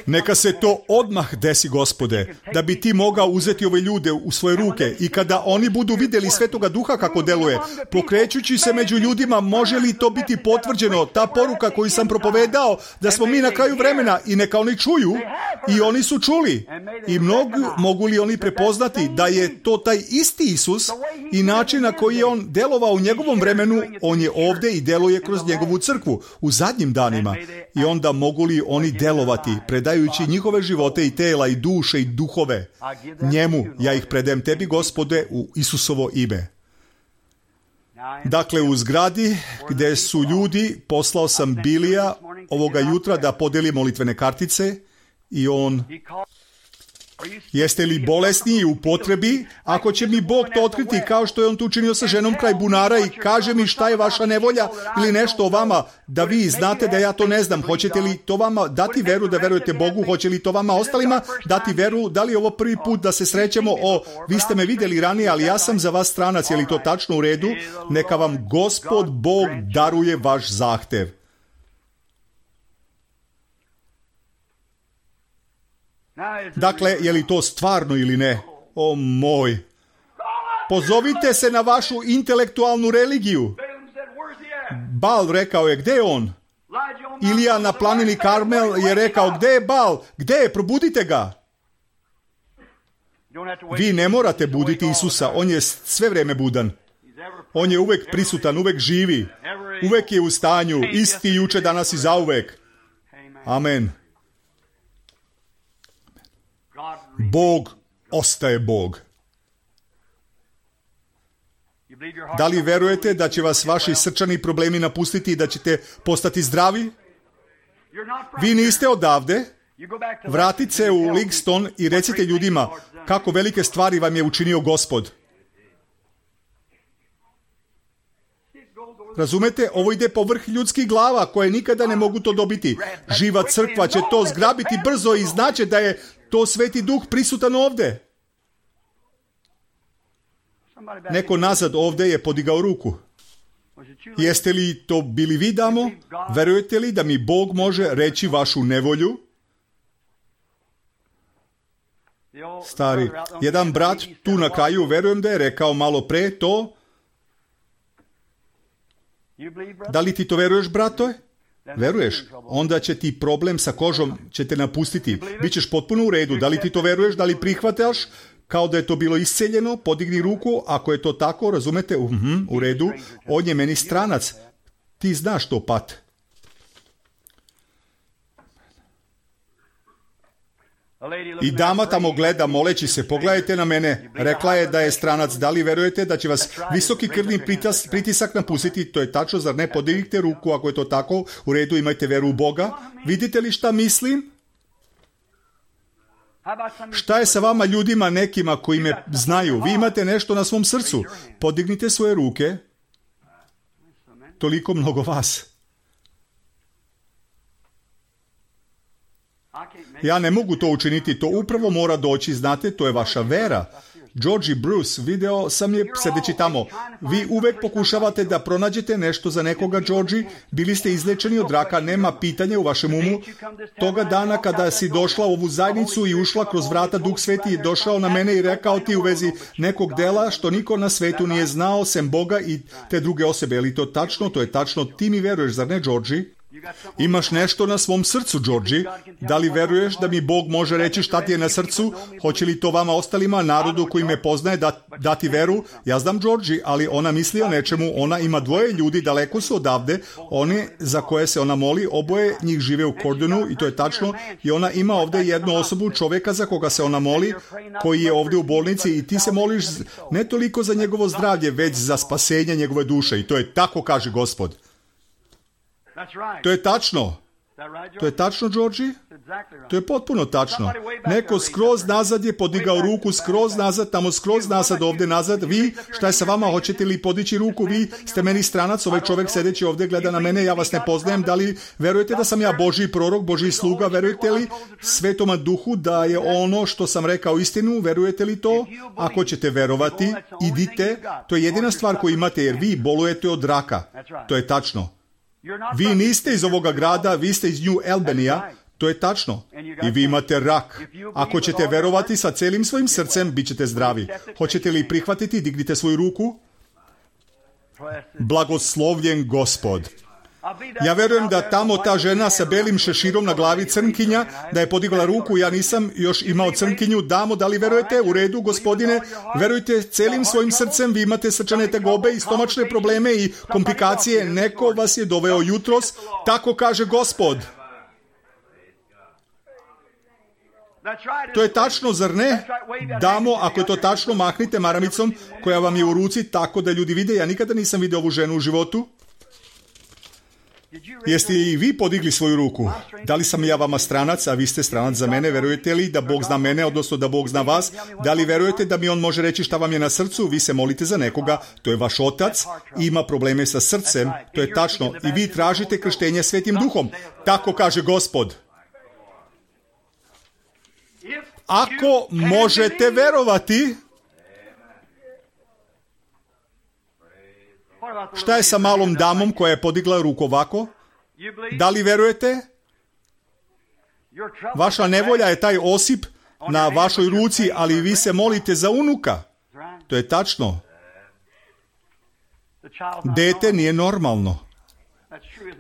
Neka se to odmah desi, Gospode, da bi ti mogao uzeti ove ljude u svoje ruke i kada oni budu vidjeli Svetoga Duha kako deluje, pokrećući se među ljudima, može li to biti potvrđeno, ta poruka koju sam propovedao, da smo mi na kraju vremena i neka oni čuju i oni su čuli. I mnogu, mogu li oni prepoznati da je to taj isti Isus i način na koji je on delovao u njegovom vremenu, on je ovdje i deluje kroz njegovu crkvu u zadnjim danima. I onda mogu li oni delovati, predajući njihove živote i tela i duše i duhove njemu. Ja ih predajem tebi, Gospode, u Isusovo ime. Dakle, u zgradi gdje su ljudi, poslao sam Bilija ovoga jutra da podeli molitvene kartice i on... Jeste li bolesni i u potrebi? Ako će mi Bog to otkriti kao što je on to učinio sa ženom kraj bunara i kaže mi šta je vaša nevolja ili nešto o vama, da vi znate da ja to ne znam. Hoćete li to vama dati veru da verujete Bogu? Hoće li to vama ostalima dati veru? Da li je ovo prvi put da se srećemo? O, vi ste me vidjeli ranije, ali ja sam za vas stranac. Je li to tačno u redu? Neka vam Gospod Bog daruje vaš zahtev. Dakle, je li to stvarno ili ne? O moj! Pozovite se na vašu intelektualnu religiju. Bal rekao je, gdje je on? Ilija na planini Karmel je rekao, gdje je Bal? Gdje je? Probudite ga! Vi ne morate buditi Isusa, on je sve vrijeme budan. On je uvijek prisutan, uvijek živi. Uvijek je u stanju, isti juče, danas i zauvijek. Amen. Bog ostaje Bog. Da li verujete da će vas vaši srčani problemi napustiti i da ćete postati zdravi? Vi niste odavde. Vratite se u Livingston i recite ljudima kako velike stvari vam je učinio Gospod. Razumete, ovo ide povrh ljudskih glava koje nikada ne mogu to dobiti. Živa crkva će to zgrabiti brzo i znaće da je to Sveti Duh prisutan ovdje. Neko nazad ovdje je podigao ruku. Jeste li to bili vi, damo? Verujete li da mi Bog može reći vašu nevolju? Stari, jedan brat tu na kraju, verujem da je rekao malo pre to. Da li ti to veruješ, brato? Veruješ? Onda će ti problem sa kožom će te napustiti. Bićeš potpuno u redu. Da li ti to veruješ? Da li prihvataš kao da je to bilo isceljeno? Podigni ruku. Ako je to tako, razumete? Uh-huh, u redu. On je meni stranac. Ti znaš to, Pat. I dama tamo gleda moleći se, pogledajte na mene. Rekla je da je stranac. Da li verujete da će vas visoki krvni pritas, pritisak napustiti? To je tačno, zar ne? Podignite ruku ako je to tako. U redu, imajte veru u Boga. Vidite li šta mislim? Šta je sa vama ljudima nekima koji me znaju? Vi imate nešto na svom srcu. Podignite svoje ruke. Toliko mnogo vas. Ja ne mogu to učiniti, to upravo mora doći, znate, to je vaša vera. George Bruce, video sam je sedeći tamo. Vi uvek pokušavate da pronađete nešto za nekoga, George. Bili ste izlečeni od raka, nema pitanja u vašem umu. Toga dana kada si došla u ovu zajednicu i ušla kroz vrata, Duh Sveti je došao na mene i rekao ti u vezi nekog dela što niko na svetu nije znao, sem Boga i te druge osobe. Je li to tačno? To je tačno. Ti mi veruješ, zar ne, George? Imaš nešto na svom srcu, George. Da li veruješ da mi Bog može reći šta ti je na srcu? Hoće li to vama ostalima, narodu koji me poznaje, da, dati veru? Ja znam George, ali ona misli o nečemu. Ona ima dvoje ljudi, daleko su odavde. One za koje se ona moli, oboje njih žive u Cordonu i to je tačno. I ona ima ovdje jednu osobu, čovjeka za koga se ona moli, koji je ovdje u bolnici i ti se moliš ne toliko za njegovo zdravlje, već za spasenje njegove duše. I to je tako, kaže Gospod. To je tačno. To je tačno, Georgi? To je potpuno tačno. Neko skroz nazad je podigao ruku, skroz nazad, tamo skroz nazad, ovdje nazad. Vi, šta je sa vama, hoćete li podići ruku? Vi ste meni stranac, ovaj čovjek sedeći ovdje gleda na mene, ja vas ne poznajem. Da li verujete da sam ja Božji prorok, Božji sluga? Verujete li Svetoma Duhu da je ono što sam rekao istinu? Verujete li to? Ako ćete verovati, idite. To je jedina stvar koju imate, jer vi bolujete od raka. To je tačno. Vi niste iz ovoga grada, vi ste iz New Albanija, to je tačno. I vi imate rak. Ako ćete verovati sa celim svojim srcem, bit ćete zdravi. Hoćete li prihvatiti? Dignite svoju ruku. Blagoslovljen Gospod. Ja verujem da tamo ta žena sa belim šeširom na glavi, crnkinja, da je podigla ruku, ja nisam još imao crnkinju. Damo, da li verujete? U redu, gospodine, verujte celim svojim srcem, vi imate srčane tegobe i stomačne probleme i komplikacije, neko vas je doveo jutros, tako kaže Gospod. To je tačno, zar ne? Damo, ako je to tačno, mahnite maramicom koja vam je u ruci, tako da ljudi vide. Ja nikada nisam vidio ovu ženu u životu. Jeste i vi podigli svoju ruku? Da li sam ja vama stranac, a vi ste stranac za mene? Verujete li da Bog zna mene, odnosno da Bog zna vas? Da li verujete da mi On može reći šta vam je na srcu? Vi se molite za nekoga, to je vaš otac, ima probleme sa srcem, to je tačno. I vi tražite krštenje Svetim Duhom. Tako kaže Gospod. Ako možete verovati, šta je sa malom damom koja je podigla ruku ovako? Da li verujete? Vaša nevolja je taj osip na vašoj ruci, ali vi se molite za unuka. To je tačno. Dete nije normalno.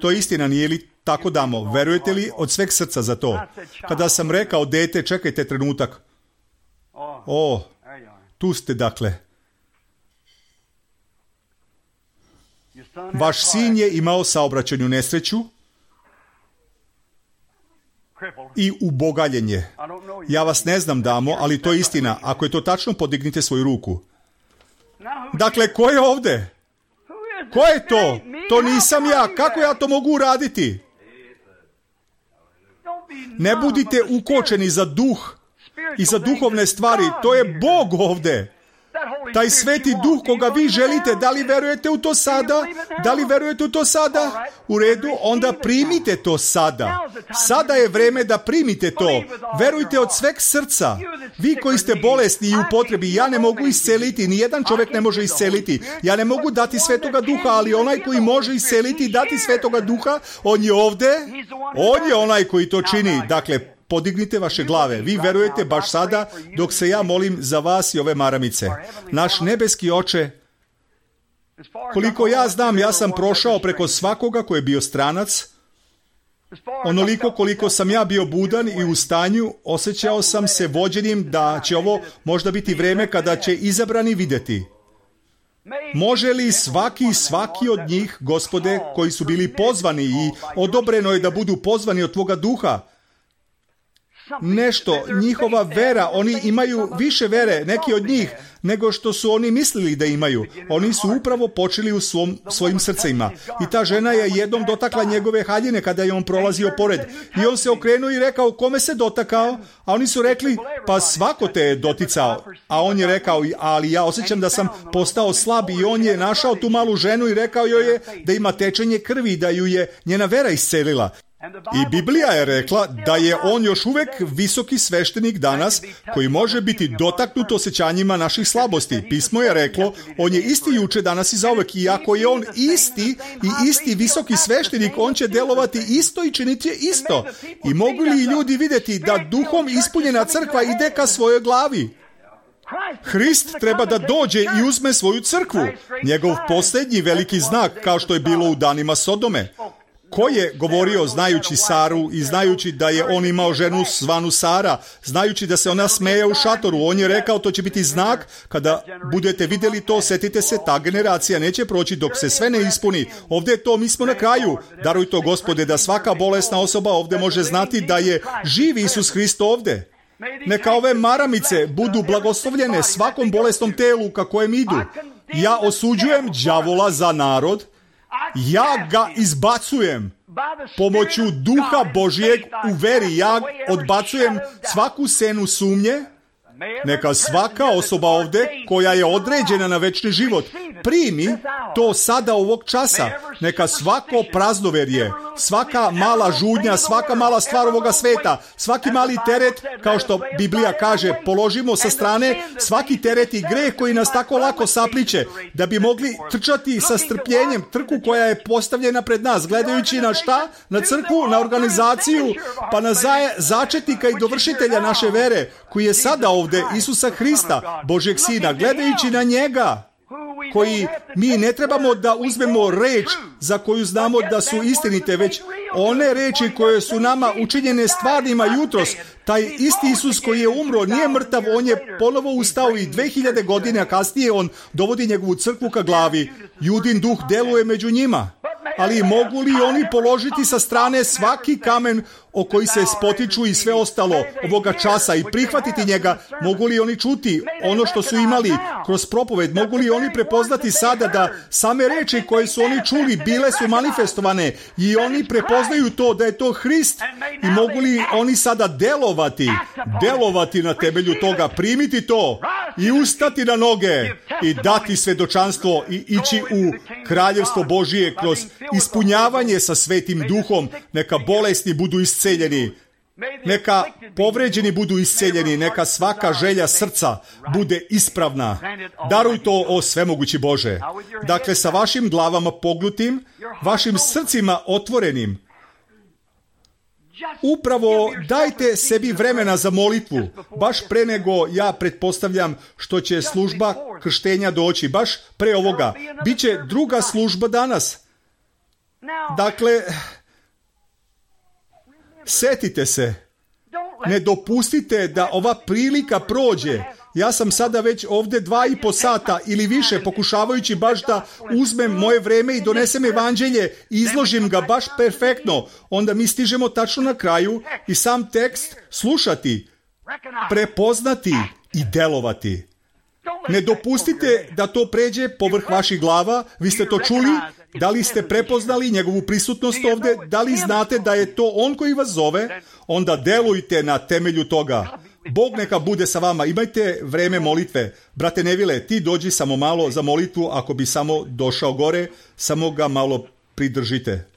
To je istina, nije li tako, damo? Verujete li od sveg srca za to? Kada sam rekao dete, čekajte trenutak. O, tu ste dakle. Vaš sin je imao saobraćajnu nesreću i ubogaljenje. Ja vas ne znam, damo, ali to je istina. Ako je to tačno, podignite svoju ruku. Dakle, ko je ovdje? Ko je to? To nisam ja. Kako ja to mogu uraditi? Ne budite ukočeni za duh i za duhovne stvari. To je Bog ovdje. Taj Sveti Duh koga vi želite, da li verujete u to sada? Da li verujete u to sada? U redu, onda primite to sada. Sada je vreme da primite to. Verujte od sveg srca. Vi koji ste bolesni i u potrebi, ja ne mogu isceliti, nijedan čovjek ne može isceliti. Ja ne mogu dati Svetoga Duha, ali onaj koji može isceliti i dati Svetoga Duha, on je ovdje. On je onaj koji to čini. Dakle, podignite vaše glave. Vi verujete baš sada dok se ja molim za vas i ove maramice. Naš nebeski Oče, koliko ja znam, ja sam prošao preko svakoga koji je bio stranac. Onoliko koliko sam ja bio budan i u stanju, osjećao sam se vođenim da će ovo možda biti vreme kada će izabrani vidjeti. Može li svaki svaki od njih, Gospode, koji su bili pozvani i odobreno je da budu pozvani od Tvoga Duha, nešto, njihova vera, oni imaju više vere, neki od njih, nego što su oni mislili da imaju. Oni su upravo počeli u svom, svojim srcima. I ta žena je jednom dotakla njegove haljine kada je on prolazio pored. I on se okrenuo i rekao, kome se dotakao? A oni su rekli, pa svako te je doticao. A on je rekao, ali ja osjećam da sam postao slab. I on je našao tu malu ženu i rekao joj je da ima tečenje krvi, da ju je njena vera iscelila. I Biblija je rekla da je on još uvijek visoki sveštenik danas koji može biti dotaknut osjećanjima naših slabosti. Pismo je reklo, on je isti juče, danas i zauvek. I ako je on isti i isti visoki sveštenik, on će delovati isto i činiti isto. I mogu li ljudi vidjeti da duhom ispunjena crkva ide ka svojoj glavi? Hrist treba da dođe i uzme svoju crkvu. Njegov posljednji veliki znak, kao što je bilo u danima Sodome. Ko je govorio znajući Saru i znajući da je on imao ženu zvanu Sara, znajući da se ona smeje u šatoru, on je rekao to će biti znak, kada budete vidjeli to, setite se, ta generacija neće proći dok se sve ne ispuni. Ovdje je to, mi smo na kraju. Daruj to, Gospode, da svaka bolesna osoba ovdje može znati da je živ Isus Hrist ovdje. Neka ove maramice budu blagoslovljene svakom bolesnom telu ka kojem idu. Ja osuđujem đavola za narod. Ja ga izbacujem, pomoću duha Božjeg u veri ja odbacujem svaku senu sumnje. Neka svaka osoba ovdje koja je određena na večni život primi to sada ovog časa. Neka svako praznoverje, svaka mala žudnja, svaka mala stvar ovoga sveta, svaki mali teret, kao što Biblija kaže, položimo sa strane svaki teret i greh koji nas tako lako sapliče, da bi mogli trčati sa strpljenjem trku koja je postavljena pred nas, gledajući na šta? Na crkvu, na organizaciju, pa na zaje, začetnika i dovršitelja naše vere, koji je sada ovdje, Isusa Hrista, Božjeg Sina, gledajući na njega, koji mi ne trebamo da uzmemo reč za koju znamo da su istinite, već one reči koje su nama učinjene stvarnima jutros. Taj isti Isus koji je umro nije mrtav, on je ponovo ustao i dve hiljade godina kasnije on dovodi njegovu crkvu ka glavi. Judin duh deluje među njima. Ali mogu li oni položiti sa strane svaki kamen o koji se spotiču i sve ostalo ovoga časa i prihvatiti njega? Mogu li oni čuti ono što su imali kroz propoved? Mogu li oni prepoznati sada da same reči koje su oni čuli bile su manifestovane i oni prepoznaju to da je to Hrist? I mogu li oni sada delovati, delovati na temelju toga, primiti to i ustati na noge i dati svedočanstvo i ići u kraljevstvo Božije kroz ispunjavanje sa Svetim Duhom? Neka bolesni budu isceljeni, neka povređeni budu isceljeni, neka svaka želja srca bude ispravna. Daruj to, o svemogući Bože. Dakle, sa vašim glavama pognutim, vašim srcima otvorenim, upravo dajte sebi vremena za molitvu, baš pre nego, ja pretpostavljam, što će služba krštenja doći, baš pre ovoga. Biće druga služba danas. Dakle, setite se, ne dopustite da ova prilika prođe. Ja sam sada već ovdje dva i po sata ili više pokušavajući baš da uzmem moje vreme i donesem evanđelje i izložim ga baš perfektno. Onda mi stižemo tačno na kraju i sam tekst slušati, prepoznati i delovati. Ne dopustite da to pređe povrh vaših glava. Vi ste to čuli? Da li ste prepoznali njegovu prisutnost ovdje? Da li znate da je to on koji vas zove? Onda delujte na temelju toga. Bog neka bude sa vama. Imajte vreme molitve. Brate Nevile, ti dođi samo malo za molitvu. Ako bi samo došao gore, samo ga malo pridržite.